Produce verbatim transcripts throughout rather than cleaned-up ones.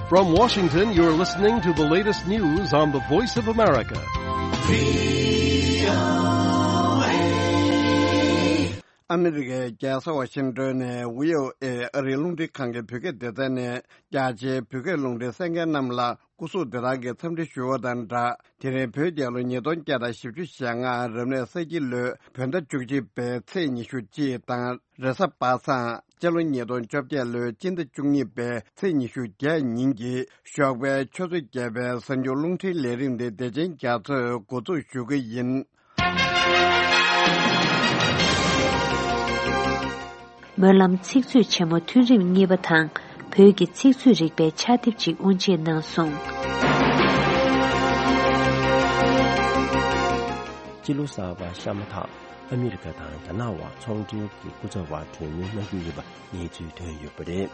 From Washington, you're listening to the latest news on the Voice of America. ཨ་མི་རི་ཀའི་རྒྱལ་ས་ཝ་ཤིང་ཏོན་ནས་བྷི་ཨོ་ཨེ་ཨ་རིའི་རླུང་འཕྲིན་ཁང་གི་བོད་སྐད་སྡེ་ཚན་ནས། རྒྱ་ཆེའི་བོད་སྐད་རླུང་འཕྲིན་གསན་མཁན་རྣམས་ལ་སྐུ་གཟུགས་བདེ་ཐང་གི་འཚམས་འདྲི་ཞུ་བ་དང་སྦྲགས། དེ་རིང་བོད་རྒྱལ་ལོ་ཉིས་སྟོང་བརྒྱ་དང་བཞི་བཅུ་ཞེ་ལྔ་རབ་གནས་ས་ཁྱི་ལོའི་བོད་ཟླ་བཅུ་གཅིག་པའི་ཚེས་ཉི་ཤུ་གཅིག་དང་། རེས་གཟའ་པ་སངས་སྤྱི་ལོ་ཉིས་སྟོང་བཅོ་བརྒྱད་ལོའི་སྤྱི་ཟླ་བཅུ་གཉིས་པའི་ཚེས་ཉི་ཤུ་བརྒྱད་ཉིན་གྱི་ཞོགས་པའི་ཆུ་ཚོད་བརྒྱད་པའི་གཟའ་མཇུག་རླུང་འཕྲིན་ལས་རིམ་འདི་བདེ་ཆེན་རྒྱ་མཚོས་འགོ་འཛུགས་ཞུ་གི་ཡིན། སྨོན་ལམ་ཚིག་མཛོད་ཆེན་མོ་ཐུན་རིམ་གཉིས་པ་དང་བོད་ཀྱི་ཚིག་མཛོད་རིག་པའི་ཕྱག་དེབ་ཅིག་དབུ་འབྱེད་གནང་སོང་། སྤྱི་ལོ་གསར་པ་ཤ་མ་ཐག་ཨ་མི་རི་ཀ་དང་རྒྱ་ནག་དབར་ཚོང་འབྲེལ་གྱི་སྐུ་ཚབ་པ་གྲོས་མོལ་གནང་རྒྱུ་ཡོད་པ་གནས་ཚུལ་ཐོན་ཡོད་པ་རེད།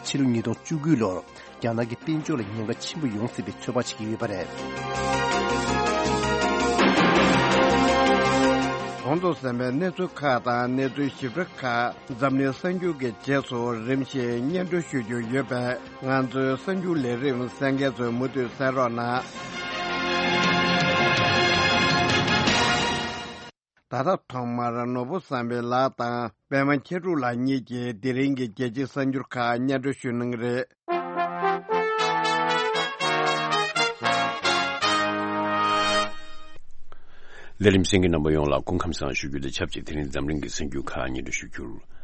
ཕྱི་ལོ་ཉིས་སྟོང་བཅུ་དགུ་ལོར་རྒྱ་ནག་གི་དཔལ་འབྱོར་ལ་ཉེན་ཁ་ཆེན་པོ་ཡོང་སྲིད་པའི་ཚོད་དཔག་བྱེད་ཀྱི་ཡོད་པ་རེད། གོང་དུ་གསན་པའི་གནས་ཚུལ་ཁག་དང་གནས་ཚུལ་ཞིབ་ཕྲ་ཁག་འཛམ་གླིང་གསར་འགྱུར་གྱི་རྗེས་སུ་རིམ་བཞིན་སྙན་སྒྲོན་ཞུ་རྒྱུ་ཡོད་པས། ང་ཚོའི་གསར་འགྱུར་ལས་རིམ་གསན་མཁན་ཚོས་མུ་མཐུད་གསན་རོགས་གནང་། ད་ལྟ་ཐོག་མར་ནོར་བུ་བསམ་འཕེལ་ལགས་དང་པད་མ་མཁྱེན་གྲུབ་ལགས་གཉིས་ཀྱིས་དེ་རིང་གི་རྒྱལ་སྤྱིའི་གསར་འགྱུར་ཁག་སྙན་སྒྲོན་ཞུ་གནང་གི་རེད། ལས་རིམ་གསན་མཁན་རྣམ་པ་ཡོངས་ལ་སྐུ་ཁམས་བཟང་ཞུ་རྒྱུ་དང་ཆབས་ཅིག་དེ་རིང་འཛམ་གླིང་གི་གསར་འགྱུར་ཁག་སྙན་སྒྲོན་ཞུ་རྒྱུར།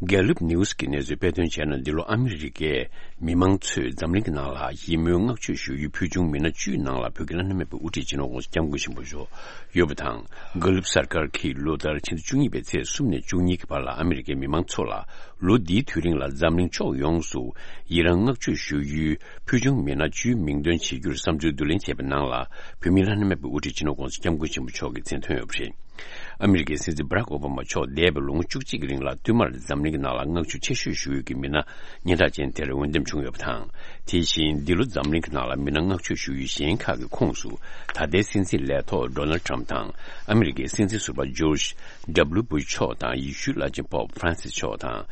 Gallup News གི་གནས་ཚུལ་དཔེ་སྟོན་བྱས་ན། འདི་ལོ་ཨ་མི་རི་ཀའི་མི་མང་ཚོས་འཛམ་གླིང་གི་ནང་ལ་ཡིད་སྨོན་བསྔགས་བརྗོད་ཞུ་ཡུལ་ཕུལ་བྱུང་མི་སྣ་བཅུའི་ནང་ལ་བོད་ཀྱི་བླ་ན་མེད་པའི་དབུ་ཁྲིད་སྤྱི་ནོར་༸གོང་ས་༸སྐྱབས་མགོན་ཆེན་པོ་མཆོག་ཡོད་པ་དང་། Gallup གསར་ཁང་གིས་ལོ་ལྟར་ཕྱི་ཟླ་བཅུ་གཉིས་པའི་ཚེས་གསུམ་ནས་བཅུ་གཉིས་ཀྱི་བར་ལ་ཨ་མི་རི་ཀའི་མི་མང་ཚོ་ལ་ལོ་འདིའི་དུས་རིང་ལ་འཛམ་གླིང་ཕྱོགས་ཡོངས་སུ་ཡི་རང་བསྔགས་བརྗོད་ཞུ་ཡུལ་ཕུལ་བྱུང་མི་སྣ་བཅུའི་མིང་འདོན་བྱེད་རྒྱུར་བསམ་ཚུལ་བསྡུ་ལེན་བྱས་པའི་ནང་ལ། བོད་མིའི་བླ་ན་མེད་པའི་དབུ་ཁྲིད་སྤྱི་ནོར་༸གོང་ས་༸སྐྱབས་མགོན་ཆེན་པོ་མཆོག་གི་མཚན་ཐོན་ཡོད་པ་རེད། ཨ་མི་རི་ཀའི་སྲིད་འཛིན་བྷ་རག་ཨོ་བྷ་མ་མཆོག་འདས་པའི་ལོ་ངོ་བཅུ་གཅིག་གི་རིང་ལ་བསྟུད་མར་འཛམ་གླིང་གི་ནང་ལ་བསྔགས་བརྗོད་ཆེ་ཤོས་ཞུ་ཡུལ་གྱི་མི་སྣ་སྙན་གྲགས་ཅན་དེར་འོས་འདེམས་བྱུང་ཡོད་པ་དང་། དེ་བཞིན་འདི་ལོ་འཛམ་གླིང་གི་ནང་ལ་མི་སྣ་བསྔགས་བརྗོད་ཞུ་ཡུལ་གཞན་ཁག་གི་ཁོངས་སུ། ད་ལྟའི་སྲིད་འཛིན་ལས་ཐོག་ཌོ་ནལ་ཊམ་དང་། ཨ་མི་རི་ཀའི་སྲིད་འཛིན་ཟུར་པ་ཇོརྗ་ཌབ་ལུ་བུཤ་མཆོག་དང་། ཡེ་ཤུའི་བླ་ཆེན་པོབ་ཧྥ་རན་སིས་མཆོག་དང་།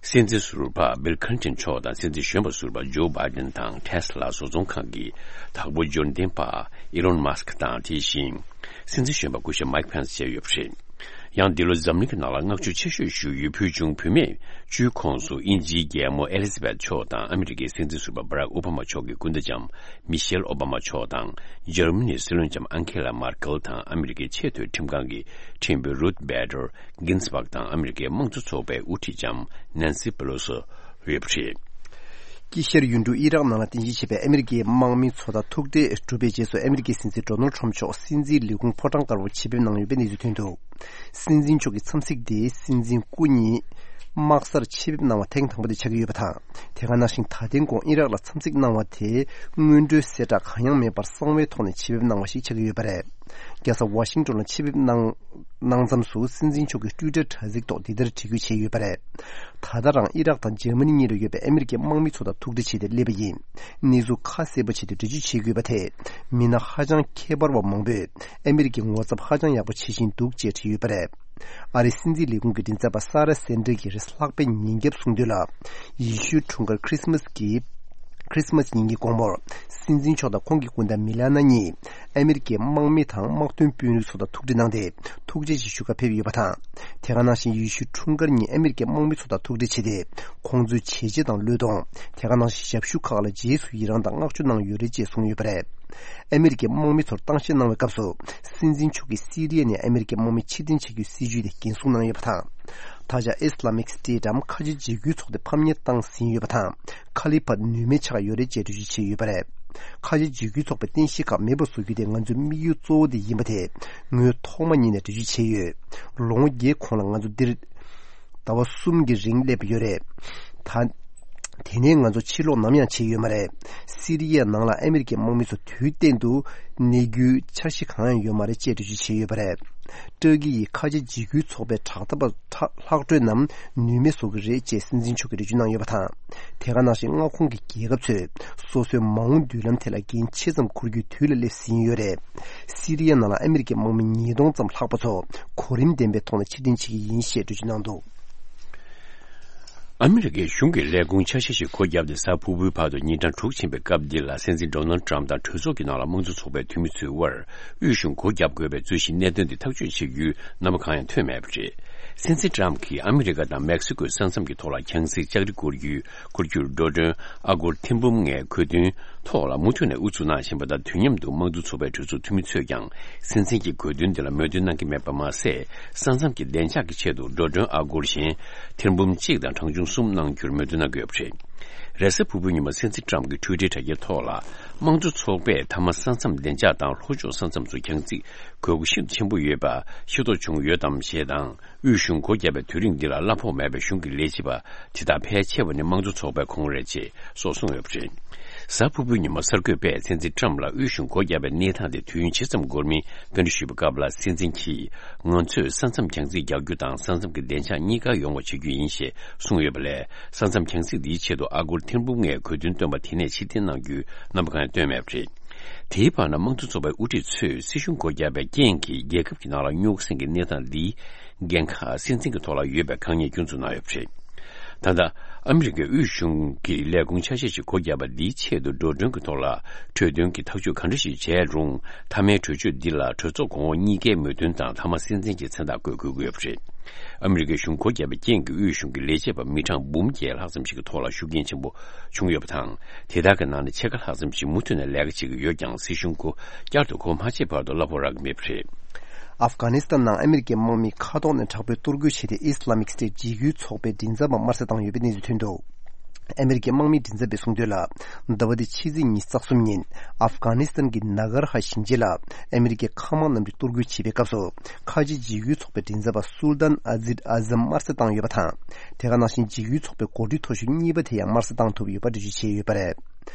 སྲིད་འཛིན་ཟུར་པ་བིལ་ཁ་ལིན་ཊོན་མཆོག་དང་། སྲིད་འཛིན་གཞོན་པ་ཟུར་པ་ཇོ་བྷའི་ཌེན་དང་། ཊེ་སི་ལ་བཟོ་ཚོང་ཁང་གི་བདག་པོ་འབྱོར་ལྡན་པ་ཨི་ལོན་མཱ་སི་ཀི་དང་། དེ་བཞིན་སྲིད་འཛིན་གཞོན་པ་སྐུ་ཞབས་མའིག་ཕེན་སི་བཅས་ཡོད་པ་རེད། ཡང་འདི་ལོ་འཛམ་གླིང་གི་ནང་ལ་བསྔགས་བརྗོད་ཆེ་ཤོས་ཞུ་ཡུལ་ཕུལ་བྱུང་བུད་མེད་བཅུའི་ཁོངས་སུ་དབྱིན་ཇིའི་རྒྱལ་མོ་ཨེ་ལི་ཛ་བེཐ་མཆོག་དང་། ཨ་མི་རི་ཀའི་སྲིད་འཛིན་ཟུར་པ་བྷ་རག་ཨོ་བྷ་མ་མཆོག་གི་སྐུ་ཟླ་ལྕམ་མི་ཤེལ་ཨོ་བྷ་མ་མཆོག་དང་། འཇར་མ་ནིའི་སྲིད་བློན་ལྕམ་ཨན་ཁེ་ལ་མར་ཀེལ་དང་། ཨ་མི་རི་ཀའི་ཆེས་མཐོའི་ཁྲིམས་ཁང་གི་ཁྲིམས་དཔོན་རུཐ་བྷེ་ཏར་གིན་སི་བྷག་དང་། ཨ་མི་རི་ཀའི་དམངས་གཙོ་ཚོགས་པའི་དབུ་ཁྲིད་ལྕམ་ནན་སི་པེ་ལོ་སི་ཡོད་པ་རེད། དཀྱིལ་ཤར་ཡུལ་གྲུ་ཨི་རག་ནང་ལ་རྟེན་གཞི་བྱས་པའི་ཨ་མི་རི་ཀའི་དམག་མི་ཚོ་དང་ཐུག་འཕྲད་གྲུབ་པའི་རྗེས་སུ། ཨ་མི་རི་ཀའི་སྲིད་འཛིན་ཌོ་ནལ་ཊམ་མཆོག་སྲིད་འཛིན་ལས་ཁུངས་ཕོ་བྲང་དཀར་པོར་ཆེད་ཕེབས་གནང་ཡོད་པའི་གནས་ཚུལ་ཐོན་འདུག། སྲིད་འཛིན་མཆོག་གི་འཚམས་གཟིགས་དེ་སྲིད་འཛིན་སྐུ་ཉིད་དམག་སར་ཆེད་ཕེབས་གནང་བ་ཐེངས་དང་པོ་དེ་ཆགས་ཀྱི་ཡོད་པ་དང་། དེ་ག་ནང་བཞིན་ད་ཐེངས་གོང་ཨི་རག་ལ་འཚམས་གཟིགས་གནང་བ་དེ་སྔོན་འགྲོའི་གསལ་བསྒྲགས་གང་ཡང་མེད་པར་གསང་བའི་ཐོག་ནས་ཆེད་ཕེབས་གནང་བ་ཞིག་ཆགས་ཀྱི་ཡོད་པ་རེད། རྒྱལ་ས་ཝ་ཤིང་ཏོན་ལ་ཆེད་ཕེབས་གནང་། གནང་མཚམས་སུ་སྲིད་འཛིན་མཆོག་གིས་ཊུའི་ཊར་དྲ་ཚིགས་ཐོག་འདི་ལྟར་བྲིས་འགོད་བྱས་ཡོད་པ་རེད། ད་ལྟ་རང་ཨི་རག་དང་འཇར་མ་ནི་གཉིས་ལ་ཡོད་པའི་ཨ་མི་རི་ཀའི་དམག་མི་ཚོ་དང་ཐུག་འཕྲད་བྱས་ཏེ་སླེབས་པ་ཡིན། གནས་ཚུལ་ཁ་གསལ་པོ་བྱས་ཏེ་འགྲེལ་བརྗོད་བྱེད་དགོས་པ་དེས། མི་སྣ་ཧ་ཅང་ཁྱད་པར་བ་མང་པོས་ཨ་མི་རི་ཀའི་ངོ་ཚབ་ཧ་ཅང་ཡག་པོ་བྱེད་བཞིན་འདུག་ཅེས་བྲིས་ཡོད་པ་རེད། ཨ་རིའི་སྲིད་འཛིན་ལས་ཁུངས་ཀྱི་མགྲིན་ཚབ་པ་ས་ར་སན་ཏྲེ་གིས་རེས་ལྷག་པའི་ཉིན་རྒྱབ་གསུངས་དོན་ལ། ཡེ་ཤུའི་འཁྲུངས་སྐར་ཁྲི་སི་མ་སི་གི། ཁྲི་སི་མ་སི་ཉིན་གྱི་དགོང་མོར། སྲིད་འཛིན་མཆོག་དང་ཁོང་གི་སྐུ་ཟླ་མི་ལ་ན་གཉིས། ཨ་མི་རི་ཀའི་དམག་མི་དང་དམག་དོན་དཔོན་རིགས་ཚོ་དང་ཐུག་འཕྲད་གནང་སྟེ། ཐུགས་རྗེ་ཆེ་ཞུ་གར་ཕེབས་ཡོད་པ་དང་། དེ་ག་ནང་བཞིན་ཡེ་ཤུའི་འཁྲུངས་སྐར་ཉིན་ཨ་མི་རི་ཀའི་དམག་མི་ཚོ་དང་ཐུག་འཕྲད་བྱས་ཏེ། ཁོང་ཚོའི་བྱས་རྗེས་དང་བློས་གཏོང་། དེ་ག་ནང་བཞིན་ཞབས་ཞུ་ཁག་ལ་རྗེས་སུ་ཡི་རང་དང་བསྔགས་བརྗོད་གནང་ཡོད་རེད་ཅེས་གསུངས་ཡོད་པ་རེད། ཨ་མི་རི་ཀའི་དམག་མི་ཚོར་གཏམ་བཤད་གནང་བའི་སྐབས་སུ། སྲིད་འཛིན་མཆོག་གིས་སི་རི་ཡ་ནས་ཨ་མི་རི་ཀའི་དམག་མི་ཕྱིར་འཐེན་བྱ་རྒྱུའི་སྲིད་ཇུས་དེ་འགན་སྲུང་གནང་ཡོད་པ་དང་། ད་ཆ་ཨི་སི་ལ་མིག་སི་ཊེཊ་འམ་ཁ་ཆེ་འཇིགས་སྐུལ་ཚོགས་དེ་ཕམ་ཉེས་བཏང་ཟིན་ཡོད་པ་དང་། ཁ་ལི་ཕཱཊ་ནུས་མེད་ཆགས་ཡོད་རེད་ཅེས་འགྲེལ་བརྗོད་བྱས་ཡོད་པ་རེད། ཁ་ཆེ་འཇིགས་སྐུལ་ཚོགས་པའི་རྟེན་གཞི་ཁག་མེད་པར་བཟོ་རྒྱུ་དེ་ང་ཚོའི་དམིགས་ཡུལ་གཙོ་བོ་དེ་ཡིན་པ་དེ་ངོས་ཐོག་མ་ཉིད་ནས་འགྲེལ་བརྗོད་བྱས་ཡོད། ལོ་ངོ་བརྒྱད་གོང་ལ་ང་ཚོ་འདིར་ཟླ་བ་གསུམ་གྱི་རིང་སླེབས་ཡོད་རེད། ད། དེ་ནས་ང་ཚོ་ཕྱིར་ལོག་ནམ་ཡང་བྱས་ཡོད་མ་རེད། སི་རི་ཡའི་ནང་ལ་ཨ་མི་རི་ཀའི་དམག་མི་ཚོ་དུས་གཏན་དུ་གནས་རྒྱུའི་འཆར་གཞི་གང་ཡང་ཡོད་མ་རེད་ཅེས་འགྲེལ་བརྗོད་བྱས་ཡོད་པ་རེད། ཏུར་ཀི་ཡིས་ཁ་ཆེ་འཇིགས་སྐུལ་ཚོགས་པའི་དྲག་འཐབ་པ་ལྷག་འཕྲོས་རྣམས་ནུས་མེད་བཟོ་གི་རེད་ཅེས་སྲིད་འཛིན་མཆོག་གིས་འགྲེལ་བརྗོད་གནང་ཡོད་པ་དང་། དེ་ག་ནང་བཞིན་མངའ་ཁོངས་ཀྱི་རྒྱལ་ཁབ་ཚོས་སོ་སོའི་མ་འོངས་མདུན་ལམ་ཐད་ལ་འགན་ཆེ་ཙམ་འཁུར་རྒྱུའི་དུས་ལ་སླེབས་ཟིན་ཡོད་རེད། སི་རི་ཡ་ནང་ལ་ཨ་མི་རི་ཀའི་དམག་མི་ཉིས་སྟོང་ཙམ་ལྷག་པ་ཚོ་གོ་རིམ་ལྡན་པའི་ཐོག་ནས་ཕྱིར་འཐེན་བྱེད་ཀྱི་ཡིན་ཞེས་འགྲེལ་བརྗོད་གནང་འདུག། ཨ་མི་རི་ཀའི་གཞུང་གི་ལས་ཁུངས་ཆ་ཤས་ཤིག་སྒོ་བརྒྱབ་སྟེ། གཟའ་ཕུར་བུའི་བར་དུ་ཉིན་གྲངས་དྲུག་ཕྱིན་པའི་སྐབས་འདི་ལ། སྲིད་འཛིན་ཌོ་ནལ་ཌི་ཊརམ་དང་གྲོས་ཚོགས་ཀྱི་ནང་ལ་དམངས་གཙོ་ཚོགས་པའི་འཐུས་མི་ཚོའི་དབར་དབུས་གཞུང་སྒོ་བརྒྱབ་དགོས་པའི་རྩོད་གཞིའི་གནད་དོན་འདི་ཐག་གཅོད་བྱེད་རྒྱུའི་རྣམ་པ་གང་ཡང་ཐོན་མེད་པ་རེད། སྲིད་འཛིན་ཊརམ་གྱིས་ཨ་མི་རི་ཀ་དང་མེག་སི་ཀོའི་ས་མཚམས་ཀྱི་ཐོག་ལ་གྱང་སྲིད་ལྕགས་རི་བསྐོར་རྒྱུའི། བསྐོར་རྒྱུར་འགྲོ་གྲོན་ཨ་སྒོར་ཐེར་འབུམ་ལྔའི་གོ་དོན་ཐོག་ལ་མུ་མཐུད་ནས་ཨུ་ཚུགས་གནང་བཞིན་པ་དང་། དུས་མཉམ་དུ་དམངས་གཙོ་ཚོགས་པའི་གྲོས་ཚོགས་འཐུས་མི་ཚོས་ཀྱང་སྲིད་འཛིན་གྱི་དགོས་འདུན་འདི་ལ་མོས་མཐུན་གནང་གི་མེད་པ་མ་ཟད། ས་མཚམས་ཀྱི་བདེ་འཇགས་ཀྱི་ཆེད་དུ་འགྲོ་གྲོན་ཨ་སྒོར་གཞན་ཐེར་འབུམ་གཅིག་དང་གྲངས་ཆུང་གསུམ་གནང་རྒྱུར་མོས་མཐུན་གནང་གི་ཡོད་པ་རེད། རེས་གཟའ་ཕུར་བུའི་ཉིན་མོ་སྲིད་འཛིན་ཊརམ་གྱི་ཊུའི་ཊར་དྲ་རྒྱའི་ཐོག་ལ། དམངས་གཙོ་ཚོགས་པས་མཐའ་མ་ས་མཚམས་བདེ་འཇགས་དང་ལྷོ་ཕྱོགས་ས་མཚམས་སུ་གྱང་སྲིད་དགོས་མཁོ་ཤིན་ཏུ་ཆེན་པོ་ཡོད་པ་ཤེས་རྟོགས་བྱུང་ཡོད་དམ་ཞེས་དང་། དབུས་གཞུང་སྒོ་བརྒྱབ་པའི་དུས་རིང་འདི་ལ་གླ་ཕོགས་མེད་པའི་གཞུང་གི་ལས་བྱེད་པ་དེ་དག་ཕལ་ཆེ་བ་ནི་དམངས་གཙོ་ཚོགས་པའི་ཁོངས་རེད་ཅེས་སོགས་གསུངས་ཡོད་པ་རེད། གཟའ་ཕུར་བུའི་ཉིན་མོ་གསར་འགོད་པས་སྲིད་འཛིན་ཊརམ་ལ་དབུས་གཞུང་སྒོ་བརྒྱབ་པའི་གནས་སྟངས་དེ་དུས་ཡུན་ཇི་ཙམ་འགོར་མིན་བཀའ་འདྲི་ཞུས་པའི་སྐབས་ལ། སྲིད་འཛིན་གྱིས། ང་ཚོས་ས་མཚམས་གྱང་སྲིད་རྒྱག་རྒྱུ་དང་ས་མཚམས་ཀྱི་བདེ་འཇགས་གཉིས་ཀ་ཡོང་བ་བྱེད་རྒྱུ་ཡིན་ཞེས་གསུངས་ཡོད་པ་ལས། ས་མཚམས་གྱང་སྲིད་འདིའི་ཆེད་དུ་ཨ་སྒོར་ཐེར་འབུམ་ལྔའི་གོ་དོན་བཏོན་པ་དེ་ནས་ཕྱིར་འཐེན་གནང་རྒྱུའི་རྣམ་པ་གང་ཡང་བཏོན་མེད་པ་རེད། དེའི་བར་ན། དམངས་གཙོ་ཚོགས་པའི་དབུ་ཁྲིད་ཚོས་སྲིད་གཞུང་སྒོ་བརྒྱབ་པའི་རྐྱེན་གྱིས་རྒྱལ་ཁབ་ཀྱི་ནང་ལ་རྙོག་ཟིང་གི་གནས་སྟངས་འདིའི་འགན་ཁག་སྲིད་འཛིན་གྱི་ཐོག་ལ་ཡོད་པའི་དཀའ་ངལ་སྐྱོན་འཛུགས་གནང་ཡོད་པ་རེད། ད་ལྟ། ཨ་མི་རི་ཀའི་དབུས་གཞུང་གིས་ལས་ཁུངས་ཆ་ཤས་ཤིག་སྒོ་བརྒྱབ་པ་འདིའི་ཆེད་དུ་འགྲོ་གྲོན་གྱི་ཐོག་ལ་འཕྲོས་དོན་གྱི་ཐག་གཅོད་ག་འདྲ་ཞིག་བྱས་རུང་། མཐའ་མའི་གྲོས་ཆོད་འདི་ལ་གྲོས་ཚོགས་གོང་འོག་གཉིས་ཀའི་མོས་མཐུན་དང་། མཐའ་མ་སྲིད་འཛིན་གྱི་མཚན་རྟགས་བཀོད་དགོས་ཀྱི་ཡོད་པ་རེད། ཨ་མི་རི་ཀའི་གཞུང་སྒོ་བརྒྱབ་པའི་རྐྱེན་གྱིས་དབུས་གཞུང་གི་ལས་བྱེད་པ་མི་གྲངས་འབུམ་བརྒྱད་ལྷག་ཙམ་ཞིག་གི་ཐོག་ལ་ཤུགས་རྐྱེན་ཆེན་པོ་བྱུང་ཡོད་པ་དང་། དེ་དག་གི་ནང་ནས་ཕྱེད་ཀ་ལྷག་ཙམ་ཞིག་མུ་མཐུད་ནས་ལས་ཀ་བྱེད་ཀྱི་ཡོད་ཀྱང་། སྲིད་གཞུང་སྒོ་བསྐྱར་དུ་སྒོ་མ་ཕྱེ་བར་དུ་གླ་ཕོགས་རག་གི་མེད་པ་རེད། ཨབ་གྷ་ནི་སི་ཐན་ནང་ཨ་མི་རི་ཀའི་དམག་མིས་མཁའ་ཐོག་ནས་དྲག་པོའི་གཏོར་རྒོལ་བྱས་ཏེ། ཨི་སི་ལ་མིག་སི་ཊེ་ཊི་འཇིགས་སྐུལ་ཚོགས་པའི་མགྲིན་ཚབ་པ་དམར་གསོད་བཏང་ཡོད་པའི་གནས་ཚུལ་ཐོན་འདུག་ཨ་མི་རི་ཀའི་དམག་མིའི་མགྲིན་ཚབ་པས་གསུངས་དོན་ལ། ཟླ་བ་འདིའི་ཕྱི་ཚེས་ཉི་ཤུ་རྩ་གསུམ་ཉིན། ཨབ་གྷ་ནི་སི་ཐན་གྱི་ནཱ་གར་ཧ་ཞིང་ཆེན་ལ་ཨ་མི་རི་ཀའི་མཁའ་དམག་རྣམས་ཀྱིས་གཏོར་རྒོལ་བྱེད་པའི་སྐབས་སུ། ཁ་ཆེ་འཇིགས་སྐུལ་ཚོགས་པའི་མགྲིན་ཚབ་པ་སུལ་ཏཱན་ཨ་ཛིད་ཨ་ཛམ་དམར་གསོད་བཏང་ཡོད་པ་དང་། དེ་ག་ནང་བཞིན་འཇིགས་སྐུལ་ཚོགས་པའི་འགོ་ཁྲིད་མཐོ་ཤོས་གཉིས་པ་དེ་ཡང་དམར་གསོད་བཏང་ཐུབ་ཡོད་པ་འགྲེལ་བརྗོད་བྱས་ཡོད་པ་རེད།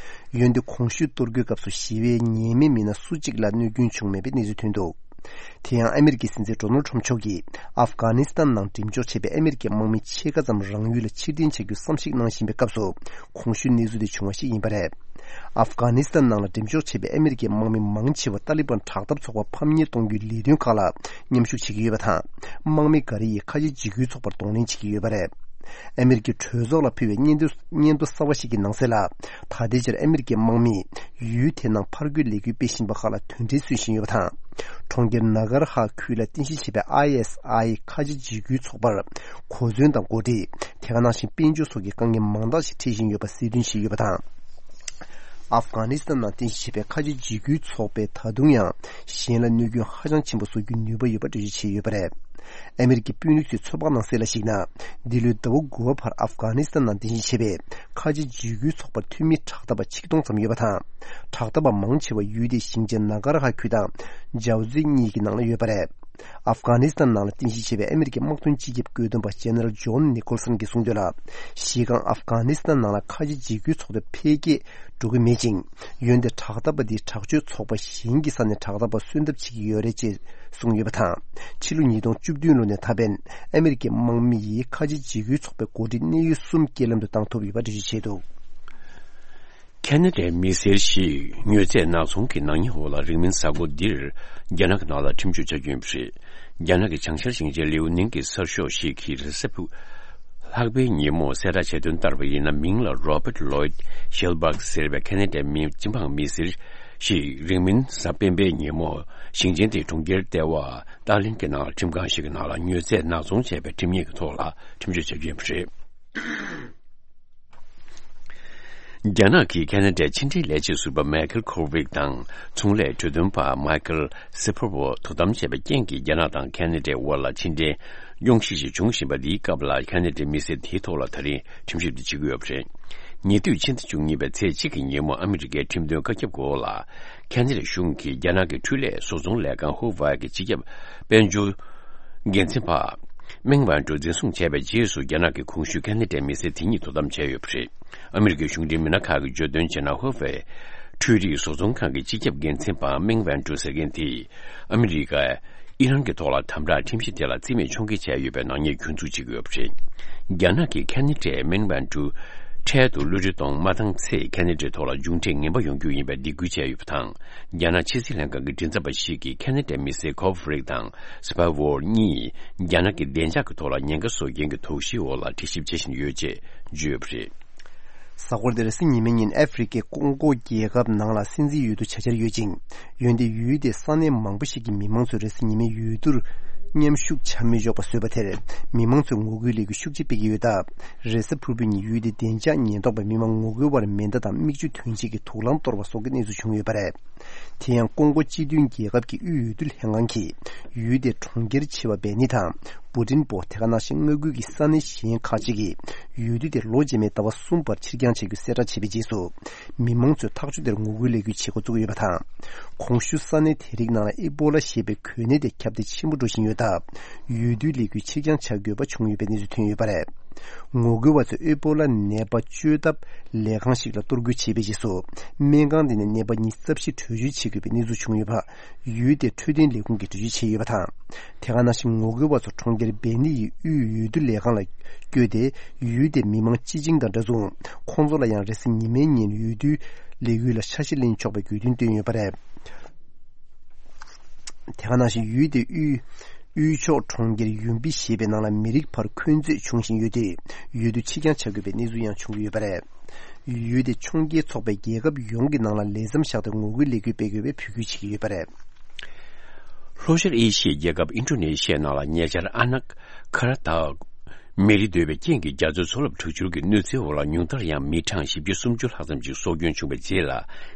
འོན་ཏེ། གོང་ཞུས་གཏོར་རྒོལ་སྐབས་སུ་ཞི་བའི་ཉེས་མེད་མི་སྣ་སུ་གཅིག་ལ་གནོད་སྐྱོན་བྱུང་མེད་པའི་གནས་ཚུལ་ཐོན་འདུག་དེ་ཡང་ཨ་མི་རི་ཀའི་སྲིད་འཛིན་ཌོ་ནལ་ཊམ་མཆོག་གིས་ཨབ་གྷ་ནི་སི་ཐན་ནང་འགྲེམས་འཇོག་བྱས་པའི་ཨ་མི་རི་ཀའི་དམག་མི་ཕྱེད་ཀ་ཙམ་རང་ཡུལ་ལ་ཕྱིར་འཐེན་བྱ་རྒྱུའི་བསམ་གཞིག་གནང་བཞིན་པའི་སྐབས་སུ། གོང་ཞུས་གནས་ཚུལ་དེ་བྱུང་བ་ཞིག་ཡིན་པ་རེད། ཨབ་གྷ་ནི་སི་ཐན་ནང་ལ་འགྲེམས་འཇོག་བྱས་པའི་ཨ་མི་རི་ཀའི་དམག་མི་མང་ཆེ་བ་ཏཱ་ལི་བན་དྲག་འཐབ་ཚོགས་པ་ཕམ་ཉེས་གཏོང་རྒྱུའི་ལས་དོན་ཁག་ལ་མཉམ་ཞུགས་བྱེད་ཀྱི་ཡོད་པ་དང་། དམག་མི་འགའ་རེ་ཡིས་ཁ་ཆེ་འཇིགས་སྐུལ་ཚོགས་པར་གདོང་ལེན་བྱེད་ཀྱི་ཡོད་པ་རེད། ཨ་མི་རི་ཀའི་གྲོས་ཚོགས་ལ་ཕུལ་བའི་སྙན་ཐོ། སྙན་ཐོ་གསར་བ་ཞིག་གི་ནང་གསལ་ལ། ད་ལྟའི་ཆར་ཨ་མི་རི་ཀའི་དམག་མིས་ཡུལ་དེ་ནང་ཕར་རྒོལ་ལས་འགུལ་སྤེལ་བཞིན་པ་ཁག་ལ་དོན་འགྲེལ་སྩོལ་བཞིན་ཡོད་པ་དང་། གྲོང་ཁྱེར་ནཱ་གར་ཧ་ཁུལ་ལ་རྟེན་གཞི་བྱས་པའི་ཨའི་ཨེས་ཨའི་ཁ་ཆེ་འཇིགས་སྐུལ་ཚོགས་པར་གོ་མཚོན་དང་འགོ་ཁྲིད། དེ་ག་ནང་བཞིན་དཔལ་འབྱོར་སོགས་ཀྱི་དཀའ་ངལ་མང་དག་ཞིག་འཕྲད་བཞིན་ཡོད་པ་གསལ་སྟོན་བྱས་ཡོད་པ་དང་། ཨབ་གྷ་ནི་སི་ཐན་ནང་རྟེན་གཞི་བྱས་པའི་ཁ་ཆེ་འཇིགས་སྐུལ་ཚོགས་པས་ད་དུང་ཡང་གཞན་ལ་གནོད་སྐྱོན་ཧ་ཅང་ཆེན་པོ་བཟོ་རྒྱུའི་ནུས་པ་ཡོད་པ་འགྲེལ་བརྗོད་བྱས་ཡོད་པ་རེད། ཨ་མི་རི་ཀའི་དཔོན་རིགས་ཚོའི་ཚོད་དཔག་ནང་གསལ་ལ་གཞིགས་ན། འདི་ལོའི་ཟླ་བ་དགུ་པ་བར་ཨབ་གྷ་ནི་སི་ཐན་ནང་རྟེན་གཞི་བྱས་པའི་ཁ་ཆེ་འཇིགས་སྐུལ་ཚོགས་པར་འཐུས་མི་དྲག་འཐབ་པ་ཆིག་སྟོང་ཙམ་ཡོད་པ་དང་། དྲག་འཐབ་པ་མང་ཆེ་བ་ཡུལ་དེའི་ཞིང་ཆེན་ནཱ་གར་ཧ་ཁུལ་དང་ཇའོ་ཛི་གཉིས་ཀྱི་ནང་ལ་ཡོད་པ་རེད། ཨབ་གྷ་ནི་སི་ཐན་ནང་ལ་རྟེན་གཞི་བྱས་པའི་ཨ་མི་རི་ཀའི་དམག་དོན་སྤྱི་ཁྱབ་བཀོད་འདོམས་པ་ཇེ་ནེ་རལ་ཇོན་ནི་ཀོལ་སན་གྱིས་གསུངས་དོན་ལ། གཞི་རྐང་ཨབ་གྷ་ནི་སི་ཐན་ནང་ལ་ཁ་ཆེ་འཇིགས་སྐུལ་ཚོགས་དེ་འཕེལ་རྒྱས་འགྲོ་གི་མེད་ཅིང་། འོན་ཏེ་དྲག་འཐབ་པ་འདིས་དྲག་སྤྱོད་ཚོགས་པ་གཞན་གྱི་ས་ནས་དྲག་འཐབ་པ་གསོན་ཐབས་བྱེད་ཀྱི་ཡོད་རེད་ཅེས་གསུངས་ཡོད་པ་དང་། ཕྱི་ལོ་ཉིས་སྟོང་བཅུ་བདུན་ལོ་ནས་ད་ཕན་ཨ་མི་རི་ཀའི་དམག་མི་ཡིས་ཁ་ཆེ་འཇིགས་སྐུལ་ཚོགས་པའི་འགོ་ཁྲིད་གནད་ཡོད་གསུམ་རྐྱེན་ལམ་དུ་བཏང་ཐུབ་ཡོད་པ་འགྲེལ་བརྗོད་བྱས་འདུག་ཁེ་ན་ཌའི་མི་སེར་ཞིག་མྱོས་རྫས་ནག་ཚོང་གི་ནག་ཉེས་འོག་ལ་རིང་མིན་གཟའ་འཁོར་འདིར་རྒྱ་ནག་གི་ནང་ལ་ཁྲིམས་གཅོད་བྱ་རྒྱུ་ཡིན་པ་རེད། རྒྱ་ནག་གི་བྱང་ཤར་ཞིང་ཆེན་ལིའུ་ནིང་གི་གསར་ཤོག་ཞིག་གིས་རེས་གཟའ་ཕུར། ལྷག་པའི་ཉིན་མོ་གསལ་བསྒྲགས་བྱས་དོན་ལྟར་བ་ཡིན་ན། མིང་ལ་Robert Lloyd Schellberg ཟེར་བའི་ཁེ་ན་ཌའི་མི་སྤྱི་འབངས་མི་སེར་ཞིག་རིང་མིན་གཟའ་སྤེན་པའི་ཉིན་མོ་ཞིང་ཆེན་དེའི་གྲོང་ཁྱེར་ལྟེ་བ་ཏཱ་ལིན་གྱི་ནང་ཁྲིམས་ཁང་ཞིག་གི་ནང་ལ་མྱོས་རྫས་ནག་ཚོང་བྱས་པའི་ཁྲིམས་ཉེས་ཀྱི་ཐོག་ལ་ཁྲིམས་གཅོད་བྱ་རྒྱུ་ཡིན་པ་རེད། རྒྱ་ནག་གིས་ཁེ་ན་ཌའི་ཕྱི་འབྲེལ་ལས་བྱེད་ཟུར་པ་མའེ་ཁལ་ཁོ་ཝིག་དང་། ཚོང་ལས་གྲོས་དོན་པ་མའེ་ཁལ་སི་ཕོར་བོ་དོ་དམ་བྱས་པའི་རྐྱེན་གྱིས། རྒྱ་ནག་དང་ཁེ་ན་ཌའི་དབར་ལ་ཕྱི་འབྲེལ་གཡོ་ཞིབ་ཅིག་འབྱུང་བཞིན་པ་འདིའི་སྐབས་ལ། ཁེ་ན་ཌའི་མི་སེར་དེའི་ཐོག་ལ་ད་རིང་ཁྲིམས་ཞིབ་དེ་བྱེད་ཀྱི་ཡོད་པ་རེད། ཉེ་དུས་ཕྱི་ཟླ་བཅུ་གཉིས་པའི་ཚེས་གཅིག་གི་ཉིན་མོ། ཨ་མི་རི་ཀའི་ཁྲིམས་དོན་བཀའ་ཁྱབ་འོག་ལ། ཁེ་ན་ཌའི་གཞུང་གིས་རྒྱ་ནག་གི་འཕྲུལ་ལས་བཟོ་ཚོང་ལས་ཁང་ཧུ་ཝའེ་གི་སྤྱི་ཁྱབ་དཔལ་འབྱོར་འགན་འཛིན་པ་མེང་ཝན་ཀྲུའུ་འཛིན་བཟུང་བྱས་པའི་རྗེས་སུ། རྒྱ་ནག་གི་གོང་ཞུས་ཁེ་ན་ཌའི་མི་སེར་དེ་གཉིས་དོ་དམ་བྱས་ཡོད་པ་རེད། ཨ་མི་རི་ཀའི་གཞུང་འབྲེལ་མི་སྣ་ཁག་གིས་བརྗོད་དོན་བྱས་ན། ཧུ་ཝའེ་འཕྲུལ་རིག་བཟོ་ཚོང་ཁང་གི་སྤྱི་ཁྱབ་འགན་འཛིན་པ་མེང་ཝན་ཀྲུའུ་ཟེར་མཁན་དེས། ཨ་མི་རི་ཀས་ཨི་རན་གྱི་ཐོག་ལ་དམ་དྲག་ཁྲིམས་གཞི་དེ་ལ་རྩིས་མེད་ཕྱོགས་འགེལ་བྱས་ཡོད་པའི་ནག་ཉེས་སྐྱོན་འཛུགས་བྱེད་ཀྱི་ཡོད་པ་རེད། རྒྱ་ནག་གིས་ཁེ་ན་ཌའི་མེང་ཝན་ཀྲུའུ་ འཕྲལ་དུ་གློད་གྲོལ་གཏོང་མ་བཏང་ཚེ་ཁ་ན་ཌའི་ཐོག་ལ་མཇུག་འབྲས་ངན་པ་ཡོང་རྒྱུ་ཡིན་པའི་སྡིགས་སྐུལ་བྱས་ཡོད་པ་དང་། རྒྱ་ནག་ཕྱི་སྲིད་ལྷན་ཁང་གི་མགྲིན་ཚབ་པ་ཞིག་གིས་ཁ་ན་ཌའི་མི་སེར་ཀོབ་ཧྥེ་རིག་དང་སི་པ་ཝོར་གཉིས་རྒྱ་ནག་གི་བདེ་འཇགས་ཀྱི་ཐོག་ལ་ཉེན་ཁ་བཟོ་མཁན་གྱི་དོགས་གཞིའི་འོག་ལ་དྲི་ཞིབ་བྱེད་བཞིན་ཡོད་ཅེས་བརྗོད་ཡོད་པ་རེད། གཟའ་འཁོར་འདིར་སི་ཉི་མའི་ཉིན་ཨ་ཧྥེ་རི་ཁའི་ཀོང་ཀོ་རྒྱལ་ཁབ་ནང་ལ་སྲིད་འཛིན་འོས་བསྡུ་བྱ་འཆར་ཡོད་ཅིང་། འོན་ཏེ་ཡུལ་དེའི་ས་གནས་མང་པོ་ཞིག་གི་མི་མང་ཚོས་རེས་གཟའ་ཉི་མའི་འོས་བསྡུར་མཉམ་ཞུགས་བྱ་མི་ཆོག་པ་བཟོས་པ་དེར་མི་མང་ཚོས་ངོ་རྒོལ་ལས་འགུལ་ཤུགས་ཆེ་སྤེལ་གྱི་ཡོད་སྟབས། རེས་གཟའ་ཕུར་བུའི་ཉིན་ཡུལ་དེའི་བདེ་འཇགས་ཉེན་རྟོག་པས་མི་མང་ངོ་རྒོལ་བར་མེ་མདའ་དང་མིག་ཆུ་འཐོན་བྱེད་ཀྱི་དུག་རླངས་གཏོར་བ་སོགས་ཀྱི་གནས་ཚུལ་བྱུང་ཡོད་པ་རེད། དེ་ཡང་ཀོང་ཀོ་སྤྱི་མཐུན་རྒྱལ་ཁབ་ཀྱི་དབུས་འོས་བསྡུ་ལྷན་ཁང་གིས་ཡུལ་དེའི་གྲོང་ཁྱེར་ཆེ་བ་བེ་ནི་དང་། བུ་ཏིན་པོ། དེ་ག་ནང་བཞིན་མངའ་ཁུལ་གྱི་ས་གནས་གཞན་ཁག་ཅིག་གིས་འོས་བསྡུ་དེ་ལོ་རྗེས་མའི་ཟླ་བ་གསུམ་པར་ཕྱིར་འགྱངས་བྱ་རྒྱུ་གསལ་བསྒྲགས་བྱས་པའི་རྗེས་སུ། མི་མང་ཚོས་ཐག་གཅོད་དེར་ངོ་རྒོལ་ལས་འགུལ་བྱེད་འགོ་བཙུགས་ཡོད་པ་དང་། གོང་ཞུས་ས་གནས་དེ་རིགས་ནང་ལ་ཨེ་པོ་ལ་ཞེས་པའི་འགོས་ནད་དེ་ཁྱབ་གདལ་ཆེན་པོ་འགྲོ་བཞིན་ཡོད་སྟབས། འོས་བསྡུའི་ལས་འགུལ་ཕྱིར་འགྱངས་བྱ་དགོས་པ་བྱུང་ཡོད་པའི་གནས་ཚུལ་ཐོན་ཡོད་པ་རེད། ངོ་རྒོལ་བ་ཚོས་ཨེ་པོ་ལ་ནད་པ་བཅོས་ཐབས་ལས་ཁང་ཞིག་ལ་གཏོར་རྒོལ་བྱས་པའི་རྗེས་སུ། སྨན་ཁང་དེ་ནས་ནད་པ་ཉི་ཤུ་རྩ་བཞི་བྲོས་བྱོལ་བྱེད་དགོས་པའི་གནས་ཚུལ་བྱུང་ཡོད་པ། ཡུལ་དེའི་འཕྲོད་བསྟེན་ལས་ཁུངས་ཀྱིས་འགྲེལ་བརྗོད་བྱས་ཡོད་པ་དང་། དེ་ག་ནང་བཞིན་ངོ་རྒོལ་བ་ཚོ་གྲོང་ཁྱེར་བེ་ནི་ཡི་དབུས་འོས་བསྡུ་ལས་ཁང་ལ་བསྐྱོད་དེ། ཡུལ་དེའི་མི་མང་སྤྱི་བྱིངས་དང་འདྲ་མཚུངས། ཁོང་ཚོ་ལ་ཡང་རེས་གཟའ་ཉི་མའི་ཉིན་འོས་བསྡུའི་ལས་འགུལ་ལ་འཆར་གཞི་ལེན་ཆོག་པའི་དགོས་འདུན་བཏོན་ཡོད་པ་རེད། དེ་ག་ནང་བཞིན་ཡུལ་དེའི་དབུས་དབུས་ཕྱོགས་གྲོང་ཁྱེར་ཡུམ་པི་ཞེས་པའི་ནང་ལ་མི་རིགས་བར་འཁོན་རྩོད་བྱུང་བཞིན་ཡོད་དུས། འོས་བསྡུ་ཕྱིར་འགྱངས་བྱ་དགོས་པའི་གནས་ཚུལ་ཡང་བྱུང་གི་ཡོད་པ་རེད། ཡུལ་དེ་ཕྱོགས་འགལ་ཚོགས་པས་རྒྱལ་ཁབ་ཡོངས་ཀྱི་ནང་ལ་ལས་མཚམས་བཞག་སྟེ་ངོ་རྒོལ་ལས་འགུལ་སྤེལ་དགོས་པའི་འབོད་སྐུལ་བྱེད་ཀྱི་ཡོད་པ་རེད། ལྷོ་ཤར་ཨེ་ཤི་ཡའི་རྒྱལ་ཁབ་ཨིན་ཌོ་ནེ་ཤི་ཡའི་ནང་ལ་ཉེ་ཆར་ཨ་ན་ཁ་ར་ཐའོ་མེ་རི་རྡོལ་བའི་རྐྱེན་གྱིས་རྒྱ་མཚོའི་མཚོ་རླབས་དྲག་འཕྱུར་གྱི་གནོད་འཚེའི་འོག་ལ་ཉུང་མཐར་ཡང་མི་གྲངས་བཞི་བཅུ་སུམ་ཅུ་ལྷག་ཙམ་ཞིག་སྲོག་སྐྱོན་བྱུང་བའི་རྗེས་ལ།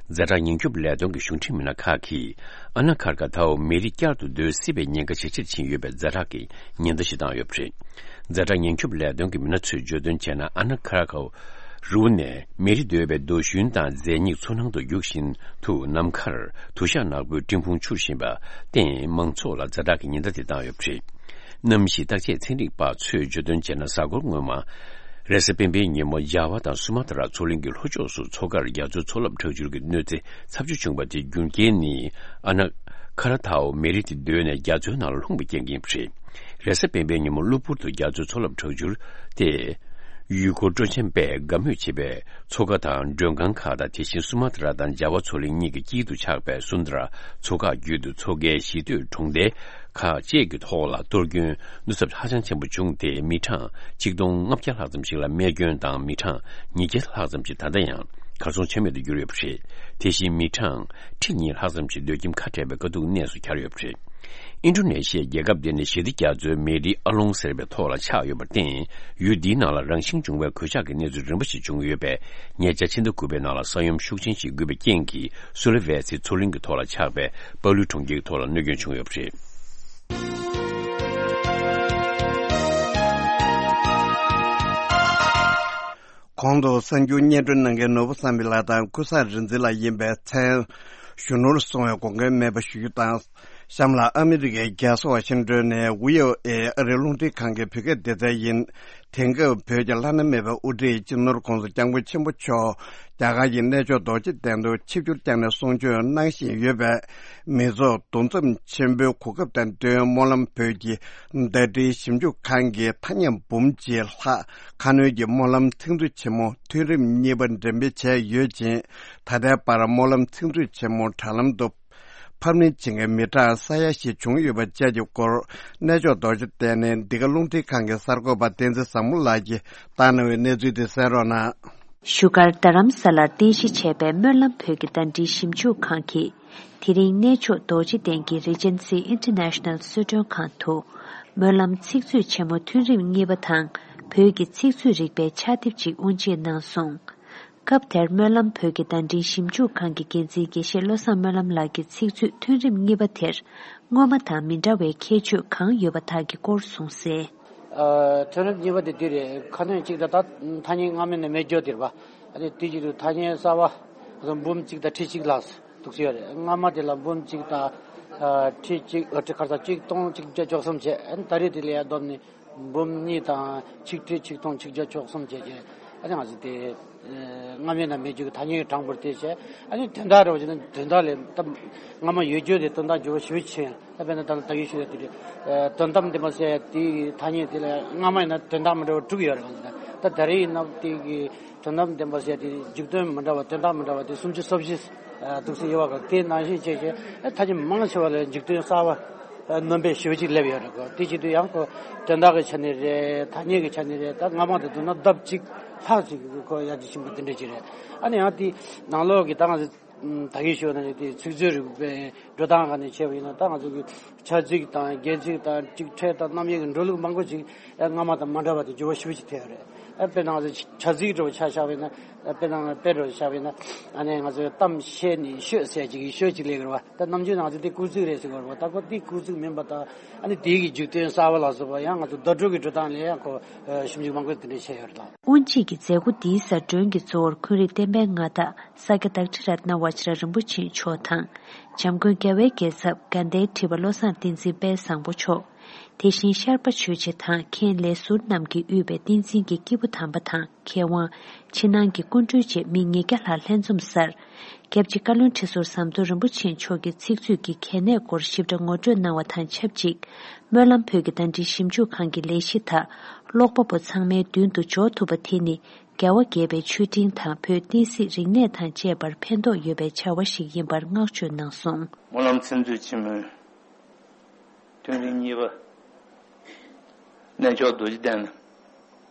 ཛ་དྲག་ཉེན་སྐྱོབ་ལས་དོན་གྱི་གཞུང་འབྲེལ་མི་སྣ་ཁག་གིས་ཨ་ན་ཁར་ཀ་ཐའོ་མེ་རི་བསྐྱར་དུ་རྡོལ་སྲིད་པའི་ཉེན་ཁ་ཇེ་ཆེར་ཕྱིན་ཡོད་པའི་ཛ་དྲག་གི་ཉེན་བརྡ་ཞིག་བཏང་ཡོད་པ་རེད། ཛ་དྲག་ཉེན་སྐྱོབ་ལས་དོན་གྱི་མི་སྣ་ཚོས་བརྗོད་དོན་བྱས་ན། ཨ་ན་ཁ་ར་ཁའོ་རི་བོ་ནས་མེ་རི་རྡོལ་བའི་རྡོ་ཞུན་དང་རྫས་སྙིགས་མཚོ་ནང་དུ་རྒྱུག་བཞིན་དུ་ནམ་མཁར་དུ་ཞག་ནག་པོའི་སྤྲིན་ཕུང་འཕྱུར་བཞིན་པར་བརྟེན་མང་ཚོགས་ལ་ཛ་དྲག་གི་ཉེན་བརྡ་དེ་བཏང་ཡོད་པ་རེད། གནམ་གཤིས་བརྟག་དཔྱད་ཚན་རིག་པ་ཚོས་བརྗོད་དོན་བྱས་ན། གཟའ་འཁོར་སྔོན་མ། རེས་གཟའ་སྤེན་པའི་ཉིན་མོ་ཇཱ་ཝ་དང་སུ་མ་ཏྲ་མཚོ་གླིང་གི་ལྷོ་ཕྱོགས་སུ་མཚོ་ཁར་རྒྱ་མཚོའི་མཚོ་རླབས་དྲག་འཕྱུར་གྱི་གནོད་འཚེ་ཚབས་ཆེ་བྱུང་བ་དེའི་རྒྱུ་རྐྱེན་ནི། ཨ་ན་ཁ་ར་ཐའོ་མེ་རི་དེ་རྡོལ་ནས་རྒྱ་མཚོའི་ནང་ལ་ལྷུང་བའི་རྐྱེན་གྱིས་ཡིན་པ་རེད། རེས་གཟའ་སྤེན་པའི་ཉིན་མོ་གློ་བུར་དུ་རྒྱ་མཚོའི་མཚོ་རླབས་དྲག་འཕྱུར་དེ། ཡུལ་སྐོར་སྤྲོ་འཆམ་པས་དགའ་མོས་བྱེད་པའི་མཚོ་ཁ་དང་མགྲོན་ཁང་ཁག་དང་། དེ་བཞིན་སུ་མ་ཏྲ་དང་ཇཱ་ཝ་མཚོ་གླིང་གཉིས་ཀྱི་དཀྱིལ་དུ་ཆགས་པའི་སུན་དྲ་མཚོ་འགག་བརྒྱུད་དུ་མཚོ་ཁའི་གཞིས་སྡོད་གྲོང་རྡལ་ཁག་བཅས་ཀྱི་ཐོག་ལ་གཏོར་སྐྱོན་གནོད་ཚབས་ཧ་ཅང་ཆེན་པོ་བྱུང་སྟེ། མི་གྲངས་ཆིག་སྟོང་ལྔ་བརྒྱ་ལྷག་ཙམ་ཞིག་ལ་རྨས་སྐྱོན་དང་། མི་གྲངས་ཉིས་བརྒྱ་ལྷག་ཙམ་ཞིག་ད་ལྟ་ཡང་གར་སོང་ཆ་མེད་དུ་གྱུར་ཡོད་པ་རེད། དེ་བཞིན་མི་གྲངས་ཁྲི་གཉིས་ལྷག་ཙམ་ཞིག་སྡོད་ཁྱིམ་ཁ་བྲལ་བའི་དཀའ་སྡུག་གནས་སུ་གྱར་ཡོད་པ་རེད། ཨིན་ཌོ་ནེ་ཤི་ཡའི་རྒྱལ་ཁབ་དེ་ནི་ཞི་བདེ་རྒྱ་མཚོའི་མེ་རི་ཨ་ལོང་ཟེར་བའི་ཐོག་ལ་ཆགས་ཡོད་པར་བརྟེན། ཡུལ་འདིའི་ནང་ལ་རང་བཞིན་བྱུང་བའི་གོད་ཆག་གི་གནས་ཚུལ་རིམ་པ་ཞིག་བྱུང་ཡོད་པས། ཉེ་ཆར་ཕྱི་ཟླ་དགུ་པའི་ནང་ལ་ས་ཡོམ་ཤུགས་ཆེན་ཞིག་བརྒྱུད་པའི་རྐྱེན་གྱིས། སུ་ལེ་ཝེ་སི་མཚོ་གླིང་གི་ཐོག་ལ་ཆགས་པའི་པ་ལུའི་གྲོང་ཁྱེར་གྱི་ཐོག་ལ་གནོད་སྐྱོན་བྱུང་ཡོད་པ་རེད། གོང་དུ་གསར་འགྱུར་སྙན་སྒྲོན་གནང་མཁན་ནོར་བུ་བསམ་འཕེལ་ལགས་དང་ཀུན་བཟང་རིག་འཛིན་ལགས་ཡིན་པས། མཚན་གཞོན་ནུར་སོང་བའི་དགོངས་འགལ་མེད་པ་ཞུ་རྒྱུ་དང་། གཤམ་ལ་ཨ་མི་རི་ཀའི་རྒྱལ་ས་ཝ་ཤིང་ཏོན་ནས་ཝི་ཨོ་ཨེ་ཨ་རིའི་རླུང་འཕྲིན་ཁང་གི་བོད་སྐད་སྡེ་ཚན་ཡིན། དེང་སྐབས་བོད་ཀྱི་བླ་ན་མེད་པའི་དབུ་ཁྲིད་སྤྱི་ནོར་གོང་ས་སྐྱབས་མགོན་ཆེན་པོ་མཆོག་རྒྱ་གར་གྱི་གནས་མཆོག་རྡོ་རྗེ་གདན་དུ་ཆིབས་བསྒྱུར་བསྐྱངས་ནས་གསུང་ཆོས་གནང་བཞིན་ཡོད་པས། མི་ཚོགས་འདུ་འཛོམས་ཆེན་པོའི་གོ་སྐབས་དང་བསྟུན། སྨོན་ལམ་བོད་ཀྱི་ཟླ་སྒྲིལ་ཞིབ་འཇུག་ཁང་གིས་ཐ་སྙད་འབུམ་གཅིག་ལྷག་ཁ་སྣོན་གྱི་སྨོན་ལམ་ཚིག་མཛོད་ཆེན་མོ་ཐུན་རིམ་གཉིས་པ་འགྲེམས་སྤེལ་བྱས་ཡོད་ཅིང་། ད་ལྟའི་བར་སྨོན་ལམ་ཚིག་མཛོད་ཆེན་མོ་དྲ་ལམ་དུ་ཕབ་ལེན་བྱེད་མཁན་མི་གྲངས་ས་ཡ་བཞི་བྱུང་ཡོད་པ་བཅས་ཀྱི་སྐོར། གནས་མཆོག་རྡོ་རྗེ་གདན་ནས་འདི་ག་རླུང་འཕྲིན་ཁང་གི་གསར་འགོད་པ་བསྟན་འཛིན་བཟང་མོ་ལགས་ཀྱིས་བཏང་གནང་བའི་གནས་ཚུལ་དེ་གསན་རོགས་གནང་། བཞུགས་སྒར་རྡ་རམ་ས་ལར་རྟེན་གཞི་བྱས་པའི་སྨོན་ལམ་བོད་ཀྱི་ཟླ་སྒྲིལ་ཞིབ་འཇུག་ཁང་གིས། དེ་རིང་གནས་མཆོག་རྡོ་རྗེ་གདན་གྱི་Regency International གསོལ་མགྲོན་ཁང་དུ། སྨོན་ལམ་ཚིག་མཛོད་ཆེན་མོ་ཐུན་རིམ་གཉིས་པ་དང་། བོད་ཀྱི་ཚིག་མཛོད་རིག་པའི་ཕྱག་དེབ་ཅིག་དབུ་འབྱེད་གནང་སོང་། སྐབས་དེར་སྨོན་ལམ་བོད་ཀྱི་ཟླ་སྒྲིལ་ཞིབ་འཇུག་ཁང་གི་འགན་འཛིན་དགེ་བཤེས་བློ་བཟང་སྨོན་ལམ་ལགས་ཀྱིས་ཚིག་མཛོད་ཐུན་རིམ་གཉིས་པ་དེར་སྔོན་མ་དང་མི་འདྲ་བའི་ཁྱད་ཆོས་གང་ཡོད་པ་དག་གི་སྐོར་གསུངས་གསལ། ཨ། ཐུན་རིམ་གཉིས་པ་དེ་འདི་རེད། ཁ་སྣོན་གཅིག་དང་ད་ཐ་སྙད་སྔ་མའི་ནང་མེད་རྒྱུ་དེ་རེད་པ། ཨ་ནི་དེ་གཅིག་ཏུ་ཐ་སྙད་གསར་པ་འབུམ་གཅིག་དང་ཁྲི་གཅིག་ལྷག་འདུག་སེ་ཡོད་རེད། སྔ་མ་དེ་ལ་འབུམ་གཅིག་དང་ཨ་ཁྲི་གཅིག་ཨ་ཁྲི་ཁ་སང་གཅིག་སྟོང་གཅིག་བརྒྱ་བཅུ་གསུམ་བྱས། ཨ་ནི་ད་རེས་དེ་ལ་ཡར་བསྡོམས་ནས་འབུམ་གཉིས་དང་ཆིག་ཁྲི་ཆིག་སྟོང་ཆིག་བརྒྱ་བཅུ་གསུམ་བྱས་བྱས། ཨ་ནི་ང་ཚོ་དེ་སྔ་མའི་ནང་མེད་རྒྱུ་གི་ཐ་སྙད་གྲངས་འབོར་དེ་བྱས། ཨ་ནི་དོན་དག་རེད་བ་ཅེ་ན། དོན་དག་ལས་ད་སྔ་མ་ཡོད་རྒྱུ་དེ་དོན་དག་འགྱུར་བ་ཞེ་པོ་ཕྱིན། ད་དཔེར་ན་ད་ལྟ་ད་གིན་ཞུས་ཡ་དེ་རེད། ཨ་དོན་དམ་དེ་མ་ཟད་དེའི་ཐ་སྙད་དེ་ལ་སྔ་མ་ཡིན་ན་དོན་དག་མི་འདྲ་བ་དྲུག་ཡོད་རེད། གང་ཟེར་ན་ ད་ད་རེས་ཡིན་ན་དེ་གི་དོན་དམ་བདེན་པ་ཟེར་དེ་འཇིག་རྟེན་མི་འདྲ་བ་དོན་དག་མི་འདྲ་བ་དེ་སུམ་ཅུ་སོ་བཞི་འདུག་སེ་ཡོད་པ་གི་དེ་ནང་བཞིན་བྱས་བྱས་ཐ་སྙད་མང་ཆེ་བ་ལ་འཇིག་རྟེན་གསར་བ་སྣོན་པའི་ཞུ་ཅིག་སླེབས་ཡོད་རེད་གོ། དེ་བྱེད་དུས་ཡང་ཁོ་དོན་དག་གི་ཆ་ནས་རེད། ཐ་སྙད་ཀྱི་ཆ་ནས་རེད། ད་སྔ་མ་དང་བསྡུར་ན་ལྡབ་གཅིག་ལྷག་ཅིག་ཁོ་ཡར་རྒྱས་ཕྱིན་པ་དེ་འདྲ་ཅིག་རེད། ཨ་ནི་ཡང་དེ་ནང་ལོགས་ཀྱི་ད་ང་ཚོ་ད་གིན་ཞུས་ན་དེ་ཚིག་མཛོད་རིག་པའི་འགྲོ་སྟངས་སྒང་ནས་བྱས་པ་ཡིན་ན་ད་ང་ཚོ་གི་བྱ་ཚིག་དང་རྒྱན་ཚིག་དང་སྒྲིག་ཕྲད་དང་རྣམ་དབྱེ་གི་འགྲོ་ལུགས་མང་པོ་ཅིག་སྔ་མ་དང་མ་འདྲ་བ་དེ་འགྱུར་བ་ཞེ་པོ་ཅིག་ཐེབས་ཡོད་རེད། དཔེར་ན་ང་ཚོ་བྱ་ཚིག་འདྲ་བོ་ཆ་བཞག་པ་ཡིན་ན། དཔེར་ན་དཔེ་འདྲ་བོ་ཆ་བཞག་པ་ཡིན་ན། ཨ་ནི་ང་ཚོས་གཏམ་བཤད་ནས་ཤོད་ཟེར་ཅིག་ཤོད་ཅིག་ལས་ཀྱི་རེད་བ། ད་ནམ་རྒྱུན་ང་ཚོས་དེ་སྐུལ་ཚིག་རེད་ཟེར་གྱི་རེད་བ། ད་ཁོ་དེ་སྐུལ་ཚིག་མིན་པ་དང་། ཨ་ནི་དེའི་གི་འཇིག་རྟེན་གསར་བ་ལ་སོགས་པ་ཡང་ང་ཚོ་བརྡ་སྤྲོད་ཀྱི་འགྲོ་སྟངས་ལ་ཡང་ཁོ་ཞིབ་འཇུག་མང་པོ་དེ་འདྲ་བྱས་ཡོད་རེད་ད། དབུ་འབྱེད་ཀྱི་མཛད་སྒོ་འདིའི་གཟའ་སྒྲོན་གྱི་གཙོ་བོར་འཁོན་རིགས་བསྟན་པའི་མངའ་བདག་ས་སྐྱ་བདག་ཁྲི་རཏྣ་བ་ཇི་ར་རིན་པོ་ཆེ་མཆོག་དང་། འཇམ་མགོན་རྒྱལ་བའི་རྒྱལ་ཚབ་དགའ་ལྡན་ཁྲི་པ་བློ་བཟང་བསྟན་འཛིན་དཔལ་བཟང་པོ་མཆོག། དེ་བཞིན་ཤར་པ་ཆོས་རྗེ་དང་མཁན་ལས་ཟུར་རྣམས་ཀྱིས་དབུས་པའི་བསྟན་འཛིན་གྱི་སྐྱེས་བུ་དམ་པ་དང་མཁས་དབང་། ཕྱི་ནང་གི་སྐུ་མགྲོན་བཅས་མི་ཉིས་བརྒྱ་ལྷག་ལྷན་འཛོམས་སར། སྐྱབས་རྗེ་བཀའ་བློན་ཁྲི་ཟུར་ཟམ་གདོང་རིན་པོ་ཆེ་མཆོག་གི་ཚིག་མཛོད་ཀྱི་གལ་གནད་སྐོར་ཞིབ་ཕྲ་ངོ་སྤྲོད་གནང་བ་དང་ཆབས་ཅིག་སྨོན་ལམ་བོད་ཀྱི་ཟླ་སྒྲིལ་ཞིབ་འཇུག་ཁང་གི་ལས་གཞི་དག་ཀློག་པ་པོ་ཚང་མའི་མདུན་དུ་འཇོག་ཐུབ་པ་དེ་ནི་རྒྱལ་བ་དགྱེས་པའི་མཆོད་སྤྲིན་དང་བོད་བསྟན་སྲིད་རིག་གནས་དང་བཅས་པར་ཕན་ཐོགས་ཡོད་པའི་བྱ་བ་ཞིག་ཡིན་པར་བསྔགས་བརྗོད་གནང་སོང་། སྨོན་ལམ་ཚིག་མཛོད་ཆེན་མོའི་ཐེངས་རིམ་གཉིས་པ། གནས་མཆོག་རྡོ་རྗེ་གདན་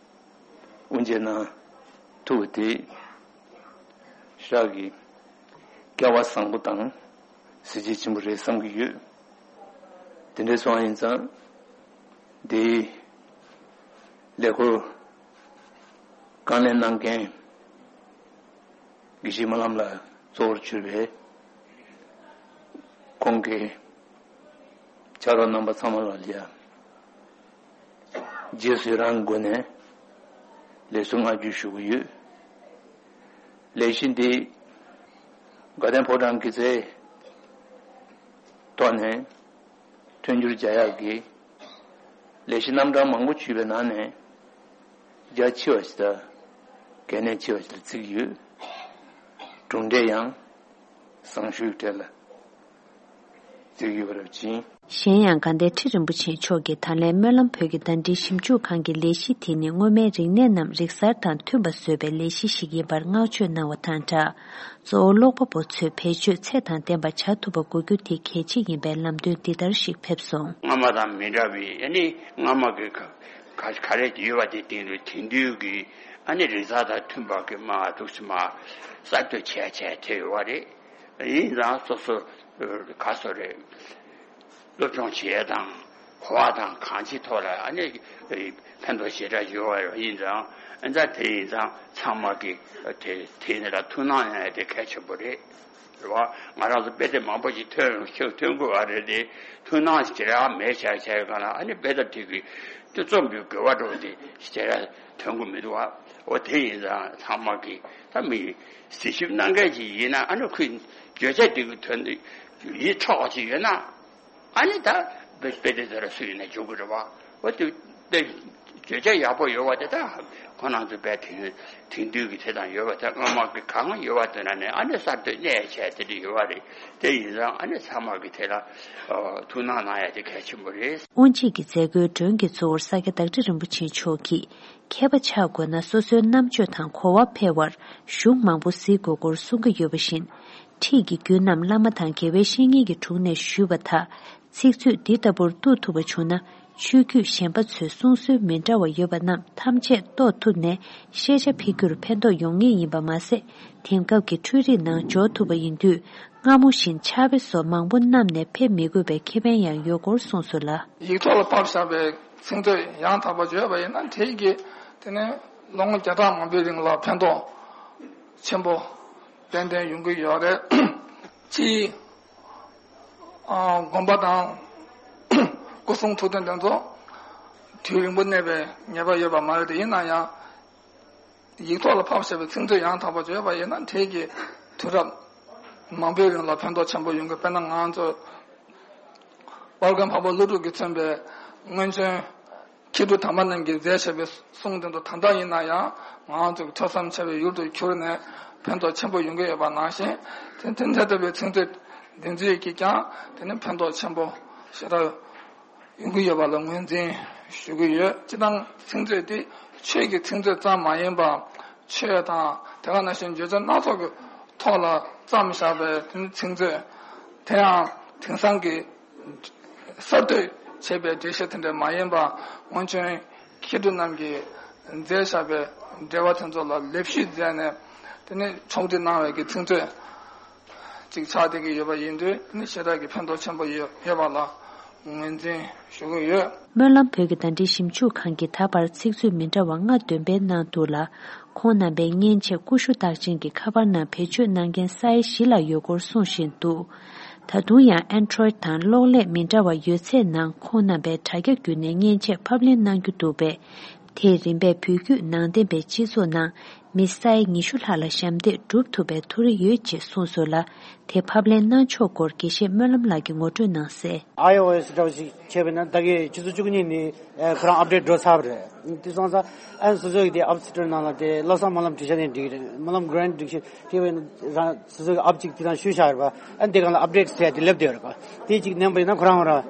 དབུ་འབྱེད་གནང་ཐུབ་པ་དེ་ཤག་གི་སྐལ་བ་བཟང་པོ་དང་གཟི་བརྗིད་ཆེན་པོ་རེད་བསམ་གྱི་ཡོད། དེ་འདྲ་སོང་ཡིན་ཙང་དེའི་ལས་འཁུར་དཀའ་ལས་གནང་མཁན་དགེ་བཤེས་སྨོན་ལམ་ལགས་གཙོ་བོར་གྱུར་པའི་ཁོང་གི་ཕྱག་རོགས་རྣམ་པ་ཚང་མ་ལ་ཡང་རྗེས་སུ་ཡི་རང་སྒོ་ནས་ལེགས་སོ་བསྔགས་བརྗོད་ཞུ་གི་ཡོད། ལས་གཞི་འདི་དགའ་ལྡན་ཕོ་བྲང་གི་རྩའི་ཐོག་ནས་མཐུན་འགྱུར་རྒྱག་ཡག་གི་ལས་གཞི་རྣམ་གྲངས་མང་པོ་ཞུས་པའི་ནང་ནས་རྒྱ་ཆེ་བ་ཞིག་དང་གལ་གནད་ཆེ་བ་ཞིག་ལ་བརྩི་གི་ཡོད། གྲུབ་འབྲས་ཡང་བཟང་ཤོས་གྲས་ལ་བརྩི་གི་ཡོད་པ་རེད་ཅིང་། གཞན་ཡང་དགའ་ལྡན་ཁྲི་རིན་པོ་ཆེ་མཆོག་གིས་ད་ལན་སྨོན་ལམ་བོད་ཀྱི་ཟླ་སྒྲིལ་ཞིབ་འཇུག་ཁང་གི་ལས་གཞི་དེ་ནི་སྔོན་མའི་རིག་གནས་རྣམས་རིག་གསར་དང་མཐུན་པ་བཟོ་བའི་ལས་གཞི་ཞིག་ཡིན་པར་བསྔགས་བརྗོད་གནང་བ་དང་སྦྲགས། གཙོ་བོ་ཀློག་པ་པོ་ཚོས་བེད་སྤྱོད་ཚད་དང་ལྡན་པ་བྱ་ཐུབ་པ་དགོས་རྒྱུ་དེ་གལ་ཆེ་ཡིན་པའི་ལམ་སྟོན་འདི་ལྟར་ཞིག་ཕེབས་སོང་། སྔ་མ་དང་མི་འདྲ་བའི་ཨ་ནི་སྔ་མ་གི་ག་ག་ག་རེ་ཡོད་པ་དེ་སྟེང་དུ་དེང་དུས་ཀྱི་ཨ་ནི་རིག་གསར་དང་མཐུན་པ་གི་མ་འདུག་སེ་མ་གསར་གཏོད་བྱས་བྱས་དེ་ཡོད་པ་རེད། ཡིན་ཙང་སོ་སོ་ག་སོ་རེད། སློབ་སྦྱོང་བྱེད་ཡས་དང་གོ་བ་དང་གང་ཅིའི་ཐོག་ལ་ཨ་ནི་ཕན་ཐོགས་ཞེ་དྲག་ཡོད་པ་ཡིན་ཙང་ཨ་ཙང་དེ་ཡིན་ཙང་ཚང་མ་གི་དེ་དེ་ནི་ལ་ཐུགས་སྣང་གནང་ཡ་དེ་གལ་ཆེན་པོ་རེད། རེད་བ། ང་རང་ཚོ་དཔེ་དེབ་མང་པོ་ཞིག་ཐོན་ཐོན་ཐོན་དགོས་པ་རེད་དེ་ཐུགས་སྣང་ཞེ་དྲག་མེད་བྱས་བྱས་གང་ལ་ཨ་ནི་དཔེ་དེབ་དེ་གི་དེ་རྩོམ་པའི་དགོས་པ་འགྲོ་དེ་ཞེ་དྲག་ཐོན་གི་མི་འདུག་བ། འོ་དེ་ཡིན་ཙང་ཚང་མ་གི་ད་མི་གཟིགས་ཞིབ་གནང་མཁན་ཅིག་ཡིན་ན་ཨ་ནི་ཁོའི་བརྗོད་བྱ་དེ་གི་དོན་དེ་ཡིད་འཕྲོག་པ་ཅིག་ཡོད་ན། ཨ་ནི་ད་དཔེ་དཔེ་དེ་ཚོ་ལ་སུ་ཡིན་ན་འཇུག་གི་རེད་བ། འོ་དེ་དཔེ་བརྗོད་བྱ་ཡག་པོ་ཡོད་བ་དེ་ད་ཁོ་རང་ཚོ་དཔེ་དེང་དེང་དུས་ཀྱི་དེ་དང་ཡོད་བ་དེ་སྔ་མ་གི་གང་ཡོད་བ་དེ་ན་ནས་ཨ་ནི་གསར་གཏོད་གནས་བྱས་དེ་འདྲ་ཡོད་བ་རེད། དེ་ཡིན་ཙང་ཨ་ནི་ཚང་མ་གི་དེ་ལ་ཐུགས་སྣང་གནང་ཡ་དེ་གལ་ཆེན་པོ་རེད། དབུ་འབྱེད་ཀྱི་མཛད་སྒོའི་མགྲོན་གྱི་གཙོ་བོར་ས་སྐྱ་བདག་ཁྲི་རིན་པོ་ཆེ་མཆོག་གིས་མཁས་པ་ཆགས་དགོས་ན་སོ་སོའི་རྣམ་དཔྱོད་དང་གོ་བ་འཕེལ་བར་གཞུང་མང་པོ་གཟིགས་དགོས་སྐོར་གསུང་གི་ཡོད་པ་བཞིན། ཁྲིད་ཀྱི་རྒྱུན་རྣམས་བླ་མ་དང་དགེ་བའི་བཤེས་གཉེན་གྱི་དྲུང་ནས་ཞུས་པ་དག་ཚིག་མཛོད་འདི་ལྟ་བུར་གཏུག་ཐུབ་པ་བྱུང་ན་ཆོས་བརྒྱུད་གཞན་པ་ཚོའི་གསུང་སྲོལ་མི་འདྲ་བ་ཡོད་པ་རྣམས་ཐམས་ཅད་རྟོགས་ཐུབ་ནས་ཤེས་བྱ་འཕེལ་རྒྱུར་ཕན་ཐོགས་ཡོང་ངེས་ཡིན་པ་མ་ཟད། དེང་སྐབས་ཀྱི་འཕྲུལ་རིག་ནང་འཇོག་ཐུབ་པ་ཡིན་དུས་སྔ་མོ་བཞིན་ཕྱག་དཔེ་སོགས་མང་པོ་བསྣམས་ནས་ཕེབས་མི་དགོས་པའི་ཁེ་ཕན་ཡང་ཡོད་སྐོར་གསུངས་སོང་ལ། ཡིག་ཐོག་ལ་ཕབ་བཞག་པའི་ཚིག་མཛོད་ཡང་དག་པ་བརྗོད་པ་ཡིན་ན་དེ་གིས་དེ་ནས་ལོ་ངོ་བརྒྱ་ཕྲག་མང་པོའི་རིང་ལ་ཕན་ཐོགས་ཆེན་པོ་ཏན་ཏན་ཡོང་གི་ཡོད་རེད། སྤྱིའི་དགོན་པ་དང་སྐུ་གསུང་ཐུགས་རྟེན་དེ་ཚོ་དུས་རིང་པོ་གནས་པའི་ངེས་པ་ཡོད་པ་མ་རེད་དེ་ཡིན་ན་ཡང་། ཡིག་ཐོག་ལ་ཕབ་བཞག་པའི་ཚིག་མཛོད་ཡང་དག་པ་བརྗོད་པ་ཡིན་ན་དེ་གིས་དུས་རབས་མང་པོའི་རིང་ལ་ཕན་ཐོགས་ཆེན་པོ་ཡོང་གི་དཔེར་ན་ང་ཚོ་དཔལ་མགོན་འཕགས་པ་ཀླུ་སྒྲུབ་ཀྱིས་མཚོན་པའི་སྔོན་བྱོན་མཁས་གྲུབ་དམ་པ་རྣམས་ཀྱིས་མཛད་བཞག་པའི་གསུང་དེ་ཚོ་ད་ལྟ་ཡིན་ན་ཡང་ང་ཚོ་གི་ཐོས་བསམ་བྱ་བའི་ཡུལ་དུ་གྱུར་ནས་ཕན་ཐོགས་ཆེན་པོ་ཡོང་གི་ཡོད་པ་ནང་བཞིན་དེ་དེ་འདྲ་ལྟ་བུའི་ཚིག་མཛོད་འདི་ཚོས་ཀྱིས་ཀྱང་དེ་ནི་ཕན་ཐོགས་ཆེན་པོ་ཞེ་དྲག་ཡོང་གི་ཡོད་པ་ལ་ངོས་འཛིན་ཞུ་གི་ཡོད། སྤྱིར་བཏང་ཚིག་མཛོད་དེ་ཆོས་ཀྱི་ཚིག་མཛོད་ཙམ་མ་ཡིན་པར། ཆོས་དང་དེ་ག་ནང་བཞིན་བརྗོད་བྱ་སྣ་ཚོགས་ཀྱི་ཐོག་ལ་བརྩམས་བཞག་པའི་དེ་ནི་ཚིག་མཛོད། དེ་ཡང་དེང་སང་གི་གསར་གཏོད་བྱས་པའི་འགྲེལ་བཤད་དེ་འདྲ་མ་ཡིན་པར། སྔོན་བྱོན་མཁས་གྲུབ་རྣམས་ཀྱིས་མཛད་བཞག་པའི་འགྲེལ་པ་དེ་ཚོ་ལ་ལེགས་བཤད་མཛད་ནས། དེ་ནི་ཕྱོགས་སྒྲིག་གནང་བའི་གི་ཚིག་མཛོད་ཅིག་ཆགས་བསྡད་ཀྱི་ཡོད་པ་ཡིན་དུས། དེ་ནི་ཞེ་དྲག་གི་ཕན་ཐོགས་ཆེན་པོ་ཡོད་ཡོད་པ་ལ་ངོས་འཛིན་ཞུ་གི་ཡོད། སྨོན་ལམ་བོད་ཀྱི་བརྡ་འགྲེལ་ཞིབ་འཇུག་ཁང་གིས་ད་བར་ཚིག་མཛོད་མི་འདྲ་བ་ལྔ་འདོན་སྤེལ་གནང་འདུག་ལ། ཁོང་རྣམ་པའི་མཉེན་ཆས་ཀུ་ཤུ་རྟགས་ཅན་གྱི་ཁ་པར་ནང་བེད་སྤྱོད་གནང་མཁན་ས་ཡ་བཞི་ལྷག་ཡོད་སྐོར་གསུངས་བཞིན་འདུག། ད་དུང་ཡང་Android་དང་གློག་ཀླད་མི་འདྲ་བ་ཡོད་ཚད་ནང་ཁོང་རྣམ་པས་དྲ་རྒྱ་བརྒྱུད་ནས་མཉེན་ཆས་ཕབ་ལེན་གནང་རྒྱུ་འདུག་པས། དེས་རིམ་པས་བོད་བརྒྱུད་ནང་བསྟན་པའི་སྤྱི་ཚོགས་ནང་མི་ས་ཡ་ཉི་ཤུ་ལྷག་ལ་ཞབས་འདེགས་སྒྲུབ་ཐུབ་པའི་ཐུགས་རེ་ཡོད་ཅེས་གསུངས་སོང་ལ། དེ་ཕབ་ལེན་གནང་ཕྱོགས་སྐོར་དགེ་བཤེས་སྨོན་ལམ་ལགས་ཀྱིས་ངོ་སྤྲོད་གནང་གསལ། iOS་འདྲ་བོ་ཞིག་བྱས་པས་ན། ད་གིན་ཆུ་ཚོད་བཅུ་གཉིས་ནས་ཨ་ཁོ་རང་ཨབ་ཌེཊ་འགྲོ་ཚར་བ་རེད། དེ་སོང་ཙང་ཨ་སོ་སོ་གི་དེ་ཨབ་སི་ཊོར་ནང་ལ་དེ་བློ་བཟང་སྨོན་ལམ་བྲིས་བཞག་ནས་འགྲིག་གི་རེད། སྨོན་ལམ་གྷ་རན་ཊི་བྲིས་བཞག་བྲིས་པས་ན་རང་སོ་སོ་གི་ཨབ་ཅིག་དེ་དང་བཤུས་བཞག་ཡོད་པ། ཨ་དེ་སྒང་ལ་ཨབ་ཌེཊ་ཟེར་ཡ་དེ་སླེབས་བསྡད་ཡོད་རེད་པ། དེ་ཅིག་མནན་པ་ཡིན་ན་ཁོ་རང་ཁོ་རང་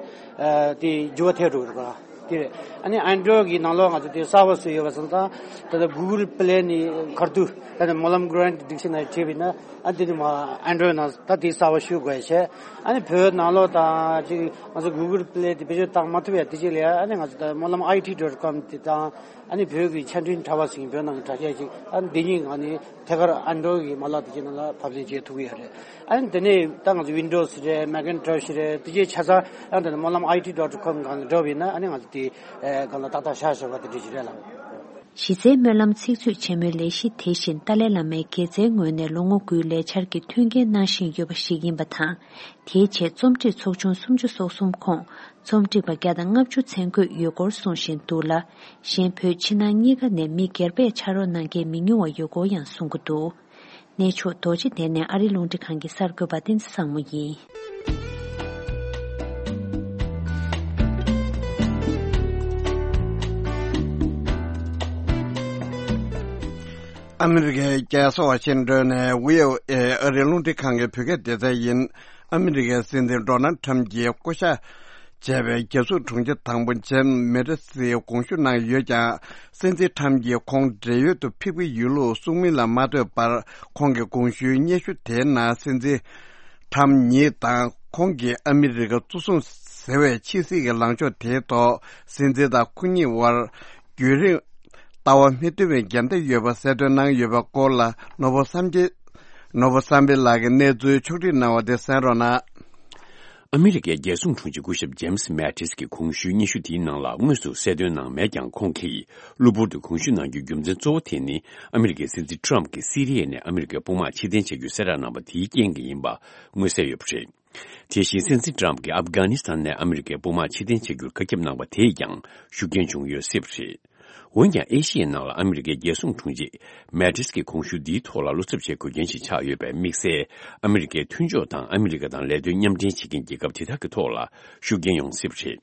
ཨ་དེ་འགྱུར་བ་ཐེབས་འགྲོ་གི་རེད་པ། དེ་རེད། ཨ་ནི་Android་གི་ནང་ལོགས་ང་ཚོ་དེ་གསར་པ་བཟོས་ཡོད་པ་སོང་ཙང་། ད་ལྟ་Google Play་ནས་ཁར་དུ་ད་ནི་སྨོན་ལམ་གྷ་རན་ཊི་བྲིས་བཞག་ནས་བྲིས་པས་ན། ཨ་དེ་ནི་མ་Android་ནང་ད་དེ་གསར་པ་བཤུས་དགོས་བྱས། ཨ་ནི་བོད་ནང་ལོགས་དང་ཅིག་ང་ཚོ་Google Play་དེ་བེད་སྤྱོད་བཏང་མ་ཐུབ་ཡ་དེ་ཅིག་ལ་ཡ། ཨ་ནི་ང་ཚོ་ད་སྨོན་ལམ་I T dot com་དེ་དང་། ཨ་ནི་བོད་ཀྱི་ཆ་འཕྲིན་དྲ་བ་ཟེར་བོད་ནང་གི་དྲ་རྒྱ་ཅིག་ཨ་ནི་འདི་གཉིས་ང་ནི་ཐད་ཀར་Android་གི་མ་ལག་དེ་ཅིག་ནང་ལ་ཕབ་ལེན་བྱེད་ཐུབ་ཀྱི་ཡོད་རེད། ཨ་ནི་དེ་ནས་ད་ང་ཚོ་Windows་རེད། Macintosh་རེད། དེ་ཅིག་ཆ་ཚང་ཨ་ནི་ད་ནི་སྨོན་ལམ་I T dot com་སྒང་ལ་འགྲོ་བ་ཡིན་ན། ཨ་ནི་ང་ཚོ་དེ་ཨེ་སྒང་ལ་ཏག་ཏག་བཞག་བཞག་པ་དེ་འདྲ་ཞིག་རེད་ལགས། གཞི་རྩའི་སྨོན་ལམ་ཚིག་མཛོད་ཆེན་མོའི་ལས་གཞི་དེ་བཞིན་ཏཱ་ལའི་བླ་མའི་དགེ་རྩའི་ངོས་ནས་ལོ་ངོ་དགུའི་ལས་འཆར་གྱི་མཐུན་རྐྱེན་གནང་བཞིན་ཡོད་པ་ཞིག་ཡིན་པ་དང་། དེའི་ཆེད་རྩོམ་སྒྲིག་ཚོགས་ཆུང་སུམ་ཅུ་སོ་གསུམ་ཁོངས་རྩོམ་སྒྲིག་པ་བརྒྱ་དང་ལྔ་བཅུ་ཚན་བགོས་ཡོད་སྐོར་གསུངས་བཞིན་འདུག་ལ། གཞན་བོད་ཕྱི་ནང་གཉིས་ཀ་ནས་མི་སྒེར་པས་ཕྱག་རོགས་གནང་མཁན་མི་ཉུང་བ་ཡོད་སྐོར་ཡང་གསུང་གི་འདུག། གནས་མཆོག་རྡོ་རྗེ་གདན་ནས་ཨ་རིའི་རླུང་འཕྲིན་ཁང་གི་གསར་འགོད་པ་བསྟན་འཛིན་བཟང་མོ་ཡིན། ཨ་མི་རི་ཀའི་རྒྱལ་ས་ཝ་ཤིང་ཏོན་ནས་VOA་ཨ་རིའི་རླུང་འཕྲིན་ཁང་གི་བོད་སྐད་སྡེ་ཚན་ཡིན། ཨ་མི་རི་ཀའི་སྲིད་འཛིན་ཌོ་ནལ་ཁྲམ་གྱིས་བསྐོ་བཞག་བྱས་པའི་རྒྱལ་སྲུང་དྲུང་ཆེ་དང་པོ་ཇེམ་སི་མེ་ཏི་སི་དགོངས་ཞུ་གནང་ཡོད་ཀྱང་། སྲིད་འཛིན་ཁྲམ་གྱིས་ཁོང་བགྲེས་ཡོལ་དུ་ཕེབས་ཀྱི་ཡོད་ལུགས་གསུངས་མིན་ལ་མ་ལྟོས་པར། ཁོང་གི་དགོངས་ཞུའི་སྙན་ཞུ་དེའི་ནང་སྲིད་འཛིན་ཁྲམ་ཉིད་དང་ཁོང་གིས་ཨ་མི་རི་ཀ་གཙོ་བཟུང་ཟེར་བའི་ཕྱི་སྲིད་ཀྱི་ལངས་ཕྱོགས་དེའི་ཐོག་སྲིད་འཛིན་དང་ཁོ་གཉིས་དབར་རྒྱུན་རིང་ལྟ་བ་མི་མཐུན་པའི་འགལ་ཟླ་ཡོད་པ་གསལ་སྟོན་གནང་ཡོད་པའི་སྐོར་ལ། ནོར་བུ་བསམ་འཕེལ། ནོར་བུ་བསམ་འཕེལ་ལགས་ཀྱིས་གནས་ཚུལ་ཕྱོགས་སྒྲིག་གནང་བ་དེ་གསན་རོགས་གནང་། ཨ་མི་རི་ཀའི་རྒྱལ་སྲུང་དྲུང་ཆེ་སྐུ་ཞབས་ཇེམ་སི་མེ་ཏིས་ཀྱི་གོང་ཞུའི་སྙན་ཞུ་དེའི་ནང་ལ་དངོས་སུ་གསལ་སྟོན་གནང་མེད་ཀྱང་། ཁོང་གིས་གློ་བུར་དུ་གོང་ཞུ་གནང་རྒྱུའི་རྒྱུ་མཚན་གཙོ་བོ་དེ་ནི། ཨ་མི་རི་ཀའི་སྲིད་འཛིན་ཁྲམ་གྱིས་སི་རི་ཡ་ནས་ཨ་མི་རི་ཀའི་དཔུང་དམག་ཕྱིར་འཐེན་བྱ་རྒྱུའི་གསལ་བསྒྲགས་གནང་བ་དེའི་རྐྱེན་གྱིས་ཡིན་པ་མངོན་གསལ་ཡོད་པ་རེད། དེ་བཞིན་སྲིད་འཛིན་ཁྲམ་གྱིས་ཨབ་གྷ་ནི་སི་ཐན་ནས་ཨ་མི་རི་ཀའི་དཔུང་དམག་ཕྱིར་འཐེན་བྱ་རྒྱུར་བཀའ་ཁྱབ་གནང་བ་དེས་ཀྱང་ཤུགས་རྐྱེན་བྱུང་ཡོད་སྲིད་པ་རེད། འོན་ཀྱང་། ཨེ་ཤི་ཡའི་ནང་ལ་ཨ་མི་རི་ཀའི་རྒྱལ་སྲུང་དྲུང་ཆེ་མེ་ཏིས་ཀྱི་གོང་ཞུ་འདིའི་ཐོག་ལ་བློ་འཚབ་བྱེད་དགོས་རྐྱེན་ཞིག་ཆགས་ཡོད་པས། དམིགས་བསལ་ཨ་མི་རི་ཀའི་མཐུན་ཕྱོགས་དང་ཨ་མི་རི་ཀ་དང་ལས་དོན་མཉམ་འབྲེལ་བྱེད་མཁན་རྒྱལ་ཁབ་དེ་དག་གི་ཐོག་ལ་ཤུགས་རྐྱེན་ཡོང་སྲིད་པ་རེད།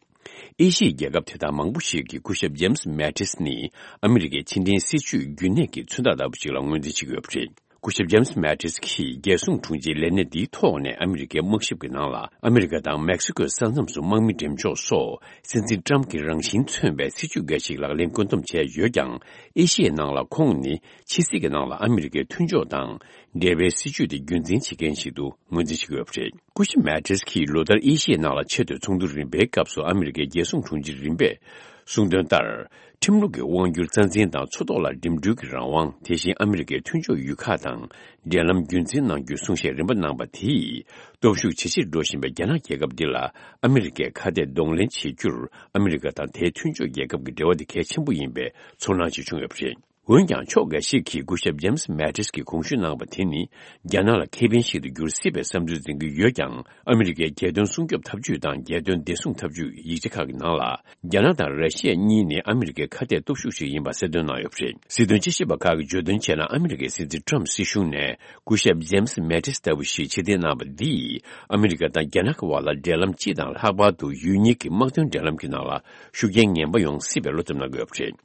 ཨེ་ཤི་ཡའི་རྒྱལ་ཁབ་དེ་དག་མང་པོ་ཞིག་གིས་སྐུ་ཞབས་ཇེམ་སི་མེ་ཏིས་ནི་ཨ་མི་རི་ཀའི་ཕྱི་འབྲེལ་སྲིད་ཇུས་རྒྱུན་གནས་ཀྱི་མཚོན་རྟགས་ལྟ་བུ་ཞིག་ལ་ངོས་འཛིན་བྱེད་ཀྱི་ཡོད་པ་རེད། སྐུ་ཞབས་ཇེམ་སི་མེ་ཏིས་ཀྱིས་རྒྱལ་སྲུང་དྲུང་ཆེའི་ལས་གནས་འདིའི་ཐོག་ནས་ཨ་མི་རི་ཀའི་དམག་ཞབས་ཀྱི་ནང་ལ་ཨ་མི་རི་ཀ་དང་མེག་སི་ཀོའི་ས་མཚམས་སུ་དམག་མི་འགྲེམས་འཇོག་སོགས་སྲིད་འཛིན་ཀྲམ་གྱི་རང་བཞིན་མཚོན་པའི་སྲིད་ཇུས་འགའ་ཞིག་ལག་ལེན་བཀོད་འདོམས་བྱས་ཡོད་ཀྱང་། ཨེ་ཤི་ཡའི་ནང་ལ་ཁོང་ནི་ཕྱི་སྲིད་ཀྱི་ནང་ལ་ཨ་མི་རི་ཀའི་མཐུན་ཕྱོགས་དང་འབྲེལ་བའི་སྲིད་ཇུས་དེ་རྒྱུན་འཛིན་བྱེད་མཁན་ཞིག་ཏུ་ངོས་འཛིན་བྱེད་ཀྱི་ཡོད་པ་རེད། སྐུ་ཞབས་མེ་ཏིས་ཀྱིས་ལོ་ལྟར་ཨེ་ཤི་ཡའི་ནང་ལ་ཆེད་དུ་ཚོགས་འདུ་རིམ་པའི་སྐབས་སུ་ཨ་མི་རི་ཀའི་རྒྱལ་སྲུང་དྲུང་ཆེ་རིམ་པས་གསུངས་དོན་ལྟར། ཁྲིམས་ལུགས་ཀྱི་དབང་སྒྱུར་རྩ་འཛིན་དང་མཚོ་ཐོག་ལ་འགྲིམ་འགྲུལ་གྱི་རང་དབང་། དེ་བཞིན་ཨ་མི་རི་ཀའི་མཐུན་ཕྱོགས་ཡུལ་ཁག་དང་འབྲེལ་ལམ་རྒྱུན་འཛིན་གནང་རྒྱུའི་གསུང་བཤད་རིམ་པ་གནང་པ་དེས་སྟོབས་ཤུགས་ཇེ་ཆེར་འགྲོ་བཞིན་པའི་རྒྱ་ནག་རྒྱལ་ཁབ་འདི་ལ་ཨ་མི་རི་ཀས་ཁ་གཏད་གདོང་ལེན་བྱེད་རྒྱུར། ཨ་མི་རི་ཀ་དང་དེའི་མཐུན་ཕྱོགས་རྒྱལ་ཁབ་ཀྱི་འབྲེལ་བ་དེ་གལ་ཆེན་པོ་ཡིན་པའི་ཚོར་སྣང་ཞིག་བྱུང་ཡོད་པ་རེད། འོན་ཀྱང་། ཕྱོགས་འགའ་ཞིག་གིས་སྐུ་ཞབས་ཇེམ་སི་མེ་ཏིས་ཀྱིས་གོང་ཞུ་གནང་བ་དེ་ནི་རྒྱ་ནག་ལ་ཁེ་ཕན་ཞིག་ཏུ་འགྱུར་སྲིད་པའི་བསམ་ཚུལ་འཛིན་གྱི་ཡོད་ཀྱང་། ཨ་མི་རི་ཀའི་རྒྱལ་དོན་སྲུང་སྐྱོབ་ཐབས་ཇུས་དང་རྒྱལ་དོན་བདེ་སྲུང་ཐབས་ཇུས་ཡིག་ཆ་ཁག་གི་ནང་ལ། རྒྱ་ནག་དང་ར་ཤི་ཡ་གཉིས་ནི་ཨ་མི་རི་ཀའི་ཁ་གཏད་སྟོབས་ཤུགས་ཤིག་ཡིན་པ་གསལ་སྟོན་གནང་ཡོད་པ་རེད། སྲིད་དོན་དཔྱད་ཞིབ་པ་ཁག་གིས་བརྗོད་དོན་བྱས་ན། ཨ་མི་རི་ཀའི་སྲིད་འཛིན་ཁྲམ་སྲིད་གཞུང་ནས་སྐུ་ཞབས་ཇེམ་སི་མེ་ཏིས་ལྟ་བུ་ཞིག་ཕྱིར་འཐེན་གནང་བ་འདིས། ཨ་མི་རི་ཀ་དང་རྒྱ་ནག་གི་དབར་ལ་འབྲེལ་ལམ་སྤྱི་དང་ལྷག་པར་དུ་ཡུལ་གཉིས་ཀྱི་དམག་དོན་འབྲེལ་ལམ་གྱི་ནང་ལ་ཤུགས་རྐྱེན་ངན་པ་ཡོང་སྲིད་པའི་བློ་འཚབ་གནང་གི་ཡོད་པ་རེད།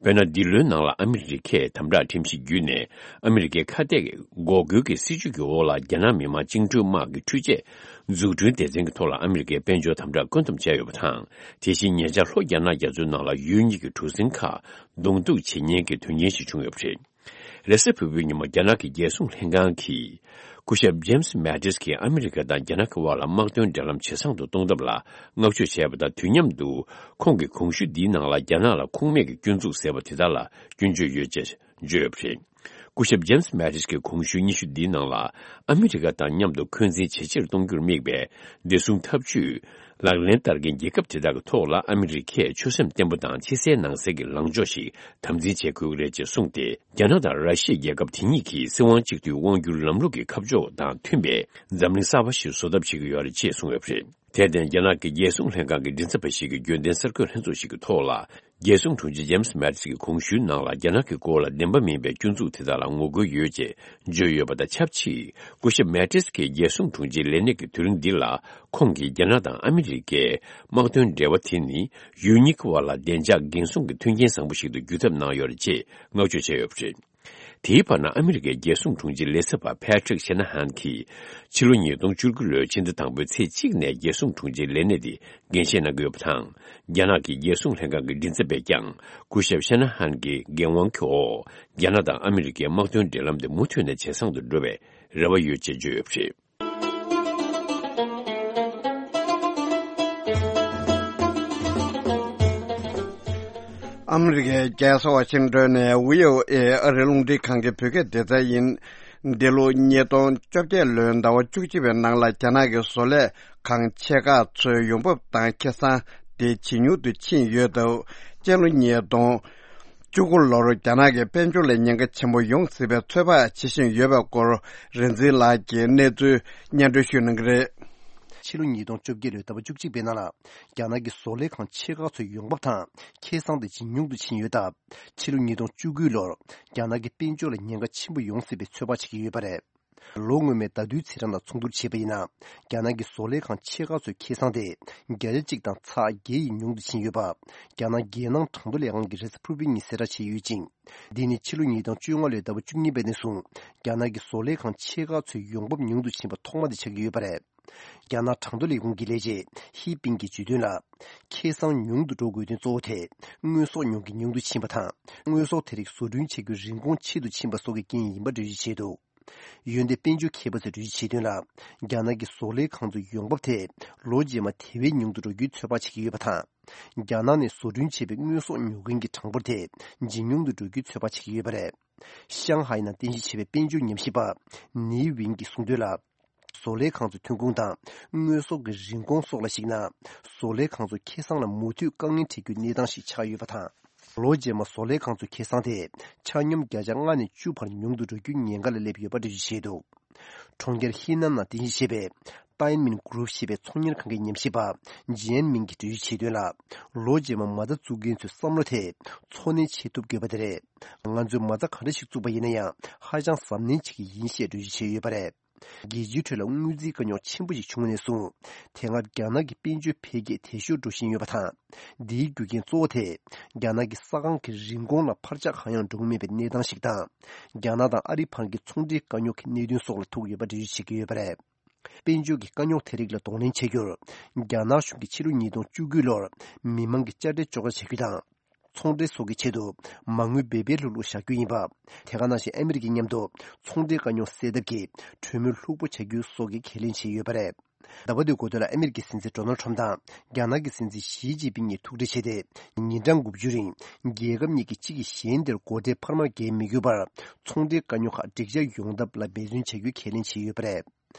དཔེར་ན། འདི་ལོའི་ནང་ལ་ཨ་མི་རི་ཀས་དམ་དྲག་ཁྲིམས་གཞི་བརྒྱུད་ནས་ཨ་མི་རི་ཀའི་ཁ་གཏད་ཀྱི་འགོག་རྒོལ་གྱི་སྲིད་བྱུས་ཀྱི་འོག་ལ་རྒྱ་ནག་མི་དམངས་བཅིངས་འགྲོལ་དམག་གི་འཕྲུལ་ཆས་འཛུགས་སྐྲུན་སྡེ་ཚན་གྱི་ཐོག་ལ་ཨ་མི་རི་ཀས་དཔལ་འབྱོར་དམ་དྲག་བཀོད་འདོམས་བྱས་ཡོད་པ་དང་། དེ་བཞིན་ཉེ་ཆར་ལྷོ་རྒྱ་ནག་རྒྱ་མཚོའི་ནང་ལ་ཡུལ་གཉིས་ཀྱི་གྲུ་གཟིངས་ཁག་གདོང་གཏུག་བྱེད་ཉེན་གྱི་དོན་རྐྱེན་ཞིག་བྱུང་ཡོད་པ་རེད། རེས་གཟའ་ཕུར་བུའི་ཉིན་མོ་རྒྱ་ནག་གི་རྒྱལ་སྲུང་ལྷན་ཁང་གིས། སྐུ་ཞབས་ཇེམ་སི་མེ་ཏིས་ཀྱིས་ཨ་མི་རི་ཀ་དང་རྒྱ་ནག་གི་དབར་ལ་དམག་དོན་འབྲེལ་ལམ་ཇེ་བཟང་དུ་གཏོང་ཐབས་ལ་བསྔགས་བརྗོད་བྱས་པ་དང་། དུས་མཉམ་དུ་ཁོང་གིས་གོང་ཞུས་འདིའི་ནང་ལ་རྒྱ་ནག་ལ་ཁུངས་མེད་ཀྱི་སྐྱོན་འཛུགས་ཟེར་བ་དེ་དག་ལ་སྐྱོན་བརྗོད་ཡོད་ཅེས་བརྗོད་ཡོད་པ་རེད། སྐུ་ཞབས་ཇེམ་སི་མེ་ཏིས་ཀྱིས་གོང་ཞུས་སྙན་ཞུ་འདིའི་ནང་ལ། ཨ་མི་རི་ཀ་དང་མཉམ་དུ་འཁོན་འཛིན་ཇེ་ཆེར་གཏོང་རྒྱུར་དམིགས་པའི་བདེ་སྲུང་འཐབ་ཇུས་ལག་ལེན་བསྟར་མཁན་རྒྱལ་ཁབ་དེ་དག་གི་ཐོག་ལ་ཨ་མི་རི་ཀས་ཆོད་སེམས་བརྟན་པོ་དང་ཕྱི་གསལ་ནང་གསལ་གྱི་ལངས་ཕྱོགས་ཤིག་དམ་འཛིན་བྱེད་དགོས་ཀྱི་རེད་ཅེས་གསུངས་ཏེ། རྒྱ་ནག་དང་ར་ཤི་ཡ་རྒྱལ་ཁབ་དེ་གཉིས་ཀྱིས་སྲིད་དབང་གཅིག་སྡུད་དབང་སྒྱུར་ལམ་ལུགས་ཀྱི་ཁ་ཕྱོགས་དང་མཐུན་པའི་འཛམ་གླིང་གསར་པ་ཞིག་བཟོ་ཐབས་བྱེད་ཀྱི་ཡོད་རེད་ཅེས་གསུངས་ཡོད་པ་རེད། དེར་བརྟེན། རྒྱ་ནག་གི་རྒྱལ་སྲུང་ལྷན་ཁང་གི་མགྲིན་ཚབ་པ་ཞིག་གིས་རྒྱུན་ལྡན་གསར་འགོད་ལྷན་ཚོགས་ཤིག་གི་ཐོག་ལ། རྒྱལ་སྲུང་དྲུང་ཆེ་ཇེམ་སི་མེ་ཏིས་ཀྱི་གོང་ཞུའི་ནང་ལ་རྒྱ་ནག་གི་སྐོར་ལ་བདེན་པ་མིན་པའི་སྐྱོན་འཛུགས་དེ་དག་ལ་ངོ་རྒོལ་ཡོད་ཅེས་བརྗོད་ཡོད་པ་དང་ཆབས་ཅིག་སྐུ་ཞབས་མེ་ཏིས་ཀྱིས་རྒྱལ་སྲུང་དྲུང་ཆེའི་ལས་གནས་ཀྱི་དུས་རིམ་འདི་ལ་ཁོང་གིས་རྒྱ་ནག་དང་ཨ་མི་རི་ཀའི་དམག་དོན་འབྲེལ་བ་དེ་ནི་ཡུལ་གཉིས་ཀྱི་དབར་ལ་བདེ་འཇགས་འགན་སྲུང་གི་མཐུན་རྐྱེན་བཟང་པོ་ཞིག་ཏུ་འགྱུར་ཐབས་གནང་ཡོད་རེད་ཅེས་བསྔགས་བརྗོད་བྱས་ཡོད་པ་རེད། དེའི་བར་ན། ཨ་མི་རི་ཀའི་རྒྱལ་སྲུང་དྲུང་ཆེ་ལས་ཚབ་པ་ཕེ་ཁྲིག་ཤེ་ན་ཧན་གྱིས། ཕྱི་ལོ་ཉིས་སྟོང་བཅུ་དགུ་ལོའི་ཕྱི་ཟླ་དང་པོའི་ཚེས་གཅིག་ནས་རྒྱལ་སྲུང་དྲུང་ཆེའི་ལས་གནས་དེ་འགན་བཞེས་གནང་གི་ཡོད་པ་དང་། རྒྱ་ནག་གི་རྒྱལ་སྲུང་ལྷན་ཁང་གི་མགྲིན་ཚབ་པས་ཀྱང་སྐུ་ཞབས་ཤེ་ན་ཧན་གྱི་འགན་དབང་གི་འོག་རྒྱ་ནག་དང་ཨ་མི་རི་ཀའི་དམག་དོན་འབྲེལ་ལམ་དེ་མུ་མཐུད་ནས་ཇེ་བཟང་དུ་འགྲོ་བའི་རེ་བ་ཡོད་ཅེས་བརྗོད་ཡོད་པ་རེད། ཨ་མི་རི་ཀའི་རྒྱལ་ས་ཝ་ཤིང་ཏོན་ནས་བྷི་ཨོ་ཨེ་ཨ་རིའི་རླུང་འཕྲིན་ཁང་གི་བོད་སྐད་སྡེ་ཚན་ཡིན། འདི་ལོ་ཉིས་སྟོང་བཅོ་བརྒྱད་ལོའི་ཟླ་བ་བཅུ་གཅིག་པའི་ནང་ལ་རྒྱ་ནག་གི་བཟོ་ལས་ཁང་ཆེ་ཁག་ཚོའི་ཡོང་འབབ་དང་ཁེ་བཟང་དེ་ཇེ་ཉུང་དུ་ཕྱིན་ཡོད་སྟབས། སྤྱི་ལོ་ཉིས་སྟོང་བཅུ་དགུ་ལོར་རྒྱ་ནག་གི་དཔལ་འབྱོར་ལ་ཉེན་ཁ་ཆེན་པོ་ཡོང་སྲིད་པའི་ཚོད་དཔག་བྱེད་བཞིན་ཡོད་པའི་སྐོར། རིག་འཛིན་ལགས་ཀྱིས་གནས་ཚུལ་སྙན་སྒྲོན་ཞུ་གནང་གི་རེད། ཕྱི་ལོ་ཉིས་སྟོང་བཅོ་བརྒྱད་ལོའི་ཟླ་བ་བཅུ་གཅིག་པའི་ནང་ལ། རྒྱ་ནག་གི་བཟོ་ལས་ཁང་ཆེ་ཁག་ཚོའི་ཡོང་འབབ་དང་ཁེ་བཟང་དེ་ཇེ་ཉུང་དུ་ཕྱིན་ཡོད་སྟབས། ཕྱི་ལོ་ཉིས་སྟོང་བཅུ་དགུ་ལོར་རྒྱ་ནག་གི་དཔལ་འབྱོར་ལ་ཉེན་ཁ་ཆེན་པོ་ཡོང་སྲིད་པའི་ཚོད་དཔག་བྱེད་ཀྱི་ཡོད་པ་རེད། ལོ་སྔོན་མའི་ཟླ་དུས་ཚེས་གྲངས་དང་མཚུངས་བསྡུར་བྱས་པ་ཡིན་ན། རྒྱ་ནག་གི་བཟོ་ལས་ཁང་ཆེ་ཁག་ཚོའི་ཁེ་བཟང་དེ་བརྒྱ་ཆ་གཅིག་དང་ཚེག་བརྒྱད་ཡིས་ཉུང་དུ་ཕྱིན་ཡོད་པ། རྒྱ་ནག་རྒྱལ་ནང་གྲངས་ཐོ་ལས་ཁང་གིས་རེས་གཟའ་ཕུར་བུའི་ཉིན་གསལ་བསྒྲགས་བྱས་ཡོད་ཅིང་། འདི་ནི་ཕྱི་ལོ་ཉིས་སྟོང་བཅོ་ལྔ་ལོའི་ཟླ་བ་བཅུ་གཉིས་པ་ནས་བཟུང་རྒྱ་ནག་གི་བཟོ་ལས་ཁང་ཆེ་ཁག་ཚོའི་ཡོང་འབབ་ཉུང་དུ་ཕྱིན་པ་ཐོག་མ་དེ་ཆགས་ཀྱི་ཡོད་པ་རེད། རྒྱ་ནག་གྲངས་ཐོ་ལས་ཁུངས་ཀྱི་ལས་བྱེད་ཧི་པིང་གིས་བརྗོད་དོན་ལ། ཁེ་བཟང་ཉུང་དུ་འགྲོ་དགོས་དོན་གཙོ་བོ་དེ། དངོས་ཟོག་ཉོ་མཁན་ཉུང་དུ་ཕྱིན་པ་དང་། དངོས་ཟོག་དེ་རིགས་བཟོ་སྐྲུན་བྱེད་རྒྱུའི་རིན་གོང་ཆེ་རུ་ཕྱིན་པ་སོགས་ཀྱི་རྐྱེན་ཡིན་པ་འགྲེལ་བརྗོད་བྱས་འདུག་འོན་ཏེ་དཔལ་འབྱོར་མཁས་པ་ཚོས་འགྲེལ་བརྗོད་བྱས་དོན་ལ། རྒྱ་ནག་གི་བཟོ་ལས་ཁང་ཚོའི་ཡོང་འབབ་དེ་ལོ་རྗེས་མ་དེ་བས་ཉུང་དུ་འགྲོ་རྒྱུའི་ཚོད་དཔག་བྱེད་ཀྱི་ཡོད་པ་དང་། རྒྱ་ནག་ནས་བཟོ་སྐྲུན་བྱས་པའི་དངོས་ཟོག་ཉོ་མཁན་གྱི་གྲངས་འབོར་དེ་ཇེ་ཉུང་དུ་འགྲོ་རྒྱུའི་ཚོད་དཔག་བྱེད་ཀྱི་ཡོད་པ་རེད། ཤང་ཧའེ་ནང་རྟེན་གཞི་བྱས་པའི་དཔལ་འབྱོར་ཉམས་ཞིབ་པ་ནི་ཝིན་གྱིས་གསུངས་དོན་ལ། བཟོ་ལས་ཁང་ཚོའི་ཐོན་ཁུངས་དང་དངོས་ཟོག་གི་རིན་གོང་སོགས་ལ་གཞིགས་ན། བཟོ་ལས་ཁང་ཚོ་ཁེ་བཟང་ལ་མུ་མཐུད་དཀའ་ངལ་འཕྲད་རྒྱུའི་གནས་སྟངས་ཤིག་ཆགས་ཡོད་པ་དང་། ལོ་རྗེས་མ་བཟོ་ལས་ཁང་ཚོའི་ཁེ་བཟང་དེ་ཆ་སྙོམས་བརྒྱ་ཆ་ལྔ་ནས་བཅུ་བར་ཉུང་དུ་འགྲོ་རྒྱུའི་ཉེན་ཁ་ལ་སླེབས་ཡོད་པ་འགྲེལ་བརྗོད་བྱས་འདུག་གྲོང་ཁྱེར་ཧི་ནན་ནང་རྟེན་གཞི་བྱས་པའི་ཏའེ་མིན་གུ་རུབ་ཞེས་པའི་ཚོང་གཉེར་ཁང་གི་ཉམས་ཞིབ་པ་ཇི་ཨན་མིན་གྱིས་འགྲེལ་བརྗོད་བྱས་དོན་ལ། ལོ་རྗེས་མ་མ་རྩ་བཙུགས་མཁན་ཚོའི་བསམ་བློ་དེ་འཚོ་གནས་བྱེད་ཐུབ་དགོས་པ་དེ་རེད། ང་ཚོས་མ་རྩ་ག་འདྲ་ཞིག་བཙུགས་པ་ཡིན་ན་ཡང་ཧ་ཅང་གཟབ་ནན་བྱེད་ཀྱི་ཡིན་ཞེས་འགྲེལ་བརྗོད་བྱས་ཡོད་པ་རེད། རྒྱལ་སྤྱིའི་ཁྲོད་ལ་དངུལ་རྩིས་དཀའ་རྙོག་ཆེན་པོ་ཞིག་བྱུང་བ་ནས་བཟུང་། དེ་སྔ་རྒྱ་ནག་གི་དཔལ་འབྱོར་འཕེལ་རྒྱས་དལ་ཤོས་འགྲོ་བཞིན་ཡོད་པ་དང་། འདིའི་རྒྱུ་རྐྱེན་གཙོ་བོ་དེ། རྒྱ་ནག་གི་ས་ཁང་གི་རིན་གོང་ལ་འཕར་ཆག་གང་ཡང་འགྲོ་གི་མེད་པའི་གནས་སྟངས་ཤིག་དང་། རྒྱ་ནག་དང་ཨ་རིའི་བར་གྱི་ཚོང་འབྲེལ་དཀའ་རྙོག་གི་གནད་དོན་སོགས་ལ་ཐུག་ཡོད་པ་འགྲེལ་བརྗོད་བྱེད་ཀྱི་ཡོད་པ་རེད། དཔལ་འབྱོར་གྱི་དཀའ་རྙོག་དེ་རིགས་ལ་གདོང་ལེན་བྱ་རྒྱུར། རྒྱ་ནག་གཞུང་གིས་ཕྱི་ལོ་ཉིས་སྟོང་བཅུ་དགུ་ལོར་མི་མང་གི་དཔྱ་ཁྲལ་གཅོག་ཆ་བྱ་རྒྱུ་དང་། ཚོང་འབྲེལ་སོགས་ཀྱི་ཆེད་དུ་མ་དངུལ་འབེལ་འབེལ་ལྷུག་ལྷུག་བཞག་རྒྱུ་ཡིན་པ། དེ་ག་ནང་བཞིན་ཨ་མི་རི་ཀའི་མཉམ་དུ་ཚོང་འབྲེལ་དཀའ་རྙོག་སེལ་ཐབས་ཀྱི་གྲོས་མོལ་ལྷུག་པོ་བྱ་རྒྱུ་སོགས་ཀྱི་ཁས་ལེན་བྱས་ཡོད་པ་རེད། ཟླ་བ་འདིའི་འགོ་སྟོད་ལ་ཨ་མི་རི་ཀའི་སྲིད་འཛིན་ཌོ་ནལ་ཁྲམ་དང་རྒྱ་ནག་གི་སྲིད་འཛིན་ཞི་ཅིན་ཕིང་གཉིས་ཐུག་འཕྲད་བྱས་ཏེ། ཉིན་གྲངས་དགུ་བཅུ་རིང་རྒྱལ་ཁབ་གཉིས་ཀྱིས་གཅིག་གིས་གཞན་དེར་སྒོ་ཁྲལ་འཕར་མ་འགེལ་མི་དགོས་པར་ཚོང་འབྲེལ་དཀའ་རྙོག་ཁག་འགྲིག་འཇགས་ཡོང་ཐབས་ལ་འབད་བརྩོན་བྱ་རྒྱུའི་ཁས་ལེན་བྱས་ཡོད་པ་རེད།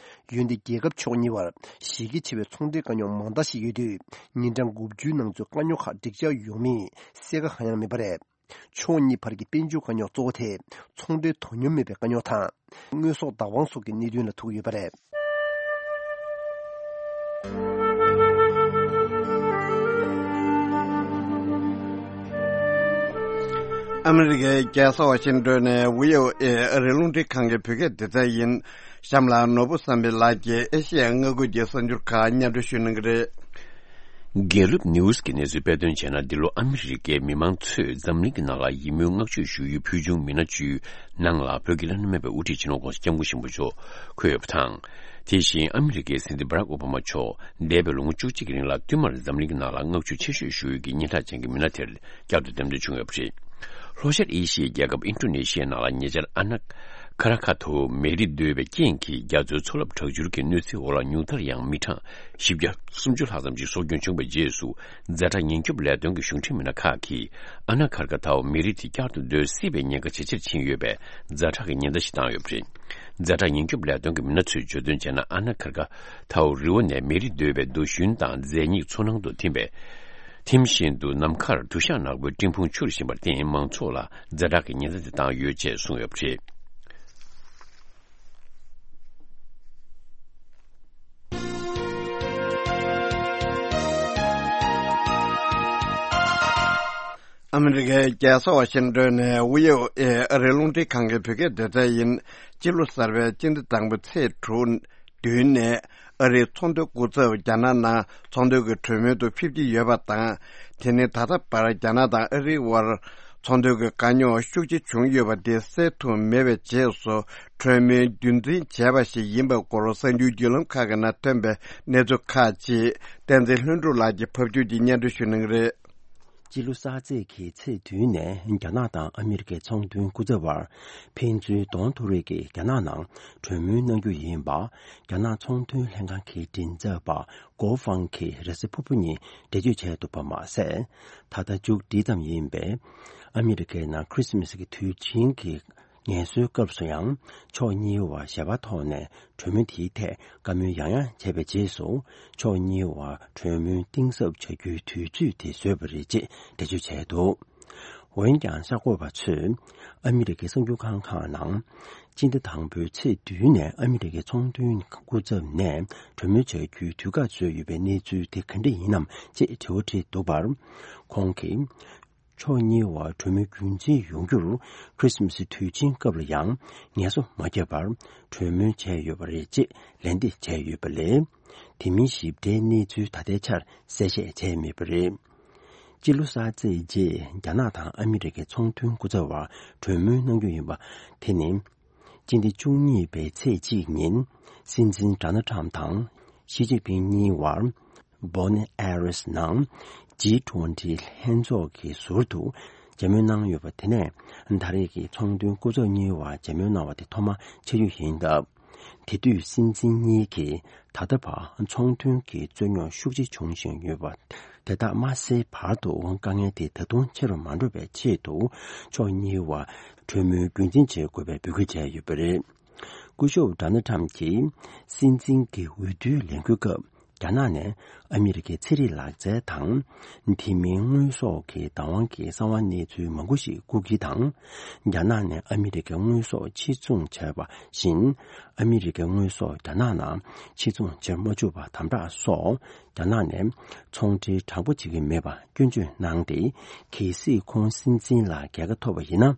འོན་ཏེ་རྒྱལ་ཁབ་ཕྱོགས་གཉིས་བར་གཞི་རྒྱ་ཆེ་བའི་ཚོང་འབྲེལ་དཀའ་རྙོག་མང་དག་ཞིག་ཡོད་དུས། ཉིན་གྲངས་དགུ་བཅུའི་ནང་ཚུད་དཀའ་རྙོག་ཁག་འགྲིག་འཇགས་ཡོང་མིན་གསལ་ཁ་གང་ཡང་མེད་པ་རེད། ཕྱོགས་གཉིས་བར་གྱི་དཔལ་འབྱོར་དཀའ་རྙོག་གཙོ་བོ་དེ་ཚོང་འབྲེལ་དོ་སྙོམས་མེད་པའི་དཀའ་རྙོག་དང་། དངོས་ཟོག་བདག་དབང་སོགས་ཀྱི་གནད་དོན་ལ་ཐུག་ཡོད་པ་རེད། ཨ་མི་རི་ཀའི་རྒྱལ་ས་ཝ་ཤིང་ཏོན་ནས་བྷི་ཨོ་ཨེ་ཨ་རིའི་རླུང་འཕྲིན་ཁང་གི་བོད་སྐད་སྡེ་ཚན་ཡིན། གཤམ་ལ་ནོར་བུ་བསམ་འཕེལ་ལགས་ཀྱིས་ཨེ་ཤེ་ཡ་མངའ་ཁུལ་གྱི་གསར་འགྱུར་ཁག་སྙན་སྒྲོན་ཞུ་གནང་གི་རེད། དགེ་ལུགས་ནིའུ་སི་གི་གནས་ཚུལ་དཔེ་སྟོན་བྱས་ན། འདི་ལོ་ཨ་མི་རི་ཀའི་མི་མང་ཚོས་འཛམ་གླིང་གི་ནང་ལ་ཡིད་སྨོན་བསྔགས་བརྗོད་ཞུ་ཡུལ་ཕུལ་བྱུང་མི་སྣ་བཅུའི་ནང་ལ་བོད་ཀྱི་བླ་ན་མེད་པའི་དབུ་ཁྲིད་སྤྱི་ནོར་༧གོང་ས་༧སྐྱབས་མགོན་ཆེན་པོ་མཆོག་འཁོད་ཡོད་པ་དང་། དེ་བཞིན་ཨ་མི་རི་ཀའི་སྲིད་འཛིན་བྷ་རག་ཨོ་བྷ་མ་མཆོག་འདས་པའི་ལོ་ངོ་བཅུ་གཅིག་གི་རིང་ལ་བསྟུད་མར་འཛམ་གླིང་གི་ནང་ལ་བསྔགས་བརྗོད་ཆེ་ཤོས་ཞུ་ཡུལ་གྱི་སྙན་གྲགས་ཅན་གྱི་མི་སྣ་དེར་བསྐྱར་དུ་འདེམས་ཐོན་བྱུང་ཡོད་པ་རེད། ལྷོ་ཤར་ཨེ་ཤི་ཡའི་རྒྱལ་ཁབ་ཨིན་ཌོ་ནེ་ཤི་ཡའི་ནང་ལ་ཉེ་ཆར་ཨ་ན་ཁ་ར་ཁ་ཐོ་མེ་རི་རྡོལ་བའི་རྐྱེན་གྱིས་རྒྱ་མཚོའི་མཚོ་རླབས་དྲག་འཕྱུར་གྱི་གནོད་འཚེའི་འོག་ལ་ཉུང་མཐར་ཡང་མི་གྲངས་བཞི་བརྒྱ་སུམ་ཅུ་ལྷག་ཙམ་ཞིག་སྲོག་སྐྱོན་བྱུང་བའི་རྗེས་སུ། ཛ་དྲག་ཉེན་སྐྱོབ་ལས་དོན་གྱི་གཞུང་འབྲེལ་མི་སྣ་ཁག་གིས་ཨ་ན་ཁར་ཁ་ཐའོ་མེ་རི་དེ་བསྐྱར་དུ་རྡོལ་སྲིད་པའི་ཉེན་ཁ་ཇེ་ཆེར་ཕྱིན་ཡོད་པའི་ཛ་དྲག་གི་ཉེན་བརྡ་ཞིག་བཏང་ཡོད་པ་རེད། ཛ་དྲག་ཉེན་སྐྱོབ་ལས་དོན་གྱི་མི་སྣ་ཚོས་བརྗོད་དོན་བྱས་ན། ཨ་ན་ཁར་ཁ་ཐའོ་རི་བོ་ནས་མེ་རི་རྡོལ་བའི་རྡོ་ཞུན་དང་རྫས་སྙིགས་མཚོ་ནང་དུ་ཐིམ་པས། ཐིམ་བཞིན་དུ་ནམ་མཁར་དུ་ཞག་ནག་པོའི་སྤྲིན་ཕུང་འཕྱུར་བཞིན་པར་བརྟེན། མང་ཚོགས་ལ་ཛ་དྲག་གི་ཉེན་བརྡ་དེ་བཏང་ཡོད་ཅེས་གསུངས་ཡོད་པ་རེད། ཨ་མི་རི་ཀའི་རྒྱལ་ས་ཝ་ཤིང་ཏོན་ནས་བྷི་ཨོ་ཨེ་ཨ་རིའི་རླུང་འཕྲིན་ཁང་གི་བོད་སྐད་སྡེ་ཚན་ཡིན། སྤྱི་ལོ་གསར་པའི་སྤྱི་ཟླ་དང་པོའི་ཚེས་དྲུག་བདུན་ནས་ཨ་རིའི་ཚོང་དོན་སྐུ་ཚབ་རྒྱ་ནག་ནང་ཚོང་དོན་གྱི་གྲོས་མོལ་དུ་ཕེབས་ཀྱི་ཡོད་པ་དང་། དེ་ནི་ད་ལྟ་བར་རྒྱ་ནག་དང་ཨ་རིའི་དབར་ཚོང་དོན་གྱི་དཀའ་རྙོག་ཤུགས་ཆེ་བྱུང་ཡོད་པ་དེ་སེལ་ཐུབ་མེད་པའི་རྗེས་སུ། གྲོས་མོལ་རྒྱུན་འཛིན་བྱས་པ་ཞིག་ཡིན་པའི་སྐོར་གསར་འགྱུར་བརྒྱུད་ལམ་ཁག་གི་ནང་ཐོན་པའི་གནས་ཚུལ་ཁག་ཅིག་བསྟན་འཛིན་ལྷུན་གྲུབ་ལགས་ཀྱིས་ཕབ་སྒྱུར་གྱིས་སྙན་སྒྲོན་ཞུ་གནང་གི་རེད། སྤྱི་ལོ་གསར་ཚེས་ཀྱི་ཚེས་བདུན་ནས་རྒྱ་ནག་དང་ཨ་མི་རི་ཀའི་ཚོང་དོན་སྐུ་ཚབ་བར་ཕན་ཚུན་གདོང་ཐུག་རེས་ཀྱིས་རྒྱ་ནག་ནང་གྲོས་མོལ་གནང་རྒྱུ་ཡིན་པ། རྒྱ་ནག་ཚོང་དོན་ལྷན་ཁང་གི་མགྲིན་ཚབ་པ་གོ་ཧྥང་གིས་རེས་གཟའ་ཕུར་བུ་ཉིན་འགྲེལ་བརྗོད་བྱས་འདུག་པ་མ་ཟད། ད་ལྟ་མཇུག་སྒྲིལ་ཙམ་ཡིན་པའི་ཨ་མི་རི་ཀའི་ནང་ཁྲིས་མིས་ཀྱི་དུས་ཆེན་གྱི་ངལ་གསོའི་སྐབས་སུ་ཡང་ཕྱོགས་གཉིས་བར་ཞལ་པར་ཐོག་ནས་གྲོས་མོལ་དེའི་ཐད་བཀའ་མོལ་ཡང་ཡང་བྱས་པའི་རྗེས་སུ། ཕྱོགས་གཉིས་བར་གྲོས་མོལ་གཏིང་ཟབ་བྱ་རྒྱུའི་དུས་ཚོད་དེ་བཟོས་པ་རེད་ཅེས་འགྲེལ་བརྗོད་བྱས་འདུག་འོན་ཀྱང་གསར་འགོད་པ་ཚོས་ཨ་མི་རི་ཀའི་གསར་འགྱུར་ཁང་ཁག་ནང་སྤྱི་ཟླ་དང་པོའི་ཚེས་བདུན་ནས་ཨ་མི་རི་ཀའི་ཚོང་དོན་སྐུ་ཚབ་ནས་གྲོས་མོལ་བྱ་རྒྱུའི་དུས་བཀག་བཟོས་ཡོད་པའི་གནས་ཚུལ་དེ་ག་འདྲ་ཡིན་ནམ་ཅེས་དྲི་བ་དྲིས་འདུག་པར། ཁོང་གིས། ཕྱོགས་གཉིས་བར་གྲོས་མོལ་རྒྱུན་འཛིན་ཡོང་རྒྱུར་ཁྲིས་མིས་དུས་ཆེན་སྐབས་ལ་ཡང་ངལ་གསོ་མ་བརྒྱབ་པར་གྲོས་མོལ་བྱས་ཡོད་པ་རེད་ཅེས་ལན་འདེབས་བྱས་ཡོད་པ་ལས། དེ་མིན་ཞིབ་ཕྲའི་གནས་ཚུལ་ད་ལྟའི་ཆར་གསལ་བཤད་བྱས་མེད་པ་རེད། སྤྱི་ལོ་གསར་ཚེས་རྗེས་རྒྱ་ནག་དང་ཨ་མི་རི་ཀའི་ཚོང་དོན་སྐུ་ཚབ་བར་གྲོས་མོལ་གནང་རྒྱུ་ཡིན་པ་དེ་ནི། སྤྱི་ཟླ་བཅུ་གཉིས་པའི་ཚེས་གཅིག་ཉིན། སྲིད་འཛིན་ཌོ་ནལ་ཊམ་དང་ཞི་ཅིན་ཕིང་གཉིས་བར་བྷོ་ནི་ཨེ་རེས་ནང་ཇི་ཊུ་ཝེན་ཊི་ལྷན་ཚོགས་ཀྱི་ཟུར་དུ་མཇལ་མོལ་གནང་ཡོད་པ། དེ་ནས་ད་རེས་ཀྱི་ཚོང་དོན་སྐུ་ཚབ་གཉིས་བར་མཇལ་མོལ་གནང་བ་དེ་ཐོག་མ་ཆགས་རྒྱུ་ཡིན་སྟབས། དེ་དུས་སྲིད་འཛིན་གཉིས་ཀྱིས་ད་ལྟ་བར་ཚོང་དོན་གྱི་རྩོད་རྙོག་ཤུགས་ཆེ་བྱུང་བཞིན་ཡོད་པ། དེ་དག་མ་སེལ་བར་དུ་དཀའ་ངལ་དེ་ད་དུང་ཆེ་རུ་མ་འགྲོ་བའི་ཆེད་དུ། ཕྱོགས་གཉིས་བར་གྲོས་མོལ་རྒྱུན་འཛིན་བྱེད་དགོས་པའི་འབོད་སྐུལ་བྱས་ཡོད་པ་རེད། སྐུ་ཞབས་ཌོ་ནལ་ཊམ་གྱིས་སྲིད་འཛིན་གྱི་འོས་བསྡུའི་ལས་འགུལ་སྐབས། རྒྱ་ནག་ནས་ཨ་མི་རི་ཀའི་ཚན་རིག་ལག་རྩལ་དང་། དེ་མིན་དངོས་ཟོག་གི་བདག་དབང་གི་གསང་བ་གནས་ཚུལ་མང་པོ་ཞིག་རྐུ་གི་དང་། རྒྱ་ནག་ནས་ཨ་མི་རི་ཀའི་དངོས་ཟོག་ཕྱིར་ཚོང་བྱས་པ་བཞིན། ཨ་མི་རི་ཀའི་དངོས་ཟོག་རྒྱ་ནག་ནང་ཕྱིར་ཚོང་བྱེད་མ་བཅུག་པ་དམ་དྲག་སོགས། རྒྱ་ནག་ནས་ཚོང་འབྲེལ་དྲང་པོ་བྱེད་ཀྱི་མེད་པ་སྐྱོན་བརྗོད་གནང་སྟེ། གལ་སྲིད་ཁོང་སྲིད་འཛིན་ལ་རྒྱལ་ཁ་ཐོབ་པ་ཡིན་ན།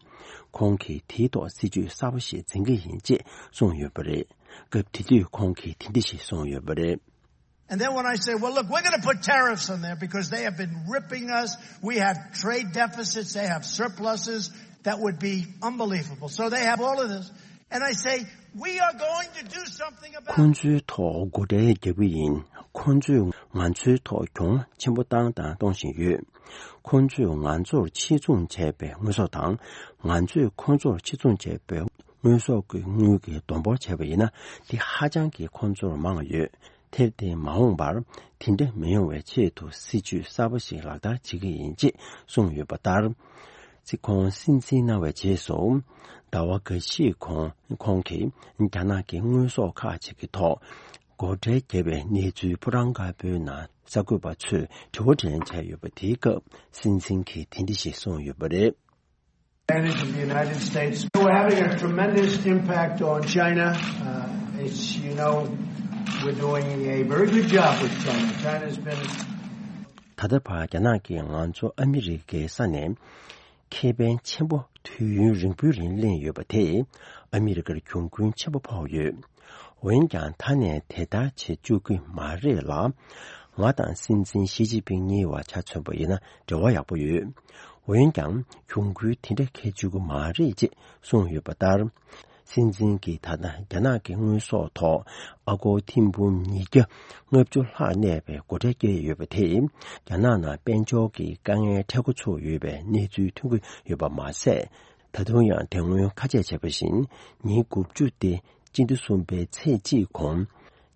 ཁོང་གིས་དེའི་ཐོག་སྲིད་ཇུས་གསར་པ་ཞིག་འཛིན་གྱི་ཡིན་ཅེས་གསུངས་ཡོད་པ་རེད། སྐབས་དེ་དུས་ཁོང་གིས་དེ་འདྲ་ཞིག་གསུངས་ཡོད་པ་རེད། And then when I say, "Well, look, we're gonna put tariffs on there because they have been ripping us. We have trade deficits, they have surpluses that would be unbelievable. So they have all of this." And I say, "We are going to do something about it." ཁོང་ཚོའི་ཐོག་སྒོ་ཁྲལ་རྒྱག་གི་ཡིན། ཁོང་ཚོས་ང་ཚོའི་ཐོག་གྱོང་ཆེན་པོ་བཏང་དང་གཏོང་བཞིན་ཡོད། ཁོང་ཚོས་ང་ཚོར་ཕྱིར་ཚོང་བྱས་པའི་དངོས་ཟོག་དང་། ང་ཚོས་ཁོང་ཚོར་ཕྱིར་ཚོང་བྱས་པའི་དངོས་ཟོག་གི་དངུལ་གྱི་བསྡོམས་འབོར་བྱས་པ་ཡིན་ན། དེ་ཧ་ཅང་གི་ཁོང་ཚོར་མང་ཡོད། དེར་བརྟེན་མ་འོངས་པར་དེ་འདྲ་མི་ཡོང་བའི་ཆེད་དུ་སྲིད་ཇུས་གསར་པ་ཞིག་ལག་བསྟར་བྱེད་ཀྱི་ཡིན་ཅེས་གསུངས་ཡོད་པ་ལྟར། སྲིད་ཁོང་སྲིད་འཛིན་གནང་བའི་རྗེས་སུ། ཟླ་བ་འགའ་ཤས་གོང་ཁོང་གིས་རྒྱ་ནག་གི་དངོས་ཟོག་ཁག་ཅིག་གི་ཐོག་སྒོ་ཁྲལ་བརྒྱབ་པའི་གནས་ཚུལ་ཕོ་བྲང་དཀར་པོའི་ནང་གསར་འགོད་པ་ཚོས་དྲི་བ་དྲིས་ལན་བྱས་ཡོད་པ། དེའི་སྐབས་སྲིད་འཛིན་གྱིས་དེ་འདྲ་ཞིག་གསུངས་ཡོད་པ་རེད། Advantage of the United States. We're having a tremendous impact on China. Uh, it's, you know, we're doing a very good job with China. China's been ད་ལྟ་བར་རྒྱ་ནག་གིས་ང་ཚོ་ཨ་མི་རི་ཀའི་ས་ནས་ཁེ་ཕན་ཆེན་པོ་དུས་ཡུན་རིང་པོའི་རིང་ལེན་ཡོད་པ་དེས་ཨ་མི་རི་ཀར་གྱོང་གུན་ཆེན་པོ་ཕོག་ཡོད། འོན་ཀྱང་ད་ནས་དེ་ལྟར་བྱེད་བཅུག་གི་མ་རེད་ལ། ང་དང་སྲིད་འཛིན་ཞི་ཅིན་ཕིང་གཉིས་བར་ཆ་མཚོན་པ་ཡིན་ན་འབྲེལ་བ་ཡག་པོ་ཡོད། འོན་ཀྱང་གྱོང་གུན་དེ་འདྲ་འཁེལ་བཅུག་གི་མ་རེད་ཅེས་གསུངས་ཡོད་པ་ལྟར། སྲིད་འཛིན་གྱིས་ད་ལྟ་རྒྱ་ནག་གི་དངོས་ཟོག་ཐོག་ཨ་སྒོར་ཐེར་འབུམ་ཉིས་བརྒྱ་ལྔ་བཅུ་ལྷག་གནས་པའི་སྒོ་ཁྲལ་བཀལ་ཡོད་པ་དེས། རྒྱ་ནག་ནང་དཔལ་འབྱོར་གྱི་དཀའ་ངལ་འཕྲད་འགོ་ཚུགས་ཡོད་པའི་གནས་ཚུལ་ཐོན་གྱི་ཡོད་པ་མ་ཟད། ད་དུང་ཡང་དེ་སྔོན་ཁ་ཆད་བྱས་པ་བཞིན། ཉིན་དགུ་བཅུ་སྟེ་སྤྱི་ཟླ་གསུམ་པའི་ཚེས་གཅིག་གོང་།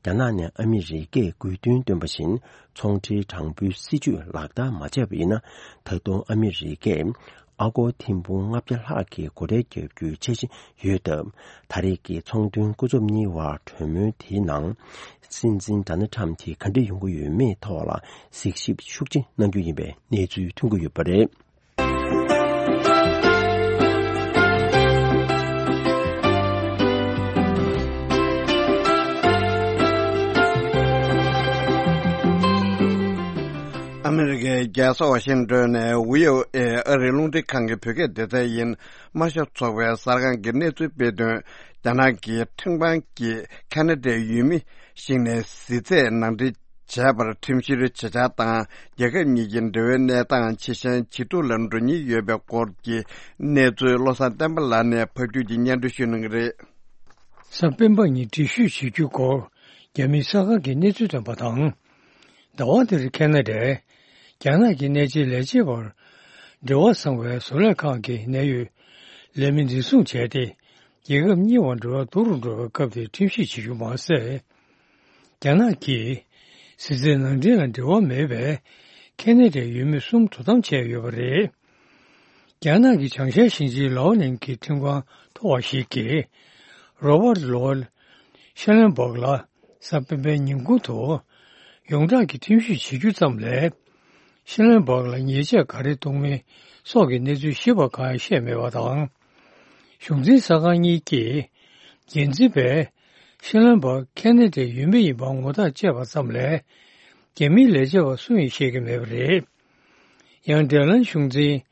རྒྱ་ནག་ནས་ཨ་མི་རི་ཀས་དགོས་འདུན་བཏོན་པ་བཞིན། ཚོང་འབྲེལ་དྲང་པོའི་སྲིད་ཇུས་ལག་བསྟར་མ་བྱས་པ་ཡིན་ན། ད་དུང་ཨ་མི་རི་ཀས་ཨ་སྒོར་ཐེར་འབུམ་ལྔ་བརྒྱ་ལྷག་གི་སྒོ་ཁྲལ་བརྒྱབ་རྒྱུའི་འཆར་གཞི་ཡོད་སྟབས། ད་རེས་ཀྱི་ཚོང་དོན་སྐུ་ཚབ་གཉིས་བར་གྲོས་མོལ་དེའི་ནང་། སྲིད་འཛིན་ཌོ་ནལ་ཊམ་གྱིས་ག་འདྲ་ཡོང་གི་ཡོད་མེད་ཐོག་ལ་གཟིགས་ཞིབ་ཤུགས་ཆེ་གནང་རྒྱུ་ཡིན་པའི་གནས་ཚུལ་ཐོན་གྱི་ཡོད་པ་རེད། ཨ་མི་རི་ཀའི་རྒྱལ་ས་ཝ་ཤིང་ཏོན་ནས་ཝི་ཨོ་ཨེ་ཨ་རིའི་རླུང་འཕྲིན་ཁང་གི་བོད་སྐད་སྡེ་ཚན་ཡིན། དམར་ཤོག་ཚོགས་པའི་གསར་ཁང་གི་གནས་ཚུལ་སྤེལ་དོན། རྒྱ་ནག་གི་ཁྲིམས་ཁང་གིས་ཁ་ན་ཌའི་ཡུལ་མི་ཞིག་ནས་གཟི་རྫས་ནང་འདྲེན་བྱས་པར་ཁྲིམས་བཤེར་བྱེད་འཆར་དང་། རྒྱལ་ཁབ་གཉིས་ཀྱི་འབྲེལ་བའི་གནས་སྟངས་ཇེ་ཞན་ཇེ་སྡུག་ལ་འགྲོ་ཉེན་ཡོད་པའི་སྐོར་གྱི་གནས་ཚུལ་བློ་བཟང་བསྟན་པ་ལགས་ནས་ཕབ་སྒྱུར་གྱིས་སྙན་སྒྲོན་ཞུ་གནང་གི་རེད། གཟའ་སྤེན་པ་ཉིན་འགྲེལ་བཤད་བྱེད་རྒྱུའི་སྐོར་རྒྱ་མིའི་གསར་ཁང་གིས་གནས་ཚུལ་བཏོན་པ་དང་། ཟླ་བ་འདིར་ཁ་ན་ཌས་རྒྱ་ནག་གི་གནད་ཆེའི་ལས་བྱེད་པར་འབྲེལ་བ་བཟང་བའི་བཟོ་ལས་ཁང་གི་གནད་ཡོད་ལས་མི་འཛིན་བཟུང་བྱས་ཏེ། རྒྱལ་ཁབ་གཉིས་བར་འབྲེལ་བ་སྡུག་རུ་འགྲོ་བའི་སྐབས་དེར་ཁྲིམས་ཞིབ་བྱེད་རྒྱུ་མ་ཟད། རྒྱ་ནག་གིས་གཟི་རྫས་ནང་འདྲེན་ལ་འབྲེལ་བ་མེད་པའི་ཁ་ན་ཌའི་ཡུལ་མི་གསུམ་དོ་དམ་བྱས་ཡོད་པ་རེད། རྒྱ་ནག་གི་བྱང་ཤར་ཞིང་ཆེན་ལའོ་ནན་གྱི་ཁྲིམས་ཁང་མཐོ་བ་ཞིག་གིས། རོ་པར་ལོར་ཤེ་ལན་སྦག་ལ་གཟའ་སྤེན་པའི་ཉིན་གུང་དུ། ཡོངས་གྲགས་ཀྱི་ཁྲིམས་ཞིབ་བྱེད་རྒྱུ་ཙམ་ལས། ཤེ་ལན་སྦག་ལ་ཉེས་ཆད་ག་རེ་གཏོང་མིན་སོགས་ཀྱི་གནས་ཚུལ་ཞིབ་པ་གང་ཡང་བཤད་མེད་པ་དང་། གཞུང་འཛིན་གསར་ཁང་གཉིས་ཀྱིས། འགན་འཛིན་པས། ཤེ་ལན་སྦག་ཁ་ན་ཌའི་ཡུལ་མི་ཡིན་པར་ངོ་རྟགས་བཅད་པ་ཙམ་ལས། རྒྱ་མིའི་ལས་བྱེད་པ་སུ་ཡིན་ཤེས་ཀྱི་མེད་པ་རེད། ཡང་འབྲེལ་ལམ་གཞུང་འཛིན།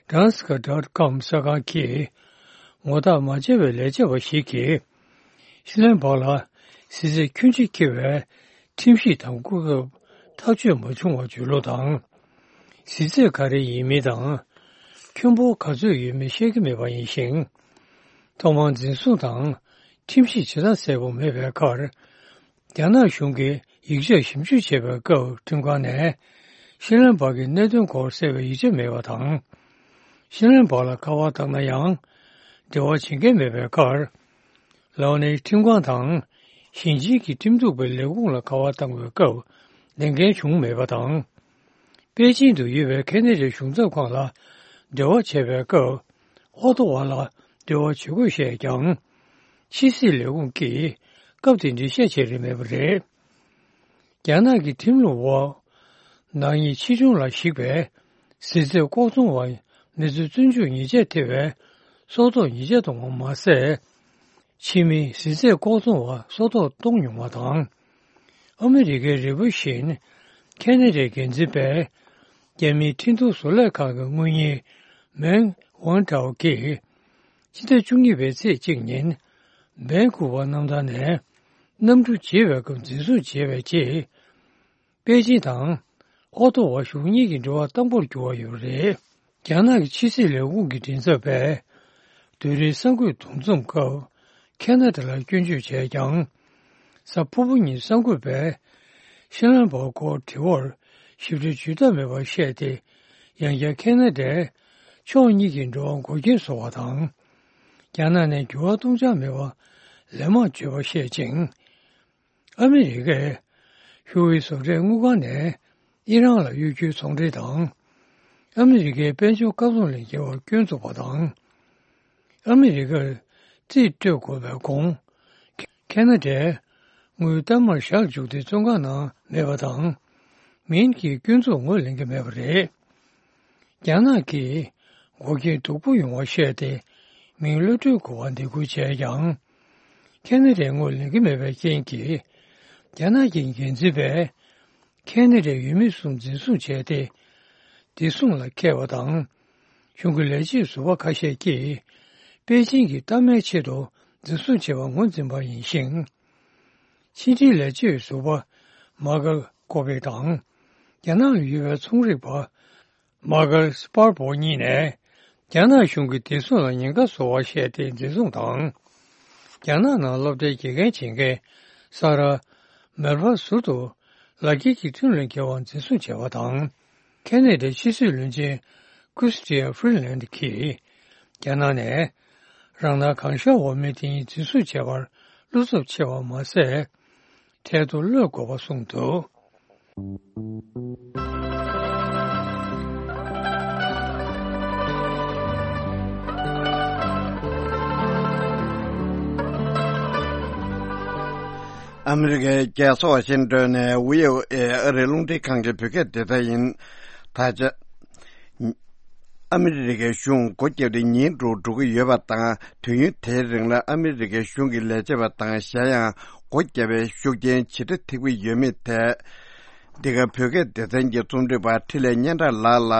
Transca dot com གསར་ཁང་གིས། ངོ་རྟགས་མ་བཅད་པའི་ལས་བྱེད་པ་ཞིག་གིས། ཤི་ལན་སྦག་ལ་གཟི་རྫས་ཁྱོན་ཆེ་འཁྱེར་བའི་ཁྲིམས་ཞིབ་དང་སྐུ་ཚབ་ཐག་གཅོད་མ་བྱུང་བར་འཇུས་ལོག་དང་། གཟི་རྫས་ག་རེ་ཡིན་མིན་དང་། ཁྱོན་འབོར་ག་ཚོད་ཡོད་མིན་བཤད་ཀྱི་མེད་པ་ཡིན་ཞིང་། ཐོག་མར་འཛིན་བཟུང་དང་ཁྲིམས་ཞིབ་བྱེད་སྟངས་གསལ་པོ་མེད་པའི་ཁར། རྒྱ་ནག་གཞུང་གིས་ཡིག་ཆ་ཞིབ་འཇུག་བྱེད་པའི་སྐབས་ཁྲིམས་ཁང་ནས་ཤི་ལན་སྦག་གི་གནད་དོན་སྐོར་གསལ་བའི་ཡིག་ཆ་མེད་པ་དང་། ཤི་ལན་སྦག་ལ་ཁ་པར་བཏང་ན་ཡང་འབྲེལ་བ་བྱེད་མཁན་མེད་པའི་ཁར། ལའོ་ནན་ཁྲིམས་ཁང་དང་ཞིང་ཆེན་གྱི་ཁྲིམས་གཏུག་པའི་ལས་ཁུངས་ལ་ཁ་པར་བཏང་བའི་སྐབས་ལན་འགན་བྱུང་མེད་པ་དང་། པེ་ཅིང་དུ་ཡོད་པའི་ཁ་ན་ཌའི་གཞུང་ཚབ་ཁང་ལ་འབྲེལ་བ་བྱས་པའི་སྐབས། ཨོ་ཏོ་བ་ལ་འབྲེལ་བ་བྱེད་དགོས་བཤད་ཀྱང་། ཕྱི་སྲིད་ལས་ཁུངས་ཀྱིས་སྐབས་དེ་འགྲེལ་བཤད་བྱས་རིན་མེད་པ་རེད། རྒྱ་ནག་གི་ཁྲིམས་ལུགས་འོག་ནག་ཉེས་ཆེ་ཆུང་ལ་གཞིགས་པའི་གཟི་རྫས་ལྐོག་ཚོང་བ་མི་ཚོས་བཙོན་འཇུག་ཉེས་ཆད་ཐེབས་པའི་སྲོག་ཐོག་ཉེས་ཆད་གཏོང་བ་མ་ཟད། ཕྱི་མིའི་གཟི་རྫས་ལྐོག་ཚོང་བ་སྲོག་ཐོག་གཏོང་མྱོང་བ་དང་། ཨ་མི་རི་ཀའི་རིལ་བུ་བཞིན། ཁེ་ན་ཌའི་འགན་འཛིན་པས། རྒྱ་མིའི་ཁྲིན་ཏུའུ་བཟོ་ལས་ཁང་གི་དངུལ་གཉེར། མེང་ཝང་ཀྲའོ་གིས། ཕྱི་ཟླ་བཅུ་གཉིས་པའི་ཚེས་གཅིག་ཉིན། སྦན་ཀུ་ཝར་གནམ་ཐང་ནས། གནམ་གྲུ་བརྗེ་བའི་སྐབས་འཛིན་བཟུང་བྱས་པའི་རྗེས། པེ་ཅིང་དང་། ཨོ་ཏོ་བ་གཞུང་གཉིས་ཀྱི་འབྲེལ་བ་དྭངས་པོར་གྱུར་བ་ཡོད་པ་རེད། རྒྱ་ནག་གི་ཕྱི་སྲིད་ལས་ཁུངས་ཀྱི་མགྲིན་ཚབ་པས། དུས་རིང་གསར་འགོད་འདུ་འཛོམས་སྐབས། ཁེ་ན་ཌ་ལ་སྐྱོན་བརྗོད་བྱས་ཀྱང་། གཟའ་ཕུར་བུ་ཉིན་གསར་འགོད་པས། ཤི་ལན་སྦག་སྐོར་དྲི་བར་ཞིབ་ཕྲའི་ཇུས་གཏོགས་མེད་པར་བཤད་དེ། ཡང་བསྐྱར་ཁེ་ན་ཌས། ཕྱོགས་གཉིས་ཀྱི་འགྲོ་བ་འགོག་རྐྱེན་བཟོ་བ་དང་། རྒྱ་ནག་ནས་འགྱུར་བ་གཏོང་འཆར་མེད་པ། ལན་མང་བརྗོད་པར་བཤད་ཅིང་། ཨ་མི་རི་ཀས། ཧུའུ་ཝེ་བཟོ་གྲྭའི་དངུལ་ཁང་ནས། ཨི་རན་ལ་གཡོ་སྒྱུའི་ཚོང་འབྲེལ་དང་། ཨ་མི་རི་ཀའི་དཔལ་འབྱོར་བཀག་སྡོམ་ལས་འགལ་བར་སྐྱོན་བཙུགས་པ་དང་། ཨ་མི་རི་ཀར་རྩིས་སྤྲོད་དགོས་པའི་གོང་། ཁེ་ན་ཌས་དངུལ་གཏའ་མར་བཞག་བཅུག་སྟེ་བཙོན་ཁང་ནང་མེད་པ་དང་། མིང་གི་སྐྱོན་འཛུགས་ངོས་ལེན་གྱི་མེད་པ་རེད། རྒྱ་ནག་གིས་འགོག་རྐྱེན་སྡུག་པོ་ཡོང་བ་བཤད་དེ། མིང་གློད་གྲོལ་དགོས་པར་འདེད་སྐུལ་བྱས་ཀྱང་། ཁེ་ན་ཌས་ངོས་ལེན་གྱི་མེད་པའི་རྐྱེན་གྱིས། རྒྱ་ནག་གི་འགན་འཛིན་པས། ཁེ་ན་ཌའི་ཡུལ་མི་གསུམ་འཛིན་བཟུང་བྱས་ཏེ། བདེ་སྲུང་ལ་འཁེལ་བ་དང་། གཞུང་གི་ལས་བྱེད་ཟུར་པ་ཁ་ཤས་ཀྱིས། པེ་ཅིང་གི་གཏའ་མའི་ཆེད་དུ་འཛིན་བཟུང་བྱས་པར་ངོས་འཛིན་པ་ཡིན་ཞིང་། ཕྱི་འབྲེལ་ལས་བྱེད་ཟུར་པ་མ་ཀལ་ ཀོ་པེ་དང་། རྒྱ་ནག་ལ་ཡོད་པའི་ཚོང་རིག་པ་མ་ཀལ་སྤར་བོ་གཉིས་ནས། རྒྱ་ནག་གཞུང་གིས་བདེ་སྲུང་ལ་ཉེན་ཁ་བཟོ་བ་བཤད་དེ་འཛིན་བཟུང་དང་། རྒྱ་ནག་ནང་སློབ་གྲྭའི་དགེ་རྒན་བྱེད་མཁན་ས་ར་མེལ་བ་ཟུར་དུ་ལག་འཁྱེར་གྱི་ཁྲིམས་ལུགས་འགལ་བ་འཛིན་བཟུང་བྱས་པ་དང་། ཁེ་ནེ་ཌའི་ཕྱི་སྲིད་བློན་ཆེན་ཀུ་སི་ཏི་ཡ་ཧྥི་ལན་གྱིས་རྒྱ་ནག་ནས་རང་སྣང་གང་ཤར་འོག་མའི་དེ་ཉིད་འཛིན་བཟུང་བྱས་པར་བློ་འཚབ་ཆེ་བ་མ་ཟད། འཕྲལ་དུ་གློད་དགོས་པ་གསུངས་འདུག། ཨ་མི་རི་ཀའི་རྒྱལ་ས་ཝ་ཤིང་ཏོན་ནས་ཝི་ཨོ་ཨེ་ཨ་རིའི་རླུང་འཕྲིན་ཁང་གི་བོད་སྐད་སྡེ་ཚན་ཡིན། ད་ཆ། ཨ་མི་རི་ཀའི་གཞུང་སྒོ་བརྒྱབ་སྟེ་ཉིན་དྲུག་འགྲོ་གི་ཡོད་པ་དང་། དུས་ཡུན་དེའི་རིང་ལ་ཨ་མི་རི་ཀའི་གཞུང་གི་ལས་བྱེད་པ་དང་། གཞན་ཡང་སྒོ་བརྒྱབ་པའི་ཤུགས་རྐྱེན་ཇི་འདྲ་ཐེབས་ཀྱི་ཡོད་མེད་ཐད། འདི་ག་བོད་སྐད་སྡེ་ཚན་གྱི་རྩོམ་སྒྲིག་པ་འཕྲིན་ལས་སྙན་གྲགས་ལགས་ལ་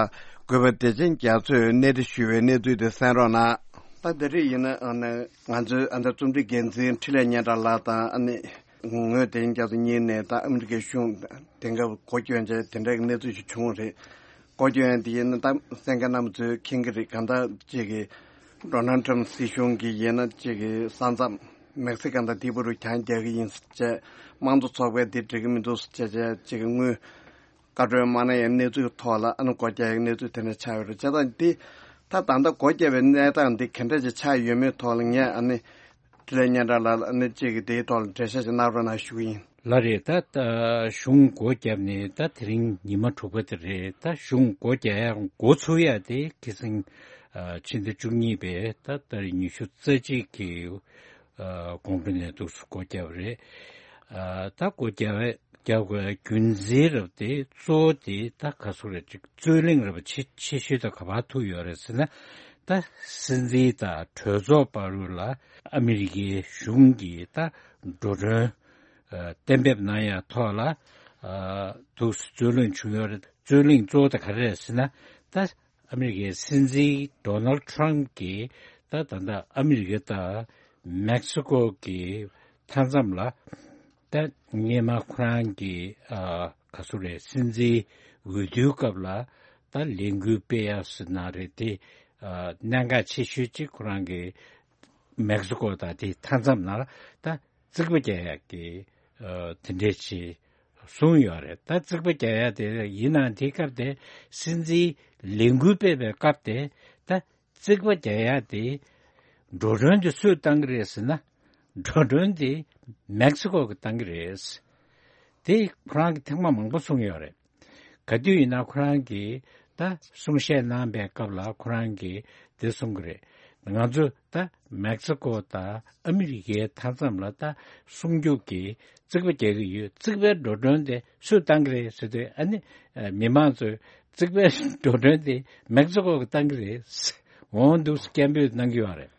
འགོད་པ་བདེ་ཆེན་རྒྱ་མཚོས་གནས་འདྲི་ཞུས་པའི་གནས་ཚུལ་དེ་གསན་རོགས་གནང་། ད་འདི་རིགས་ཡིན་ན་ཨ་ནི་ང་ཚོའི་ཨ་ནི་རྩོམ་སྒྲིག་འགན་འཛིན་འཕྲིན་ལས་སྙན་གྲགས་ལགས་དང་ཨ་ནི། ངོས་དེ་རྒྱ་མཚོ་གཉིས་ནས་ད་ཨ་མི་རི་ཀའི་གཞུང་དེང་སྐབས་སྒོ་སྐྱོན་བྱས་དེ་འདྲའི་གནས་ཚུལ་ཞིག་བྱུང་བ་རེད། སྒོ་སྐྱོན་དེ་ཡིན་ན་ད་གསན་མཁན་རྣམ་པ་ཚོས་མཁྱེན་གྱི་རེད། གང་ལྟར་ཅིག་གི་ཌོ་ནལ་ཊམ་སྲིད་གཞུང་གིས་ཡིན་ན་ཅིག་གི་ས་མཚམས་མེག་སི་ཀོ་དང་དེའི་བར་དུ་གྱང་རྒྱག་གི་ཡིན་ཟེར་བྱས། དམངས་གཙོ་ཚོགས་པས་འདི་འགྲིག་གི་མི་འདུག་ཟེར་བྱས་ཅིག་གི་དངུལ་བཀའ་འཁྲོལ་མ་གནང་ཡའི་གནས་ཚུལ་ཐོག་ལ་ཨ་ནི་སྒོ་རྒྱག་ཡའི་གནས་ཚུལ་དེ་འདྲ་ཆགས་ཡོད་རེད། བྱས་ཙང་འདི་ད་ད་ལྟ་སྒོ་བརྒྱབ་པའི་གནས་སྟངས་འདི་ག་འདྲ་ཅིག་ཆགས་ཡོད་མེད་ཐོག་ལ་ངས་ཨ་ནི། འཕྲིན་ལས་སྙན་གྲགས་ལགས་ཨ་ནི་གཅིག་གིས་དེའི་ཐོག་ལ་འགྲེལ་བཤད་ཅིག་གནང་རོགས་གནང་ཞུ་གི་ཡིན། ལགས་རེད། ད་ད་གཞུང་སྒོ་བརྒྱབ་ནས་ད་དེ་རིང་ཉི་མ་དྲུག་པ་དེ་རེད། ད་གཞུང་སྒོ་རྒྱག་ཡ་འགོ་ཚུགས་ཡ་དེ་ཁ་སང་ཕྱི་ཟླ་བཅུ་གཉིས་པའི་ད་ལྟ་ཉི་ཤུ་རྩ་གཅིག་གི་དགོང་དྲོ་ནས་འདུག་སེ་སྒོ་བརྒྱབ་པ་རེད། ད་སྒོ་རྒྱག་རྒྱག་དགོས་རྒྱུ་མཚན་རབ་དེ་གཙོ་བོ་དེ་ད་ག་ཚོད་རེད་ཅིག་རྩོད་གླེང་རབ་ཆེ་ཆེ་ཤོས་ད་ག་པར་ཐུག་ཡོད་རེད་ཟེར་ན། ད་སྲིད་འཛིན་དང་གྲོས་ཚོགས་བར་ལ་ཨ་མི་རི་ཀའི་གཞུང་གིས་ད་འགྲོ་གྲོན་གཏན་འབེབས་གནང་ཡ་ཐོག་ལ་འདུག་སེ་རྩོད་གླེང་བྱུང་ཡོད་རེད། རྩོད་གླེང་གཙོ་བོ་ད་ག་རེ་རེད་ཟེར་ན། ད་ཨ་མི་རི་ཀའི་སྲིད་འཛིན་ཌོ་ནལ་ཊམ་གྱིས་ད་ད་ལྟ་ཨ་མི་རི་ཀ་དང་མེག་སི་ཀོ་གི་མཐའ་མཚམས་ལ་ད་སྔས་མ་ཁོ་རང་གི་ཨ་ག་ཚོད་རེད། སྲིད་འཛིན་འོས་བསྡུའི་སྐབས་ལ་ད་ལས་འགུལ་སྤེལ་ཡ་ཟེར་ན་རེད། དེ་ཨ་གནད་འགག་ཆེ་ཤོས་གཅིག་ཁོ་རང་གི་མེག་སི་ཀོ་དང་དེའི་མཐའ་མཚམས་ནང་ལ་ད་རྩིག་པ་རྒྱག་ཡག་གི་ཨ་དེ་འདྲས་ཅིག་གསུངས་ཡོད་རེད། ད་རྩིག་པ་རྒྱག་ཡག་དེ་ཡིན་ནའང་དེའི་སྐབས་དེ་སྲིད་འཛིན་ལས་འགུལ་སྤེལ་བའི་སྐབས་དེ་ད་རྩིག་པ་རྒྱག་ཡག་དེ་འགྲོ་གྲོན་དེ་སུས་བཏང་གི་རེད་ཟེར་ན། འགྲོ་གྲོན་དེ་མེག་སི་ཀོ་གིས་བཏང་གི་རེད། དེ་ཁོ་རང་གིས་ཐེངས་མ་མང་པོ་གསུངས་ཡོད་རེད། ག་དུས་ཡིན་ན་ཁོ་རང་གིས་ད་གསུང་བཤད་གནང་པའི་སྐབས་ལ་ཁོ་རང་གིས་དེ་གསུང་གི་རེད། ང་ཚོ་ད་མེག་སི་ཀོ་དང་ཨ་མི་རི་ཀའི་མཐའ་མཚམས་ལ་ད་སྲུང་སྐྱོབ་ཀྱི་རྩིག་པ་རྒྱག་གི་ཡོད། རྩིག་པའི་འགྲོ་གྲོན་དེ་སུས་བཏང་གི་རེད་ཟེར་དུས་ཨ་ནི་མི་མང་ཚོས་རྩིག་པའི་འགྲོ་གྲོན་དེ་མེག་སི་ཀོ་གིས་བཏང་གི་རེད། འོང་འདུག་སྐད་འབོད་གནང་གི་ཡོད་རེད།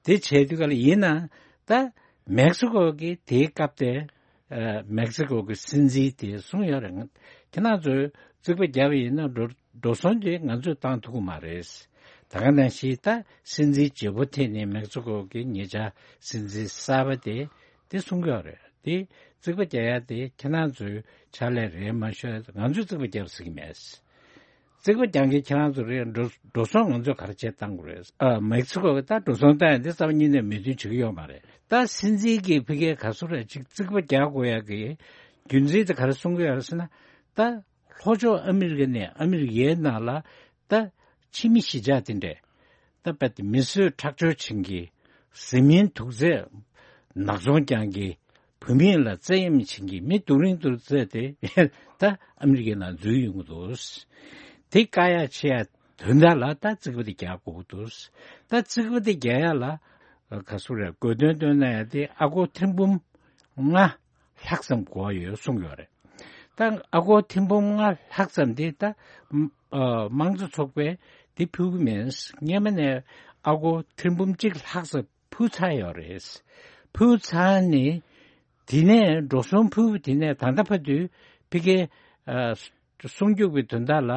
དེ་བྱས་དུས་ག་ལ་ཡིན་ན་ད་མེག་སི་ཀོ་གིས་དེའི་སྐབས་དེ། ཨ་མེག་སི་ཀོ་གི་སྲིད་འཛིན་དེས་གསུངས་ཡོད་རེད། ང་ཁྱེད་རང་ཚོས་རྩིག་པ་བརྒྱབ་པ་ཡིན་ན་འགྲོ་འགྲོ་སོང་དེ་ང་ཚོས་བཏང་ཐུབ་ཀྱི་མ་རེད། ད་ག་ནང་བཞིན་ད་སྲིད་འཛིན་བརྗེ་པོ་ཐེངས་ནས་མེག་སི་ཀོ་གི་ཉེ་ཆར་སྲིད་འཛིན་གསར་པ་དེ་དེ་གསུང་གི་ཡོད་རེད། དེ་རྩིག་པ་རྒྱག་ཡ་དེ་ཁྱེད་རང་ཚོའི་ཕྱག་ལས་རེད་མ་ཤོད། ང་ཚོས་རྩིག་པ་བརྒྱབ་ཟེར་གྱི་མེད། རྩིག་པ་རྒྱག་མཁན་ཁྱེད་རང་ཚོ་རེད། འགྲོ་འགྲོ་སོང་ང་ཚོས་ག་རེ་བྱས་བཏང་དགོས་རེད། ཨ་མེག་སི་ཀོ་གིས་ད་འགྲོ་སོང་བཏང་ཡ་འདི་རྩ་བ་ཉིད་ནས་མོས་མཐུན་བྱེད་ཀྱི་ཡོད་མ་རེད། ད་སྲིད་འཛིན་གྱིས་ཕ་གིར་ག་ཚོད་རེད་ཅིག་རྩིག་པ་རྒྱག་དགོས་ཡ་གི་རྒྱུ་མཚན་དེ་ག་རེ་གསུང་གི་ཡོད་རེད་ཟེར་ན། ད་ལྷོ་ཕྱོགས་ཨ་མི་རི་ཀ་ནས་ཨ་མི་རི་ཀའི་ནང་ལ་ད་ཕྱི་མི་གཞིས་ཆགས་དེ་འདྲས་ད་རྦད་དེ་མི་གསོད་ཁྲག་སྦྱོར་བྱེད་མཁན། བཟི་སྨན་དུག་རྫས་ནག་ཚོང་རྐྱང་གི། བུད་མེད་ལ་བཙན་གཡེམ་བྱེད་མཁན་མི་སྡུག་རིང་སྡུག་རྫས་དེ་ད་ཨ་མི་རི་ཀའི་ནང་འཛུལ་ཡོང་གི་འདུག། དེ་བཀག་ཡ་བྱེད་ཡ་དོན་དག་ལ་ད་རྩིག་པ་དེ་རྒྱག་དགོས་ཀྱི་འདུག། ད་རྩིག་པ་དེ་རྒྱག་ཡ་ལ་ག་ཚོད་རེད། དགོས་དོན་བཏོན་ན་ཡ་དེ་ཨ་སྒོར་ཐེར་འབུམ་ལྔ་ལྷག་ཙམ་དགོས་ཡོད་གསུངས་ཡོད་རེད། ད་ཨ་སྒོར་ཐེར་འབུམ་ལྔ་ལྷག་ཙམ་དེ་ད་ཨ་དམངས་གཙོ་ཚོགས་པས་དེ་ཕུལ་གྱི་མེད། སྔས་མ་ནས་ཨ་སྒོར་ཐེར་འབུམ་གཅིག་ལྷག་ཙམ་ཕུལ་ཚར་ཡོད་རེད། ཕུལ་ཚར་ནས་དེ་ནས་འགྲོ་སོང་ཕུལ་བ་དེ་ནས་ད་ལྟ་བར་དུ་ཕ་གིའི་ཨ་སྲུང་སྐྱོབ་ཀྱི་དོན་དག་ལ་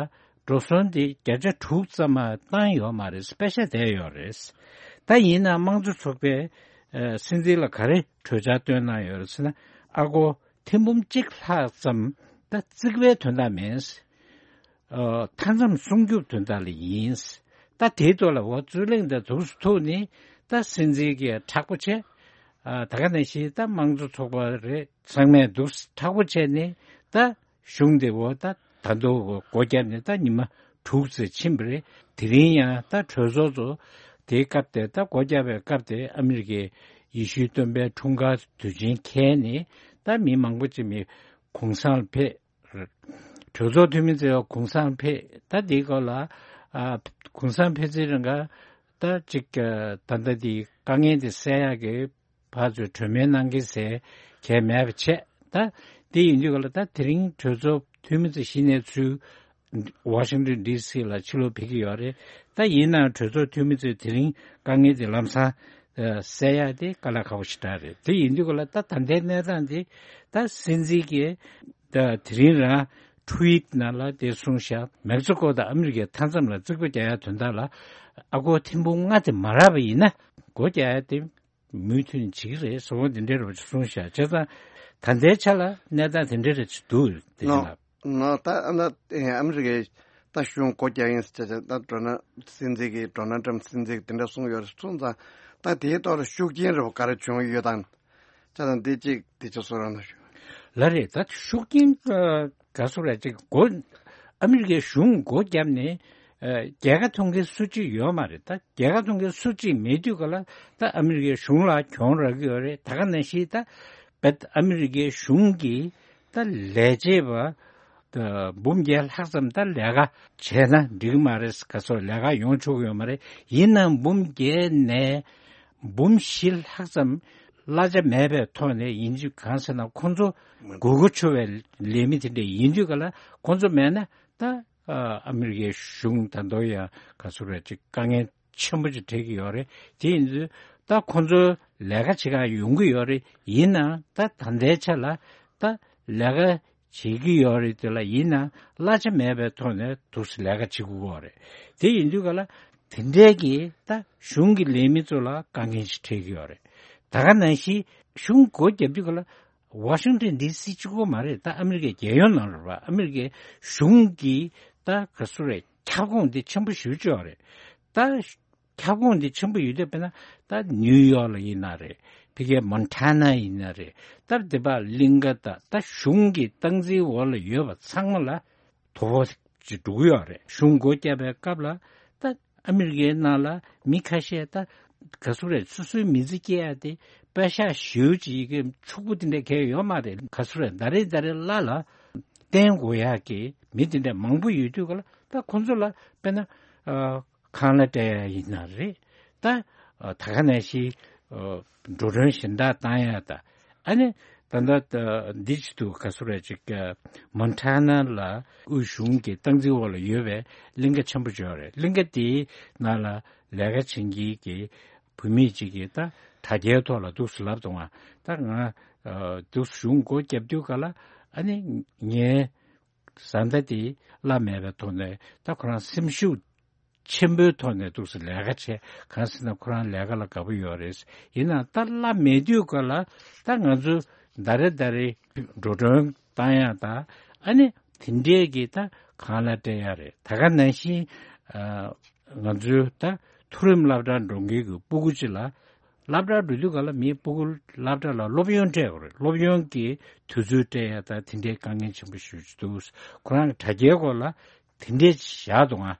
འགྲོ་སོང་དེ་བརྒྱ་ཆ་དྲུག་ཙམ་མ་བཏང་ཡོད་མ་རེད། པེ་ཤག་བསྡད་ཡོད་རེད། ད་ཡིན་ན་དམངས་གཙོ་ཚོགས་པས་ཨ་སྲིད་འཛིན་ལ་ག་རེ་གྲོས་འཆར་བཏོན་གནང་ཡོད་རེད་ཟེར་ན། ཨ་སྒོར་ཐེར་འབུམ་གཅིག་ལྷག་ཙམ་ ད་རྩིག་པའི་དོན་དག་མིན། ཨ་མཐའ་མཚམས་སྲུང་སྐྱོབ་དོན་དག་ལ་ཡིན། ད་དེའི་ཐོག་ལ་འོ་རྩོད་གླེང་དང་འདུག་སེ་ཐུག་ནས་ད་སྲིད་འཛིན་གྱིས་མཁྲེགས་པོ་བྱས། ཨ་ད་ག་ནང་བཞིན་ད་དམངས་གཙོ་ཚོགས་པ་རེད་ཚང་མས་འདུག་སེ་མཁྲེགས་པོ་བྱས་ནས་ད་གཞུང་དེ་འོ་ད་ད་དུང་སྒོ་བརྒྱབ་ནས་ད་ཉི་མ་དྲུག་ཙམ་ཕྱིན་པ་རེད། དེ་རིང་ཡང་ད་གྲོས་ཚོགས་ཚོ་དེའི་སྐབས་དེ་ད་སྒོ་བརྒྱབ་པའི་སྐབས་དེ་ཨ་མི་རི་ཀའི་ཡེ་ཤུའི་སྟོན་པའི་འཁྲུངས་སྐར་དུས་ཆེན་འཁེལ་ནས་ད་མི་མང་པོ་ཅིག་མི་གུང་སེང་ལ་ཕེབས། གྲོས་ཚོགས་འཐུས་མི་ཚོས་གུང་སེང་ཕེབས། ད་དེའི་སྐོར་ལ་ཨ་གུང་སེང་ཕེབས་ཚེ་རིང་ག་ད་ཅིག་ད་ལྟ་དེའི་དཀའ་ངལ་དེ་སེལ་ཡག་གི་ཕར་ཚུར་གྲོས་མོལ་གནང་གི་ཟེར་གལ་མེད་པ་བྱས། ད་དེ་ཡིན་དུས་ག་ལ་ད་དེ་རིང་གྲོས་ཚོགས་འཐུས་མི་ཚོ་གཞི་ནས་ཚུར་ཝ་ཤིང་ཏོན་ཌི་སི་ལ་ཕྱིར་ལོག་ཕེབས་ཀྱི་ཡོད་རེད། ད་ཡིན་ནའང་གྲོས་ཚོགས་འཐུས་མི་ཚོས་དེ་རིང་དཀའ་ངལ་དེ་ལམ་སང་ཨ་སེལ་ཡག་དེ་དཀའ་ལས་ཁག་པོ་ཞེ་དྲག་རེད། དེ་ཡིན་དུས་ག་ལ་ད་ད་ལྟའི་གནས་སྟངས་དེ་ད་སྲིད་འཛིན་གྱིས་ད་དེ་རིང་རང་ཊུ་ཝིཊ་ནང་ལ་དེ་གསུངས་ཤག་མེག་སི་ཀོ་དང་ཨ་མི་རི་ཀའི་མཐའ་མཚམས་ལ་རྩིག་པ་རྒྱག་ཡག་དོན་དག་ལ་ཨ་སྒོར་ཐེར་འབུམ་ལྔ་དེ་མ་རག་པ་ཡིན་ན་སྒོ་རྒྱག་ཡག་དེ་མུ་མཐུད་ནས་བྱེད་ཀྱི་རེད་ཟེར་བ་འདི་འདྲའི་རོབ་ཅིག་གསུངས་ཤག་བྱས་ཙང་ད་ལྟའི་ཆ་ལ་གནས་སྟངས་དེ་འདྲའི་རེ་ཅིག་འདུག་དེ་བཞིན་ལ། ནོ་ད་ཨ་ནི་ཨ་མི་རི་ཀའི་ད་གཞུང་སྒོ་རྒྱག་ཡིན་ཟེར་བྱས་ད་ཌོ་ནལ་སྲིད་འཛིན་གྱིས་ཌོ་ནལ་ཊམ་སྲིད་འཛིན་གྱིས་དེ་འདྲ་གསུངས་ཡོད་རེད་གསུངས་ཙང་ད་དེའི་ཐོག་ལ་ཤུགས་རྐྱེན་རེ་བ་ག་རེ་བྱུང་ཡོད་དམ། ད་ལྟ་འདི་གཅིག་འདི་ཆ་གསུང་རོགས་གནང་ཞུ། ལགས་རེད། ད་ཤུགས་རྐྱེན་ཨ་ག་ཚོད་རེད་ཅིག་སྒོ་ཨ་མི་རི་ཀའི་གཞུང་སྒོ་བརྒྱབ་ནས་ཨ་རྒྱལ་ཁ་ཐོབ་མཁན་སུ་གཅིག་ཡོད་མ་རེད། ད་རྒྱལ་ཁ་ཐོབ་མཁན་སུ་གཅིག་མེད་དུས་ག་ལ་ད་ཨ་མི་རི་ཀའི་གཞུང་ལ་གྱོང་རག་གི་ཡོད་རེད། ད་ག་ནང་བཞིན་ད་བེད་ཨ་མི་རི་ཀའི་གཞུང་གིས་ད་ལས་བྱེད་པ་ད་འབུམ་བརྒྱད་ལྷག་ཙམ་ད་ལས་ཀ་བྱས་ན་འགྲིག་གི་མ་རེད། ག་ཚོད་ལས་ཀ་ཡོང་ཆོག་གི་ཡོད་མ་རེད། ཡིན་ནའང་འབུམ་བརྒྱད་ནས་འབུམ་བཞི་ལྷག་ཙམ་གླ་ཆ་མེད་པའི་ཐོག་ནས་ཡིན་གཅིག་གང་ཟེར་ན་ཁོང་ཚོ་དགོས་མཁོ་ཆེ་བའི་ལས་མི་དེ་འདྲ་ཡིན་དུས་ག་ལ་ཁོང་ཚོ་མེད་ན་ད་ཨ་མི་རི་ཀའི་གཞུང་ད་དུང་ཡང་ག་ཚོད་རེད་ཅིག་དཀའ་ངལ་ཆེན་པོ་ཅིག་འཕྲད་ཀྱི་ཡོད་རེད། དེ་ཡིན་དུས་ད་ཁོང་ཚོའི་ལས་ཀ་བྱེད་ག་ཡོང་གི་ཡོད་རེད། ཡིན་ནའང་ད་ད་ལྟའི་ཆ་ལ་ད་ལས་ཀ་བྱེད་ཀྱི་ཡོད་རེད། དེ་ལ་ཡིན་ན་གླ་ཆ་མེད་པའི་ཐོག་ནས་འདུག་སེ་ལས་ཀ་བྱེད་དགོས་ཀྱི་ཡོད་རེད། དེ་ཡིན་དུས་ག་ལ་དེ་འདྲའི་གི་ད་གཞུང་གི་ལས་མི་ཚོ་ལ་དཀའ་ངལ་ཞིག་འཕྲད་ཀྱི་ཡོད་རེད། ད་ག་ནང་བཞིན་གཞུང་སྒོ་བརྒྱབ་དུས་ག་ལ་ཝ་ཤིང་ཏོན་ཌི་སི་གཅིག་པོ་མ་རེད། ད་ཨ་མི་རི་ཀའི་རྒྱལ་ཡོངས་ནང་རེད་པ། ཨ་མི་རི་ཀའི་གཞུང་གི་ད་ག་ཚོད་རེད་ཁྱབ་ཁོངས་འདི་ཆེན་པོ་ཞེ་པོ་ཅིག་ཡོད་རེད། ད་ཁྱབ་ཁོངས་འདི་ཆེན་པོ་ཡོད་དུས་དཔེར་ན་ད་ནིའུ་ཡོག་ལ་ཡིན་ན་རེད། ཕ་གིའི་མོན་ཊ་ན་ཡིན་ན་རེད། ད་འདི་པ་གླིང་ག་ད་ད་གཞུང་གི་སྟངས་འཛིན་འོག་ལ་ཡོད་པ་ཚང་མ་ལ་དོ་ཕོག་ཅིག་འགྲོ་གི་ཡོད་རེད། གཞུང་སྒོ་བརྒྱབ་པའི་སྐབས་ལ་ད་ཨ་མི་རི་ཀའི་ནང་ལ་མི་ཁ་ཤས་ད་ག་ཚོད་རེད་སོ་སོའི་མི་ཚེ་སྐྱེལ་ཡ་དེ་པད་ཤག་ཞེ་པོ་ཅིག་གི་ཕྱུག་པོ་དེ་འདྲ་གང་ཡང་ཡོད་མ་རེད། ག་ཚོད་རེད་ཟླ་རེ་ཟླ་རེ་གླ་ལ་བརྟེན་དགོས་ཡག་གི་མི་དེ་འདྲ་མང་པོ་ཡོད་དུས་ག་ལ་ད་ཁོང་ཚོ་ལ་དཔེར་ན་ཨ། ཁང་གླ་སྤྲད་ཡ་ཡིན་ན་རེད། ད་ད་ག་ནང་བཞིན་འགྲོ་གྲོན་གཞན་དག་བཏང་ཡ་ད་ཨ་ནི་ད་ལྟ་འདི་ཅི་འདུག་ག་ཚོད་རེད་ཅིག་མོན་ཊ་ན་ལ་དབུས་གཞུང་གི་སྟངས་འཛིན་འོག་ལ་ཡོད་པའི་གླིང་ག་ཆེན་པོ་ཅིག་ཡོད་རེད། གླིང་ག་དེའི་ནང་ལ་ལས་ཀ་བྱེད་མཁན་གྱི་བུད་མེད་ཅིག་གིས་ད་དྲ་རྒྱའི་ཐོག་ལ་འདུག་སེ་ལབ་འདུག་ང་ད་ང་འདུག་སེ་གཞུང་སྒོ་བརྒྱབ་དུས་ག་ལ་ཨ་ནི་ངའི་བཟའ་ཟླ་དེ་གླ་མེད་པའི་ཐོག་ནས་ད་ཁོ་རང་སེམས་ཤུགས་ཆེན་པོའི་ཐོག་ནས་འདུག་སེ་ལས་ཀ་བྱས། གང་ཟེར་ན་ཁོ་རང་ལས་ཀ་ལ་དགའ་པོ་ཡོད་རེད། ཡིན་ནའང་ད་གླ་མེད་དུས་ག་ལ་ད་ང་ཚོ་ཟླ་རེ་ཟླ་རེ་འགྲོ་གྲོན་བཏང་ཡ་ད་ཨ་ནི་དེ་འདྲས་ཀྱི་ད་ཁང་གླ་སྤྲད་ཡ་རེད། ད་ག་ནང་བཞིན་ང་ཚོའི་ད་མཐོ་རིམ་སློབ་གྲྭར་འགྲོ་མཁན་གྱི་སྤུ་གུ་ཅིག་ལ་སློབ་གྲྭར་འགྲོ་དུས་ག་ལ་མིའི་སྤུ་གུ་སློབ་གྲྭ་ལ་སློབ་ཡོན་སྤྲད་དགོས་རེད། སློབ་ཡོན་གྱི་དུས་ཚོད་སྤྲད་ཡ་ད་དེ་འདྲའི་དཀའ་ངལ་ཆེན་པོ་ཞེ་པོ་ཅིག་འདུག་ཁོ་རང་གི་དྲ་རྒྱའི་སྐོར་ལ་དེ་འདྲས་བཞག་འདུག་ང་།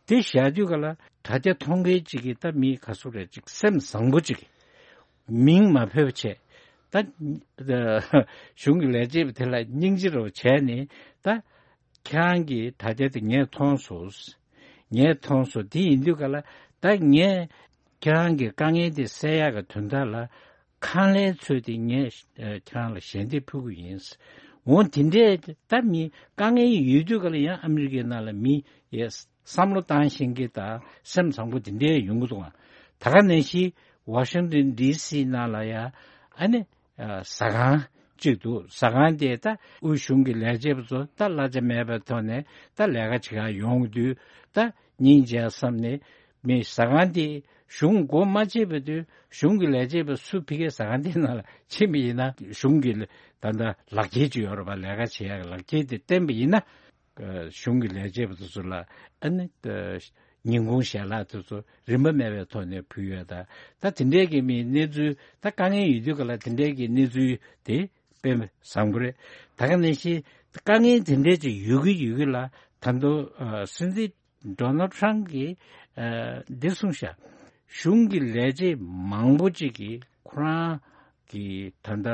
དེ་བཞག་དུས་ག་ལ་དྲ་རྒྱ་མཐོང་མཁན་ཅིག་གིས་ད་མི་ག་ཚོད་རེད་ཅིག་སེམས་བཟང་པོ་ཅིག་གིས་མིང་མ་འབོད་པ་བྱས། ད་གཞུང་གི་ལས་བྱེད་པ་དེ་ལ་སྙིང་རྗེ་རུ་བྱས་ནས་ད་ཁྱེད་རང་གི་དྲ་རྒྱ་དེ་ངས་མཐོང་སོང་། ངས་མཐོང་སོང་། དེ་ཡིན་དུས་ག་ལ་ད་ངས་ཁྱེད་རང་གི་དཀའ་ངལ་དེ་སེལ་ཡག་གི་དོན་དག་ལ་ཁང་གླའི་ཚོད་དེ་ངས་ཨ་ཁྱེད་རང་ལ་ཞལ་འདེབས་ཕུལ་གི་ཡིན། འོ་དེ་འདྲས་ད་མི་དཀའ་ངལ་ཡོད་དུས་ག་ལ་ཡང་ཨ་མི་རི་ཀའི་ནང་ལ་མི་ཡས་བསམ་བློ་བཏང་ཤེས་མཁན་དང་སེམས་བཟང་པོ་དེ་འདྲས་ཡོང་གི་འདུག་ཨ། ད་ག་ནང་བཞིན་ཝ་ཤིང་ཏོན་ཌི་སི་ནང་ལ་ཡང་ཨ་ནི་ཨ་ཟ་ཁང་གཅིག་འདུག་ཟ་ཁང་དེ་ད་དབུས་གཞུང་གི་ལས་བྱེད་པ་ཚོ་ད་གླ་ཆ་མེད་པའི་ཐོག་ནས་ད་ལས་ཀ་བྱེད་ག་ཡོང་དུས་ད་སྙིང་རྗེ་བསམ་ནས། མི་ཟ་ཁང་དེ་གཞུང་སྒོ་མ་ཕྱེ་བའི་དུས་གཞུང་གི་ལས་བྱེད་པ་སུ་ཕ་གིའི་ཟ་ཁང་དེའི་ནང་ལ་ཕྱིན་པ་ཡིན་ན་གཞུང་གི་ད་ལྟ་ལག་འཁྱེར་ཅིག་ཡོད་རེད་པ། ལས་ཀ་བྱེད་ཡག་གི་ལག་འཁྱེར་དེ་བསྟན་པ་ཡིན་ན། གཞུང་གི་ལས་བྱེད་པ་དེ་ཚོ་ལ་ཨ་ནི་ཉིན་གུང་ཞལ་ལག་དེ་ཚོ་རིན་པ་མེད་པའི་ཐོག་ནས་ཕུལ་ཡོད། ད་ད་དེ་འདྲའི་གི་མི་གནས་ཚུལ་ད་དཀའ་ངལ་ཡོད་དུས་ག་ལ་དེ་འདྲའི་གི་གནས་ཚུལ་དེ་དཔེ་བཟང་པོ་རེད། ད་ག་ནང་བཞིན་དཀའ་ངལ་དེ་འདྲའི་ཅིག་ཡོད་ཀྱི་ཡོད་ཀྱི་ལ་ད་དུང་སྲིད་འཛིན་ཌོ་ནལ་ཊམ་གྱིས་འདི་གསུངས་ཤག་གཞུང་གི་ལས་བྱེད་མང་པོ་ཅིག་གིས་ཁོ་རང་གི་ད་ལྟ་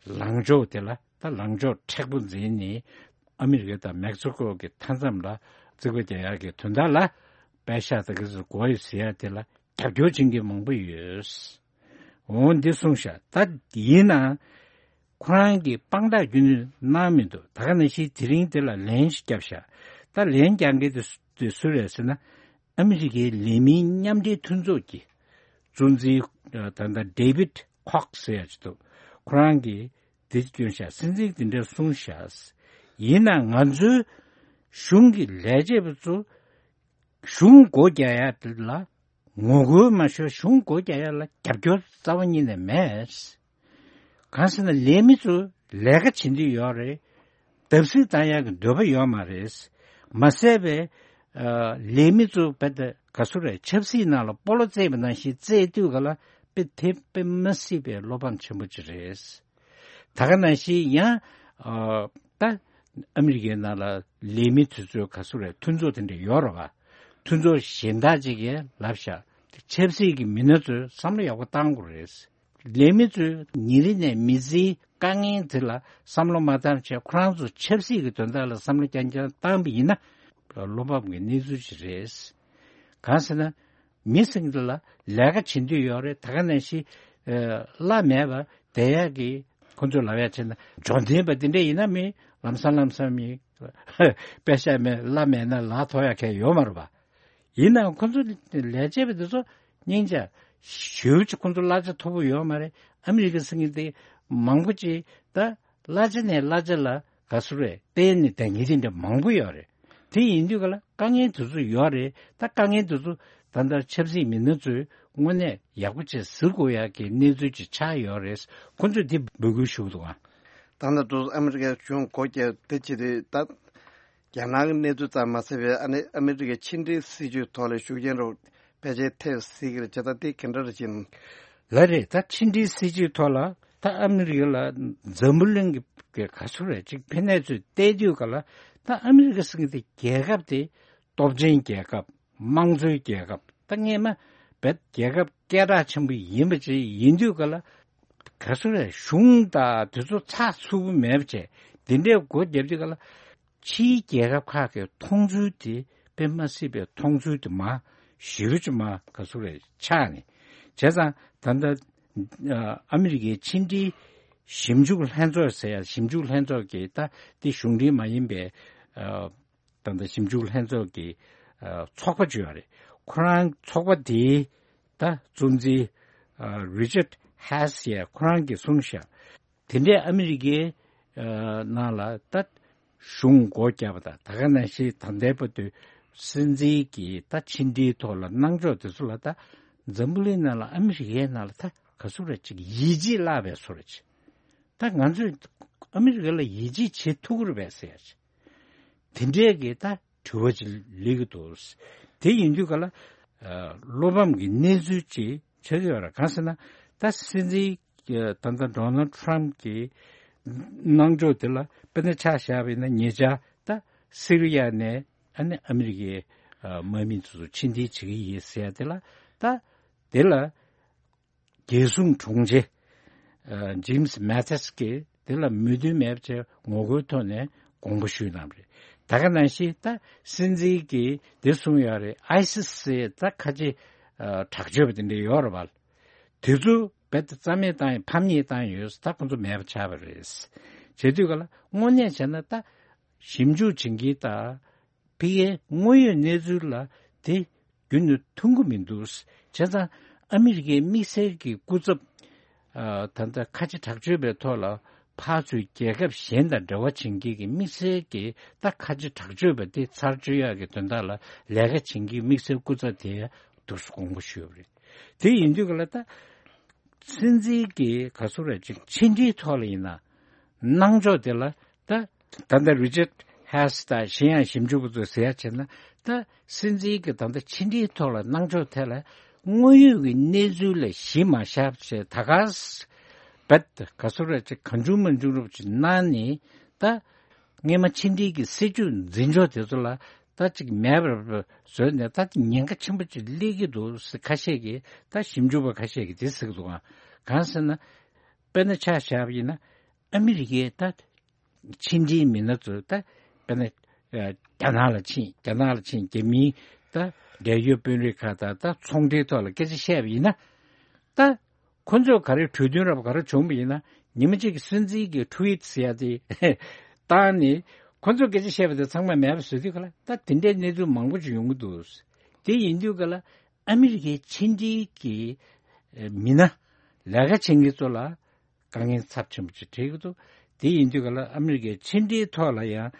ལངས་ཕྱོགས་དེ་ལ་ད་ལངས་ཕྱོགས་མཁྲེགས་པོ་འཛིན་ནས་ཨ་མི་རི་ཀ་དང་མེག་སི་ཀོ་གི་མཐའ་མཚམས་ལ་རྩིག་པ་རྒྱག་ཡག་གི་དོན་དག་ལ་པད་ཤག་དང་གི་ཚོ་དགོས་ཡོད་ཟེར་ཡ་དེ་ལ་རྒྱབ་སྐྱོར་བྱེད་མཁན་མང་པོ་ཡོད། འོ་འདི་གསུངས་ཤག་ད་ཡིན་ན་ཁོ་རང་གིས་དཔང་རྟགས་རྒྱུན་དུ་གནང་མི་འདུག་ད་ག་ནང་བཞིན་དེ་རིང་དེ་ལ་ལན་ཞིག་བརྒྱབ་ཤག་ད་ལན་རྒྱག་མཁན་དེ་སུ་དེ་སུ་རེད་ཟེར་ན། ཨ་མི་རི་ཀའི་ལས་མིའི་མཉམ་འབྲེལ་མཐུན་ཚོགས་ཀྱི་གཙོ་འཛིན་ད་ལྟ་ཌེ་བིད་ཁོག་སེ་ཡ་ཅིག་འདུག་ཁོ་རང་གིས་དེ་བསྐྱོན་ཤག་སྲིད་འཛིན་དེ་འདྲ་གསུངས་ཤག་ཡིན་ན་ང་ཚོའི་གཞུང་གི་ལས་བྱེད་པ་ཚོ་གཞུང་སྒོ་རྒྱག་ཡ་ལ་ངོ་རྒོལ་མ་ཤོར། གཞུང་སྒོ་རྒྱག་ཡ་ལ་རྒྱབ་སྐྱོར་རྩ་བ་ཉིད་ནས་མེད། གང་ཟེར་ན་ལས་མི་ཚོ་ལས་ཀ་བྱེད་འདོད་ཡོད་རེད། བརྡབ་གསིག་བཏང་ཡག་གི་འདོད་པ་ཡོད་མ་རེད། མ་ཟད་པའི་ལས་མི་ཚོ་བལ་ད་ག་སུ་རེད། ཆབ་སྲིད་ནང་ལ་སྤོ་ལོ་རྩེད་པ་ནང་བཞིན་རྩེད་དུས་ག་ལ་དཔེ་དེ་དཔེ་མ་སྲིད་པའི་བློ་ཕམ་ཆེན་པོ་ཅིག་རེད། ད་ག་ནང་བཞིན་ཡང་ད་ཨ་མི་རི་ཀའི་ནང་ལ་ལས་མི་དེ་ཚོའི་ག་སུ་རེད། མཐུན་ཚོགས་དེ་འདྲ་ཡོད་རེད་བ། མཐུན་ཚོགས་གཞན་དག་ཅིག་གིས་ལབ་ཤག་ཆབ་སྲིད་ཀྱི་མི་སྣ་ཚོས་བསམ་བློ་ཡག་པོ་བཏང་དགོས་རེད། ལས་མི་ཚོས་ཉིན་རེ་ནས་མི་ཚེའི་དཀའ་ངལ་དེ་ལ་བསམ་བློ་མ་བཏང་བྱས་ཁོ་རང་ཚོ་ཆབ་སྲིད་ཀྱི་དོན་དག་ལ་བསམ་བློ་རྐྱང་རྐྱང་བཏང་བ་ཡིན་ན་བློ་ཕམ་གྱི་གནས་ཚུལ་ཞིག་རེད། གང་ཟེར་ན་མི་ཟེར་མཁན་དེ་ལ་ལས་ཀ་བྱེད་འདོད་ཡོད་རེད། ད་ག་ནང་བཞིན་གླ་མེད་པ་བསྡད་ཡག་གི་ཁོ་ཚོས་ལབ་ཡག་བྱས་ན་འབྱོར་ལྡན་པ་དེ་འདྲ་ཡིན་ན་མི་ལམ་སང་ལམ་སང་མི་པད་ཤག་མེད་གླ་མེད་ན་ལག་ཐོག་ཡག་གལ་ཡོད་མ་རེད་པ། ཡིན་ནའང་ཁོ་ཚོ་ལས་བྱེད་པ་དེ་ཚོ་སྙིང་རྗེ་ཞེ་པོ་ཅིག་ཁོ་ཚོ་གླ་ཆ་མཐོ་པོ་ཡོད་མ་རེད། ཨ་མི་རི་ཀ་ཟེར་མཁན་དེ་མང་པོ་ཅིག་ད་གླ་ཆ་ནས་གླ་ཆ་ལ་ག་སུ་རེད། བརྟེན་ནས་བསྡད་མཁན་དེ་འདྲ་མང་པོ་ཡོད་རེད། དེ་ཡིན་དུས་ག་ལ་དཀའ་ངལ་དེ་ཚོ་ཡོད་རེད། ད་དཀའ་ངལ་དེ་ཚོ་ད་ལྟ་ཆབ་སྲིད་མི་སྣ་ཚོས་དངོས་གནས་ཡག་པོ་བྱས་ཟུར་དགོས་ཡག་གི་གནས་ཚུལ་ཅིག་ཆགས་ཡོད་རེད། ཁོ་ཚོས་དེ་འབོད་སྐུལ་ཞུ་གི་འདུག་ཨ། ད་ལྟ་དུ་ཨ་མི་རི་ཀའི་གཞུང་སྒོ་བརྒྱབ་དེ་ཅི་རེད་ད། རྒྱ་ནག་གི་གནས་ཚུལ་ཙམ་མ་ཟད་པའི་ཨ་ནི་ཨ་མི་རི་ཀའི་ཕྱི་འབྲེལ་སྲིད་ཇུས་ཐོག་ལ་ཤུགས་རྐྱེན་རུ་ཕལ་ཆེར་ཐེབས་སྲིད་ཀྱི་རེད། བྱས་ཙང་དེ་ག་འདྲ་རེད་ཅེ་ན། ལགས་རེད། ད་ཕྱི་འབྲེལ་སྲིད་ཇུས་ཐོག་ལ་ད་ཨ་མི་རི་ཀ་ལ་འཛམ་བུ་གླིང་གི་ག་ཚོད་རེད་ཅིག་ཕན་གནས་ཚུལ་བལྟས་དུས་ག་ལ་ད་ཨ་མི་རི་ཀ་ཟེར་མཁན་དེ་རྒྱལ་ཁབ་དེ་སྟོབས་ཆེན་རྒྱལ་ཁབ། དམངས་གཙོའི་རྒྱལ་ཁབ་ད་སྔས་མ་བེད་རྒྱལ་ཁབ་སྐད་གྲགས་ཆེན་པོ་ཡིན་པ་ཅིག་ཡིན་དུས་ག་ལ་ག་ཚོད་རེད། གཞུང་དང་དེ་ཚོ་ཚགས་ཚུད་པོ་མེད་པ་བྱས་དེ་འདྲའི་སྒོ་བརྒྱབ་དུས་ག་ལ། ཕྱིའི་རྒྱལ་ཁབ་ཁག་གི་མཐོང་ཚུལ་དེ་དཔེ་མ་སྲིད་པའི་མཐོང་ཚུལ་དེ་མ་ཞེ་པོ་ཅིག་མ་ག་ཚོད་རེད་ཆགས་ནས། བྱས་ཙང་ད་ལྟ་ཨ་མི་རི་ཀའི་ཕྱི་འབྲེལ་ཞིབ་འཇུག་ལྷན་ཚོགས་ཟེར་ཡ་ཞིབ་འཇུག་ལྷན་ཚོགས་ཀྱི་ད་དེ་གཞུང་འབྲེལ་མ་ཡིན་པའི་ད་ལྟ་ཞིབ་འཇུག་ལྷན་ཚོགས་ཀྱི་ཚོགས་པ་ཅིག་ཡོད་རེད། ཁོ་རང་ཚོགས་པ་དེའི་ད་གཙོ་འཛིན་རི་ཅར་ཧེ་སི་ཡས་ཁོ་རང་གིས་གསུངས་ཤག་དེ་འདྲའི་ཨ་མི་རི་ཀའི་ནང་ལ་ད་གཞུང་སྒོ་བརྒྱབ་པ་དང་ད་ག་ནང་བཞིན་ད་ལྟའི་བར་དུ་སྲིད་འཛིན་གྱི་ད་ཕྱི་འབྲེལ་ཐོག་ལ་གནང་ཕྱོགས་དེ་ཚོ་ལ་ད་འཛམ་བུ་གླིང་ནང་ལ་ཨ་མི་རི་ཀའི་ནང་ལ་ད་ག་ཚོད་རེད་ཅིག་ཡིད་ཆེས་བརླག་པའི་བཟོ་འདྲ་ཅིག་ད་ང་ཚོས་ཨ་མི་རི་ཀ་ལ་ཡིད་ཆེས་བྱེད་ཐུབ་ཀྱི་རེད་པས་ཟེར་ཡ་ཅིག་དེ་འདྲའི་གི་ད་དྲི་བ་ཅིག་སླེབས་ཀྱི་འདུག་དེ་ཡིན་དུས་ག་ལ་བློ་ཕམ་གྱི་གནས་ཚུལ་ཅིག་ཆགས་ཀྱི་ཡོད་རེད། གང་ཟེར་ན་ད་སྲིད་འཛིན་ད་ལྟ་ཌོ་ནལ་ཊམ་གྱི་གནང་ཕྱོགས་དེ་ལ་དཔེར་ན་ཆ་བཞག་པ་ཡིན་ན་ཉེ་ཆར་ད་སི་རི་ཡ་ནས་ཨ་ནི་ཨ་མི་རི་ཀའི་དམག་མི་ཚོ་ཕྱིར་འཐེན་བྱེད་ཀྱི་ཡིན་ཟེར་ཡ་དེ་ལ་ད་དེ་ལ། རྒྱལ་སྲུང་དྲུང་ཆེ་ཇེམ་སི་མེ་ཐིས་ཀྱིས་དེ་ལ་མོས་མཐུན་མེད་པ་བྱས་ངོ་རྒོལ་ཐོག་ནས་དགོངས་པ་ཞུས་གནང་བ་རེད། ད་ག་ནང་བཞིན་ད་སྲིད་འཛིན་གྱིས་དེ་གསུངས་ཡོད་རེད། ཨའི་སི་སི་ད་ཁ་ཆེ་དྲག་སྤྱོད་པ་དེ་འདྲ་ཡོད་རེད་བ། དེ་ཚོ་རྦད་དེ་རྩ་མེད་བཏང་ཡས་ཕམ་ཉེས་བཏང་ཡོད། ད་ཁོ་ཚོ་མེད་པ་ཆགས་པ་རེད། བྱེད་དུས་ག་ལ་དངོས་གནས་བྱས་ན་ད་ཞིབ་འཇུག་བྱེད་མཁན་དང་། ཕ་གིའི་དངོས་ཡོད་གནས་ཚུལ་ལ་དེ་རྒྱུན་དུ་མཐུན་གྱི་མི་འདུག་བྱས་ཙང་ཨ་མི་རི་ཀའི་དམིགས་བསལ་གྱི་སྐུ་ཚབ་ཨ་ད་ལྟ་ཁ་ཆེ་དྲག་སྤྱོད་པའི་ཐོག་ལ་ཕར་ཚུར་རྒྱལ་ཁབ་གཞན་དང་འབྲེལ་བ་བྱེད་མཁན་གྱི་དམིགས་བསལ་གྱི་ད་ཁ་ཆེ་དྲག་སྤྱོད་པ་དེ་ཚར་གཅོད་ཡག་གི་དོན་དག་ལ་ལས་ཀ་བྱེད་མཁན་དམིགས་བསལ་སྐུ་ཚབ་དེ་ དུ་དགོངས་པ་ཞུས་པ་རེད། དེ་ཡིན་དུས་ཀ་ལ་ད་སྲིད་འཛིན་གྱི་ག་ཚོད་རེད་ཅིག་ཕྱི་འབྲེལ་ཐོག་ལ་ཡིན་ན་གནང་ཕྱོགས་དེ་ལ་ད་ད་ལྟ་རི་ཅར་ཧེ་སི་དང་གཞན་ཡང་ཞིབ་འཇུག་པ་ཚོས་ཟེར་ཡ་བྱས་ན། ད་སྲིད་འཛིན་གྱི་ད་ལྟ་ཕྱི་འབྲེལ་ཐོག་ལ་གནང་ཕྱོགས་ཐད་ལ་དངོས་ཡོད་ཀྱི་གནས་ཚུལ་ལ་གཞི་མ་བཞག་བྱས་ད་ག་ས་བེད་ག་ཚོད་རེད་ཅིག་གང་བྱུང་མང་བྱུང་རབ་ཅིག་གནང་ནས། ད་སྔས་མ་ཕྱི་འབྲེལ་གྱི་སྲིད་ཇུས་འཛིན་ཕྱོགས་དེ་ཚོ་ལ་ད་ཅིག་མེད་པར་བཟོས་ནས་ད་ཉེན་ཁ་ཆེན་པོ་ཅིག་སླེབས་ཀྱི་འདུག་ཟེར་ཁ་ཤས་ཀྱིས། ད་ཞིབ་འཇུག་པ་ཁ་ཤས་ཀྱིས་དེ་ཟེར་གྱི་འདུག་ག་གང་ཟེར་ན། དཔེར་ན་ཆ་བཞག་པ་ཡིན་ན་ཨ་མི་རི་ཀའི་ད་ཕྱི་འབྲེལ་མི་སྣ་ཚོ་ད་དཔེར་ན་རྒྱ་ནག་ལ་ཕྱིན། རྒྱ་ནག་ལ་ཕྱིན་རྒྱ་མིའི་ད་འབྲེལ་ཡོད་དཔོན་རིགས་ཁག་དང་ད་ཚོང་འབྲེལ་ཐོག་ལ་སྐད་ཆ་བཤད་པ་ཡིན་ན། ད་ཁོ་ཚོས་ག་རེ་གྲོས་མཐུན་རབ་ག་རེ་བྱུང་བ་ཡིན་ན། ཉི་མ་གཅིག་གི་སྲིད་འཛིན་གྱི་ཊུ་ཝིཊ་ཟེར་ཡ་དེ་བཏང་ནས་ཁོ་ཚོས་སྐད་ཆ་བཤད་པ་དེ་ཚང་མ་མེད་པ་བཟོ་དུས་ག་ལ་ད་དེ་འདྲའི་གནས་ཚུལ་མང་པོ་ཅིག་ཡོང་གི་འདུག་དེ་ཡིན་དུས་ག་ལ་ཨ་མི་རི་ཀའི་ཕྱི་འབྲེལ་གྱི་མི་སྣ་ལས་ཀ་བྱེད་མཁན་ཚོ་ལ་དཀའ་ངལ་ཚབས་ཆེན་པོ་ཅིག་འཕྲད་ཀྱི་འདུག་དེ་ཡིན་དུས་ག་ལ་ཨ་མི་རི་ཀའི་ཕྱི་འབྲེལ་ཐོག་ལ་ཡང་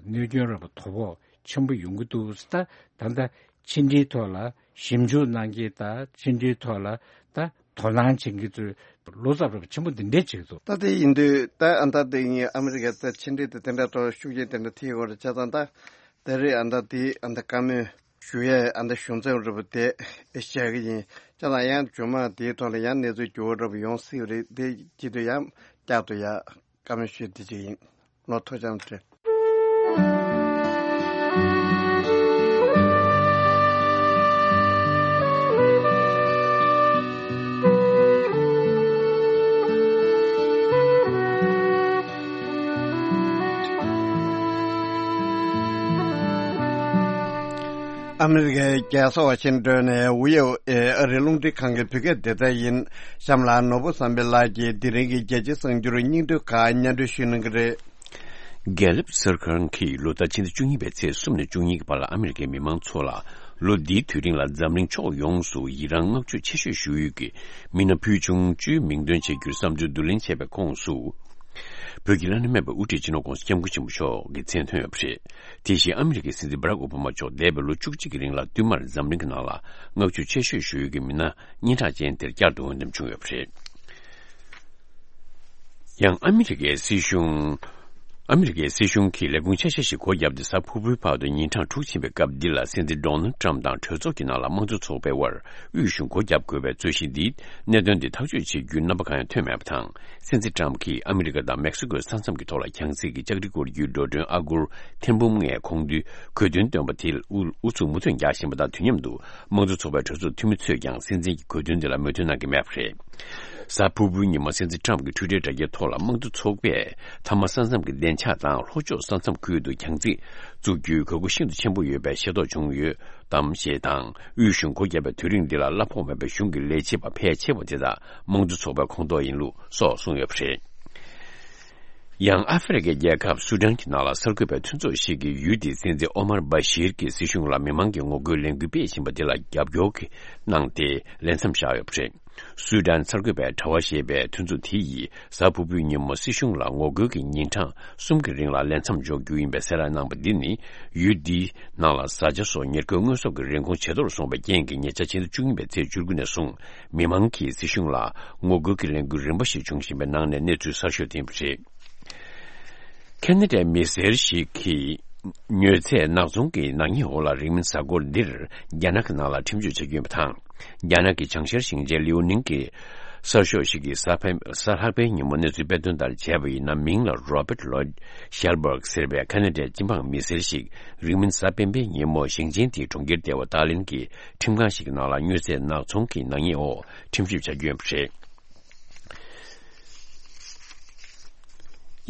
གནོད་སྐྱོན་རབ་དོ་ཕོག་ཆེན་པོ་ཡོང་གི་འདུག་ད་ད་ལྟ་ཕྱི་འབྲེལ་ཐོག་ལ་ཞིབ་འཇུག་གནང་མཁན་དང་ཕྱི་འབྲེལ་ཐོག་ལ་ད་དོ་སྣང་བྱེད་མཁན་ཚོས་བློ་འཚབ་རབ་ཆེན་པོ་འདི་འདྲས་བྱེད་ཀྱི་འདུག་ད་དེ་ཡིན་དུས་ད་ཨ་མདའ་དེ་ངས་ཨ་མི་རི་ཀའི་ད་ཕྱི་འབྲེལ་དེ་དེ་འདྲ་ཐོག་ཤུགས་རྐྱེན་དེ་འདྲ་ཐེབས་ཡོད་རེད་བྱས་ཙང་། ད་དེ་རིང་ཨ་མདའ་དེ་ཨ་མདའ་བཀའ་མོལ་ཞུ་ཡས་ཨ་མདའ་གཞུང་ཚབ་རེད་པ་དེ་བཤད་གི་ཡིན། བྱས་ཙང་ཡང་རྗེས་མ་དེའི་ཐོག་ལ་ཡང་གནས་ཚུལ་འགྱུར་བ་འདྲ་པོ་ཡོང་སྲིད་པ་རེད། དེ་བྱེད་དུས་ཡང་བསྐྱར་དུ་ཡང་བཀའ་མོལ་ཞུ་དེ་ཅིག་ཡིན། ལོ་ཐོ་ཅང་སྤྲེལ། ཨ་མི་རི་ཀའི་རྒྱལ་ས་ཝ་ཤིང་ཏོན་ནས་ཝི་ཨོ་ཨེ་ཨ་རིའི་རླུང་འཕྲིན་ཁང་གི་བོད་སྐད་སྡེ་ཚན་ཡིན། གཤམ་ལ་ནོར་བུ་བསམ་འཕེལ་ལགས་ཀྱིས་དེ་རིང་གི་རྒྱལ་སྤྱིའི་གསར་འགྱུར་སྙིང་བསྡུས་ཁག་སྙན་སྒྲོན་ཞུ་གནང་གི་རེད། རྒྱལ་ལབ་གསར་ཁང་གིས་ལོ་ལྟར་ཕྱི་ཟླ་བཅུ་གཉིས་པའི་ཚེས་གསུམ་ནས་བཅུ་གཉིས་ཀྱི་བར་ལ་ཨ་མི་རི་ཀའི་མི་མང་ཚོ་ལ་ལོ་འདིའི་དུས་རིང་ལ་འཛམ་གླིང་ཕྱོགས་ཡོངས་སུ་ཡི་རངས་བསྔགས་བརྗོད་ཆེ་ཤོས་ཞུ་ཡུལ་གྱི་མི་སྣ་ཕུལ་བྱུང་བཅུའི་མིང་འདོན་བྱེད་རྒྱུར་བསམ་ཚུལ་བསྡུ་ལེན་བྱས་པའི་ཁོངས་སུ། བོད་ཀྱི་བླ་ན་མེད་པའི་དབུ་ཁྲིད་སྤྱི་ནོར་༧གོང་ས་༧སྐྱབས་མགོན་ཆེན་པོ་མཆོག་གི་མཚན་ཐོན་ཡོད་པ་རེད། དེ་བཞིན་ཨ་མི་རི་ཀའི་སྲིད་འཛིན་བྷ་རག་ཨོ་བྷ་མ་མཆོག་འདས་པའི་ལོ་བཅུ་གཅིག་གི་རིང་ལ་བསྟུད་མར་འཛམ་གླིང་གི་ནང་ལ་བསྔགས་བརྗོད་ཆེ་ཤོས་ཞུ་ཡུལ་གྱི་མི་སྣ་སྙན་གྲགས་ཅན་དེར་བསྐྱར་དུ་འོས་འདེམས་བྱུང་ཡོད་པ་རེད། ཡང་ཨ་མི་རི་ཀའི་སྲིད་གཞུང་། ཨ་མི་རི་ཀའི་སྲིད་གཞུང་གིས་ལས་ཁུངས་ཆ་ཤས་ཤིག་སྒོ་བརྒྱབ་སྟེ་གཟའ་ཕུར་བུའི་བར་དུ་ཉིན་གྲངས་དྲུག་ཕྱིན་པའི་སྐབས་འདི་ལ་སྲིད་འཛིན་ཌོ་ནལ་ཊམ་དང་གྲོས་ཚོགས་ཀྱི་ནང་ལ་དམངས་གཙོ་ཚོགས་པའི་དབར་དབུས་གཞུང་སྒོ་བརྒྱབ་དགོས་པའི་རྩོད་གཞི་འདིས་གནད་དོན་འདི་ཐག་གཅོད་བྱེད་རྒྱུའི་རྣམ་པ་གང་ཡང་ཐོན་མེད་པ་དང་། སྲིད་འཛིན་ཊམ་གྱིས་ཨ་མི་རི་ཀ་དང་མེག་སི་ཀོའི་ས་མཚམས་ཀྱི་ཐོག་ལ་གྱང་རྩིས་ཀྱི་ལྕགས་རི་བསྐོར་རྒྱུའི་འགྲོ་གྲོན་ཨ་སྒོར་ཐེར་འབུམ་ལྔའི་ཁོངས་འདུས་གོ་དོན་བཏོན་པ་དེ་ལ་ཨུ་ཨུ་ཚུགས་མུ་མཐུད་རྒྱག་བཞིན་པ་དང་། དུས་མཉམ་དུ་དམངས་གཙོ་ཚོགས་པའི་གྲོས་ཚོགས་འཐུས་མི་ཚོས་ཀྱང་སྲིད་འཛིན་གྱི་གོ་དོན་དེ་ལ་མོས་མཐུན་གནང་གི་མེད་པ་རེད། གཟའ་ཕུར་བུའི་ཉིན་མོ་སྲིད་འཛིན་ཊམ་གྱི་ཊུའི་ཊར་དྲ་རྒྱའི་ཐོག་ལ་དམངས་གཙོ་ཚོགས་པས་མཐའ་མ་ས་མཚམས་ཀྱི་བདེ་འཇགས་དང་ལྷོ་ཕྱོགས་ས་མཚམས་ཁུལ་དུ་གྱང་རྩིས་བཙུགས་རྒྱུའི་དགོས་མཁོ་ཤིན་ཏུ་ཆེན་པོ་ཡོད་པའི་ཤེས་རྟོགས་བྱུང་ཡོད་དམ་ཞེས་དང་། དབུས་གཞུང་སྒོ་བརྒྱབ་པའི་དུས་རིང་འདི་ལ་གླ་ཕོགས་མེད་པའི་གཞུང་གི་ལས་བྱེད་པ་ཕལ་ཆེ་བ་དེ་དག་དམངས་གཙོ་ཚོགས་པའི་ཁོངས་གཏོགས་ཡིན་ལུགས་སོགས་གསུངས་ཡོད་པ་རེད། ཡང་ཨ་ཧྥེ་རི་ཁའི་རྒྱལ་ཁབ་སུ་ཌན་གྱི་ནང་ལ་གསར་འགོད་པའི་མཐུན་ཚོགས་ཤིག་གིས་ཡུལ་དེའི་སྲིད་འཛིན་ཨོ་མར་བྷ་ཤིར་གྱི་སྲིད་གཞུང་ལ་མི་མང་གིས་ངོ་རྒོལ་ལས་འགུལ་སྤེལ་བཞིན་པ་དེ་ལ་རྒྱབ་སྐྱོར་གནང་སྟེ་ལས་མཚམས་བཞག་ཡོད་པ་རེད། སུ་ཌན་གསར་འགོད་པའི་དྲ་བ་ཞེས་པའི་མཐུན་ཚོགས་དེ་ཡིས་གཟའ་ཕུར་བུའི་ཉིན་མོ་སྲིད་གཞུང་ལ་ངོ་རྒོལ་གྱི་ཉིན་གྲངས་གསུམ་གྱི་རིང་ལ་ལས་མཚམས་འཇོག་རྒྱུ་ཡིན་པའི་གསལ་བསྒྲགས་གནང་པ་འདི་ནི་ཡུལ་འདིའི་ནང་ལ་བཟའ་བཅའ་སོགས་ཉེར་མཁོའི་དངོས་ཟོག་གི་རིན་གོང་ཇེ་མཐོར་སོང་བའི་རྐྱེན་གྱིས་ཉེ་ཆར་ཕྱི་ཟླ་བཅུ་གཉིས་པའི་ཚེས་བཅུ་དགུ་ནས་བཟུང་མི་མང་གིས་སྲིད་གཞུང་ལ་ངོ་རྒོལ་གྱི་ལས་འགུལ་རིམ་པ་ཞིག་བྱུང་བཞིན་པའི་ནང་ནས་གནས་ཚུལ་གསར་ཤོས་དེ་ཡིན་པ་རེད། ཁེ་ན་ཌའི་མི་སེར་ཞིག་གིས་མྱོས་ཚད་ནག་ཚོང་གི་ནག་ཉེས་འོག་ལ་རིང་མིན་གཟའ་འཁོར་འདིར་རྒྱ་ནག་གི་ནང་ལ་ཁྲིམས་གཅོད་བྱ་རྒྱུ་ཡིན་པ་དང་། རྒྱ་ནག་གི་བྱང་ཤར་ཞིང་ཆེན་ལིའུ་ནིང་གི་གསར་ཤོག་ཞིག་གིས་གཟའ་ཕན་གཟའ་ལྷག་པའི་ཉིན་མོ་གནས་ཚུལ་སྤེལ་དོན་ལྟར་བྱས་པ་ཡིན་ན། མིང་ལ་Robert Lloyd Schellberg ཟེར་བའི་ཁ་ན་ཌའི་སྤྱི་འབངས་མི་སེར་ཞིག་རིང་མིན་གཟའ་སྤེན་པའི་ཉིན་མོ་ཞིང་ཆེན་དེའི་གྲོང་ཁྱེར་ལྟེ་བ་ཏཱ་ལིན་གྱི་ཁྲིམས་ཁང་ཞིག་གི་ནང་ལ་མྱོས་ཚད་ནག་ཚོང་གི་ནག་ཉེས་འོག་ཁྲིམས་ཞིབ་བྱ་རྒྱུ་ཡིན་པ་རེད།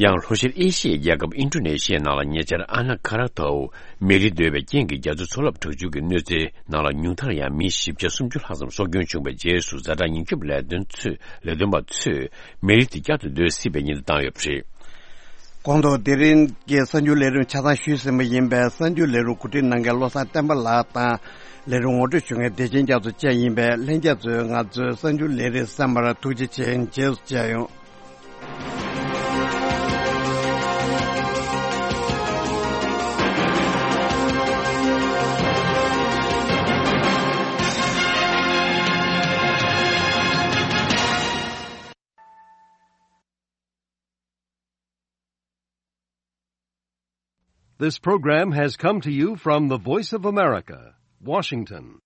ཡང་ལྷོ་ཤར་ཨེ་ཤི་ཡའི་རྒྱལ་ཁབ་ཨིན་ཌོ་ནེ་ཤི་ཡའི་ནང་ལ་ཉེ་ཆར་ཨ་ན་ཁ་ར་ཐའུ་མེ་རི་རྡོལ་བའི་རྐྱེན་གྱིས་རྒྱ་མཚོའི་མཚོ་རླབས་དྲག་སྤྱོད་ཀྱི་གནོད་འཚེའི་ནང་ལ་ཉུང་མཐར་ཡང་མི་བཞི་བརྒྱ་སུམ་ཅུ་ལྷག་ཙམ་སྲོག་སྐྱོན་བྱུང་བའི་རྗེས་སུ་ཛ་དྲག་ཉེན་སྐྱོབ་ལས་དོན་ཚོས་ལས་དོན་པ་ཚོས་མེ་རི་དེ་བསྐྱར་དུ་རྡོལ་སྲིད་པའི་ཉེན་བརྡ་བཏང་ཡོད་པ་རེད། གོང་དུ་དེ་རིང་གི་གསར་འགྱུར་ལས་རིམ་ཆ་ཚང་ཞུས་ཟིན་པ་ཡིན་པས། གསར་འགྱུར་ལས་རིམ་གོ་སྒྲིག་གནང་མཁན་བློ་བཟང་བསྟན་པ་ལགས་དང་ལས་རིམ་ངོ་སྤྲོད་ཞུ་མཁན་བདེ་ཆེན་རྒྱ་མཚོ་བཅས་ཡིན་པས། ལྷན་རྒྱས་ཚོས་ང་ཚོའི་གསར་འགྱུར་ལས་རིམ་གསན་པར་ཐུགས་རྗེ་ཆེ། རྗེས་སུ་མཇལ་ཡོང་། This program has come to you from the Voice of America, Washington.